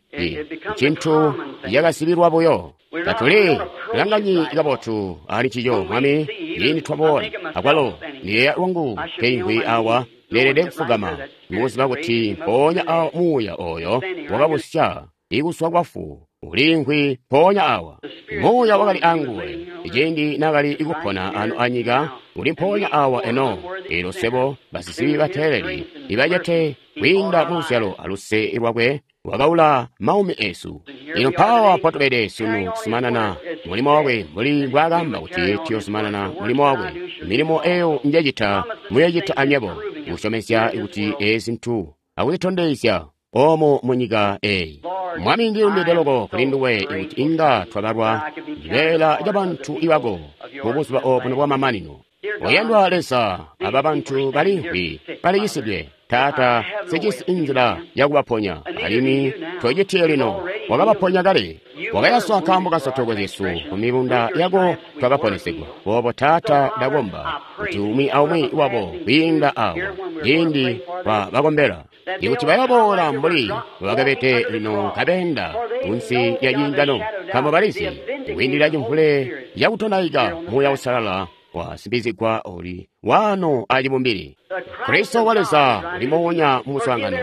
Cintu cakasibilwa buyo. Tatuli langanyi kabotu ali ncico, Mwami, ciindi twaboola. Akwalo ndiyeeya lwangu keimvwi awa leelede kufugama mukuziba kuti mpoonya awa Muuya oyo wakabusya ikuswa kwafu uliimvwi mpoonya awa. Muuya wakali anguwe ciindi naakali kupona ano anyika, uli mpoonya awa eno. Elyo sebo basizibi bateeleli ibacete kwiinda mu luzyalo aluse lwakwe wakaula maumi esu. Lino mpawa mpotubede sunu kuzumanana mulimo wakwe mbuli mbwaakamba kuti tuyozumanana mulimo wakwe. Milimo eyo njecita muyocita anywebo, kusyomezya kuti ezi zintu akuzitondezya omo munyika eyi. Mwami, ndilumbide loko kuli nduwe kuti inga twabalwa cibeela ca bantu ibako mu buzuba obuno bwamamanino. Oyandwa Leza, aba bantu balimvwi baliyisidwe. Taata, sijisi inzila yakubaponya, alimwi tocitiye lino. Wakabaponya kale, wakayaswa nkaambo kasotoko zyesu, ku mibunda yako twakaponesegwa. Boobo Taata, ndakomba kuti umwi aumwi wabo kwiinda awa ciindi twabakombela, ikuti bayaboola mbuli bakabede lino kabeenda kunsi lya ciingano, nkaambo balizi kwiindilila cimvule cakutonaika Muuya Uusalala wasimbizigwa uli wano acibumbili. Kristo wa Leza uli moonya mu muswaangano,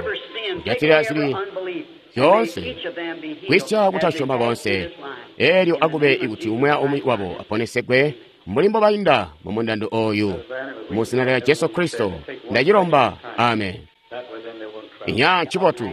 kujatilila zibi zyoonse, kwisya kutasyoma koonse. Elyo akube ikuti umwi aumwi wabo aponesegwe mbuli mbobainda mu mundando oyu. Mu zina lya Jesu Kristo ndacilomba, amen. Inya ncibotu.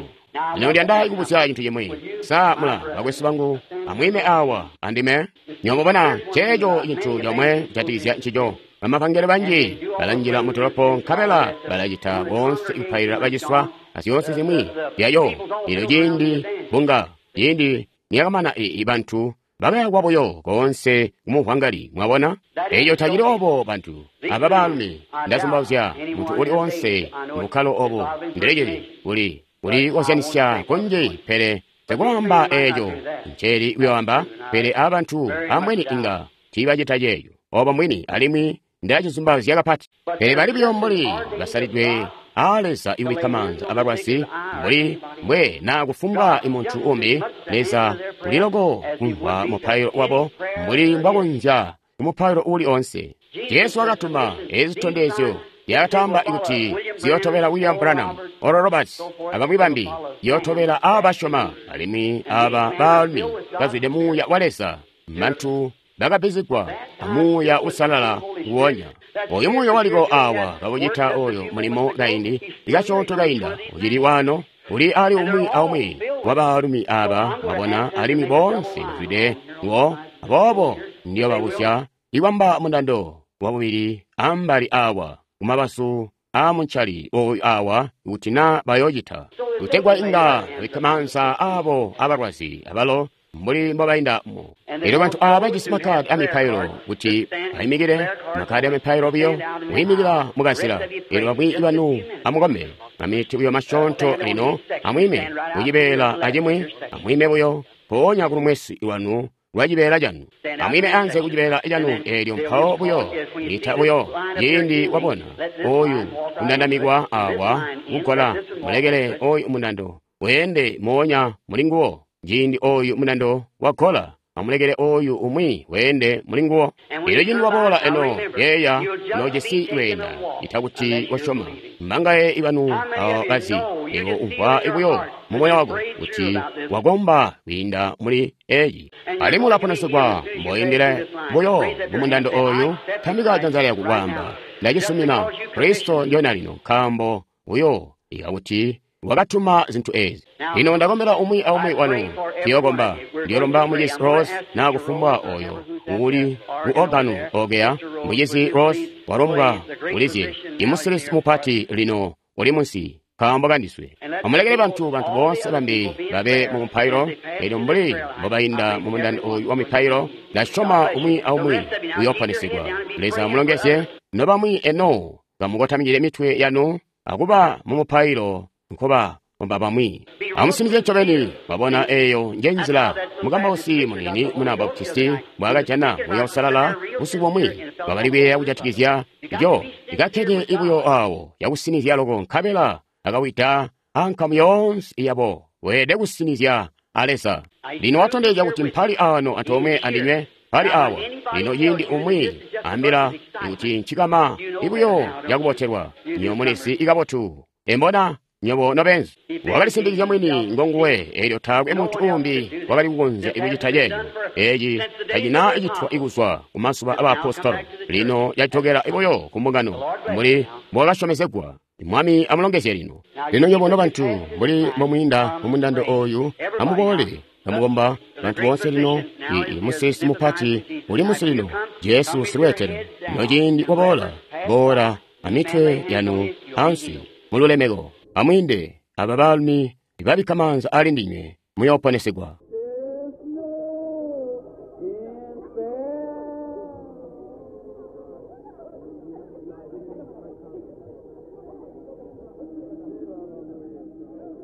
Lino ndiyanda kubuzya cintu cimwi. Sa mula bakwesu bangu, amwiime awa andime. Nyomubona ceeco cintu comwe kujatikizya ncico. Bamapangelo banji balanjila mu dolopo nkabela balacita boonse kupailila baciswa azyoonse zimwi zyayo. Elyo ciindi bunga ciindi niyakamana i bantu bakayakwa buyo koonse kumuvwangali. Mwabona, eco tacili obo bantu aba baalumi. Ndazumbauzya muntu uli onse mubukkalo obo ndilecili uli uli kozyanisya kunji, pele tekwaamba eco nceli kuyoamba. Pele abantu ambweni inga tiibacita ceeco obo mbwini, alimwi ndacizumbauzya kapati. Pele bali buyo mbuli basalidwe aa Leza iwikka maanza abalwazi mbuli mbwe na kufumbwa muntu umbi. Leza uliloko kumvwa mupailo wabo mbuli mbwakonzya kumupailo uli onse. Jesu wakatuma ezi zitondezyo lyakatamba kuti ziyotobela William Branham, Oral Roberts, abamwi bambi, ziyotobela abasyoma, alimwi aba baalumi bazwide Muuya wa Leza, bantu bakabbizigwa amuuya usalala nguwonya. Oyu muuya waliko awa kakucita oyo mulimo kaindi ikasyoonto kainda ucili wano uli ali umwi aumwi wa baalumi aba mwabona, alimwi boonse bazwide ngo. Aboobo ndiyobabuzya ikwamba mundando wabubili ambali awa kumabazu aamuncali oyu awa kuti na bayocita kutegwa inga bikka maanza abo abalwazi abalo mbuli mbobainda mo. Elyo bantu aba bajisi makadi amipailo kuti baimikile, makadi amipailo biyo kuyimikila mukazila. Elyo bamwi banu amukombe maminiti buyo masyoonto lino, amwiime kucibeela acimwi, amwiime buyo mpoonya kulumwesi lwanu lwa cibeela canu, amwiime anze kucibeela canu. Elyo mpawo buyo lita buyo ciindi wabona oyu kundandamikwa awa kugola, mulekele oyu mundando weende moonya mulinguwo. Ciindi oyu mundando wagola, amulekele oyu umwi weende mulinguwo. Elyo ciindi waboola eno yeeya nojisi lweenda ita kuti wasyoma. Mbangaye ibanu awo bazi ebo umvwa buyo mumoyo wako kuti wakomba kwiinda muli eyi, alimwi ulaponesegwa mboyendele buyo mumundando oyu. Tambika janza lyako kwaamba, ndacisumina Kristo ndyona lino, nkaambo buyo ikakuti wakatuma zintu ezi. Lino ndakombela umwi aumwi wanu. Ndiyokomba, ndiyolomba mucizi Rose na kufumbwa oyo uli ku organu ogeya. Mucizi Rose walombwa ulizye imusilisi mupati lino uli munsi nkaambo kandiswe. Amulekele bantu bantu boonse bambi babe mu mupailo. Elyo mbuli mbobainda mu mundando oyu wa mipailo, ndasyoma umwi aumwi uyooponesigwa. Leza amulongezye nobamwi eno kamukotamikile mitwe yanu akuba mu mupailo nkoba komba bamwi. Amusinizye ncobeni. Mwabona eyo nje nzila mukambausi munini muna Baptisti mbwaakajana Muuya Uusalala busiku bumwi. Bakali kuyeeya kujatikizya eco ikakkede ibuyo awo yakusinizya loko, nkabela akawida ankamu yoonse yabo. Weelede kusinizya a Leza. Lino watondezya kuti mpali ano antoomwe andinywe, mpali awa. Lino ciindi umwi ambila kuti ncikama ibuyo yakubotelwa, nyo mulizi ikabotu embona nyobo nobenzi. Wakalisindikizya mwini ngonguwe, elyo taakwe muntu uumbi wakali kukonzya kucita ceeco. Eci tacina citwa ikuzwa ku mazuba abaapostolo. Lino yajokela buyo ku mbungano mbuli mbwakasyomezegwa. Mwami amulongezye lino. Lino nyobo nobantu mbuli mbomwiinda mumundando oyu, amuboole amukomba bantu boonse lino. Ii musilisi mupati uli munsi lino, Jesu silweetelo. Lino ciindi waboola, boola amitwe yanu ansi mululemeko. Amwiinde aba baalumi babikka maanza ali ndinywe, muyooponesegwa.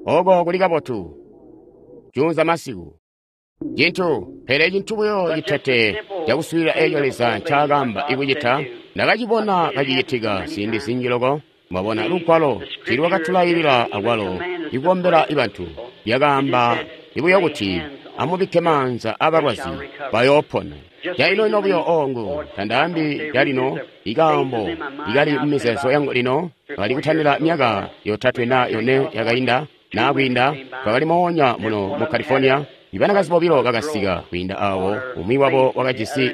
Oko kuli kabotu. Junza masiku. Cintu, pele cintu buyo citete cakuswiilila eco Leza ncaakamba ikucita, ndakacibona kacicitika ziindi zinji loko. Mwabona lugwalo tiilwakatulailila akwalo ikukombela bantu. Lyakaamba ibuyo kuti amubikke maanza abalwazi bayoopona. Caino-ino buyo ongu tandaambi calino ikaambo ikali mumizeezo yangu lino. Kali kutandila myaka yotatwe na yone yakainda na kwiinda, twakali moonya muno mu California. Ibanakazi bobilo bakasika kwiinda awo, umwi wabo wakajisi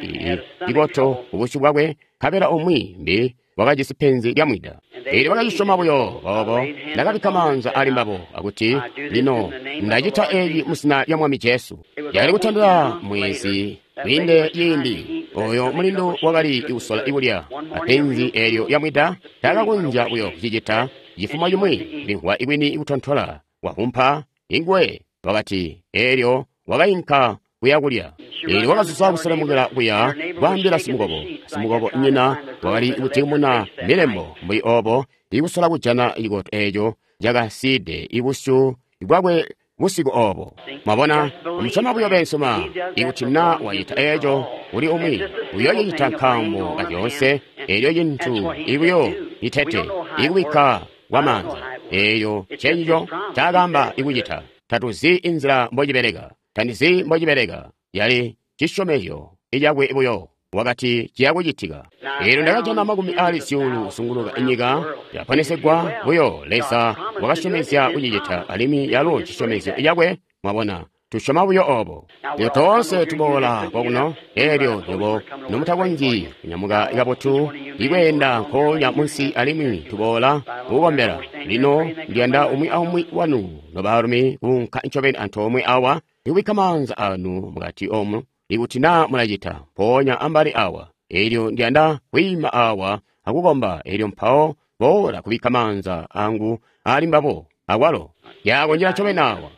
ikoto kubusyu bwakwe, nkabela umwi mbi wakajisi penzi lya mwida. Elyo bakacisyoma buyo boobo. Ndakabikka maanza ali mbabo akuti, lino ndacita eci muzina lya Mwami Jesu. Yakali kutandila mwezi kwiinde ciindi oyo mulindu wakali kusola ikulya apenzi elyo lya mwida taakakonzya buyo kucicita. Cifumo cimwi limvwa ikwini ikutontola wahumpa ingwe wakati, elyo wakainka kuya kulya. Elyo wakazuza kuselemukila kuya kwaambila simukobo. Simukobo nyina wakali kutimuna milembo mbuli obo ikusola kujana cikoto eco cakasiide ibusyu bwakwe busiku obo. Mwabona, musyoma buyo bensoma ikuti na wacita eco uli umwi uyoocicita nkaambo ka zyoonse. Elyo cintu ibuyo itete ikubikka kwa maanza. Eyo ncencico ncaakaamba ikucita. Tatuzi inzila mbocibeleka. Tandizi mbocibeleka. Yali cisyomezyo icakwe buyo. Wakati ciya kucitika. Eelyo ndakajana makumi aali zyuulu kuzunguluka inyika yaponesegwa buyo. Leza wakasyomezya kucicita, alimwi yalo cisyomezyo cakwe. Mwabona, tusyoma buyo obo. Lino toonse tuboola kwakuno, eelyo nywebo nomutakonzyi kunyamuka kabotu ikweenda nkoonya munsi, alimwi tuboola kukukombela. Lino ndiyanda umwi aumwi wanu nobaalumi kuunka ncobeni antoomwe awa ikubikka maanza anu mukati omu, ikuti naa mulacita, mpoonya ambali awa. Eelyo ndiyanda kwiima awa akukomba, eelyo mpawo boola kubikka maanza angu ali mbabo akwalo. Yakonjela ncobeni awa.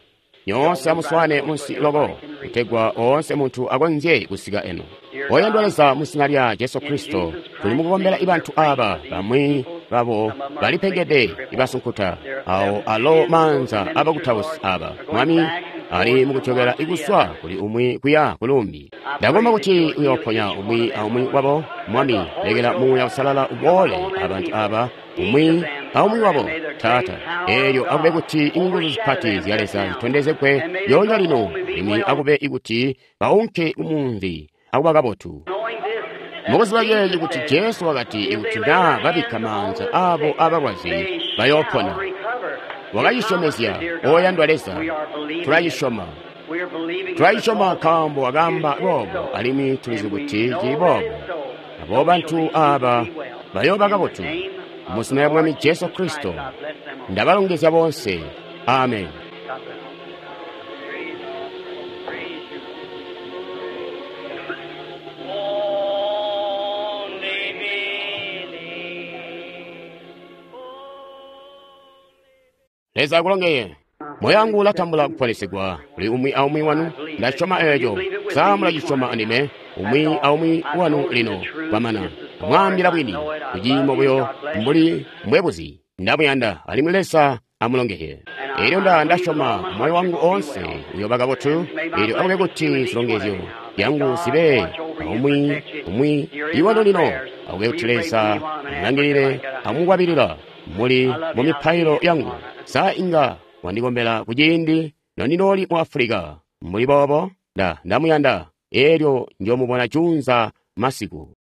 Nyoonse amuswane munsi loko, kutegwa oonse muntu akonzye kusika eno. Oyandwa Leza, mu zina lya Jesu Kristo, tuli mukukombela ibantu aba, bamwi babo balipengede ibasunkuta, awo alo maanza abakutausi aba, Mwami, ali mukujokela ikuswa kuli umwi kuya kulumbi. Ndakomba kuti uyooponya umwi aumwi wabo, Mwami, lekela Muuya Uusalala uboole abantu aba, umwi aumwi wabo, Taata. Eelyo akube kuti inguzu zipati zya Leza zitondezegwe lyoonya lino, alimwi akube ikuti baunke kumunzi akuba kabotu. Mukuziba ceeci kuti Jesu wakati ikuti naa babikka maanza abo abalwazi bayoopona. Wakacisyomezya, oyandwa Leza, tulacisyoma. Tulacisyoma nkaambo wakaamba boobo, alimwi tulizi kuti cili boobo. Abo bantu aba bayooba kabotu. Mu zina lya Mwami Jesu Kristo, ndabalongezya boonse. Amen. Only believe. Leza akulongeye. Moyo wangu ulatambula kuponesegwa kuli umwi aumwi wanu. Ndasyoma eeco. Sa mulacisyoma andime? Umwi aumwi wanu lino kwamana. Mwaambila bwini, kuciimo buyo mbuli mbwebuzi. Ndamuyanda, alimwi Leza amulongeye. Eelyo nda ndasyoma moyo wangu oonse uyooba kabotu. Eelyo akube kuti zilongezyo zyangu zibe aumwi umwi iwanu lino. Akube kuti Leza amulangilile amukwabilila muli mu mipailo yangu. Sa inga wandikombela kuciindi nondinooli mu Afulika. Mbuli boobo, nda ndamuyanda. Eelyo njoomubona juunza masiku.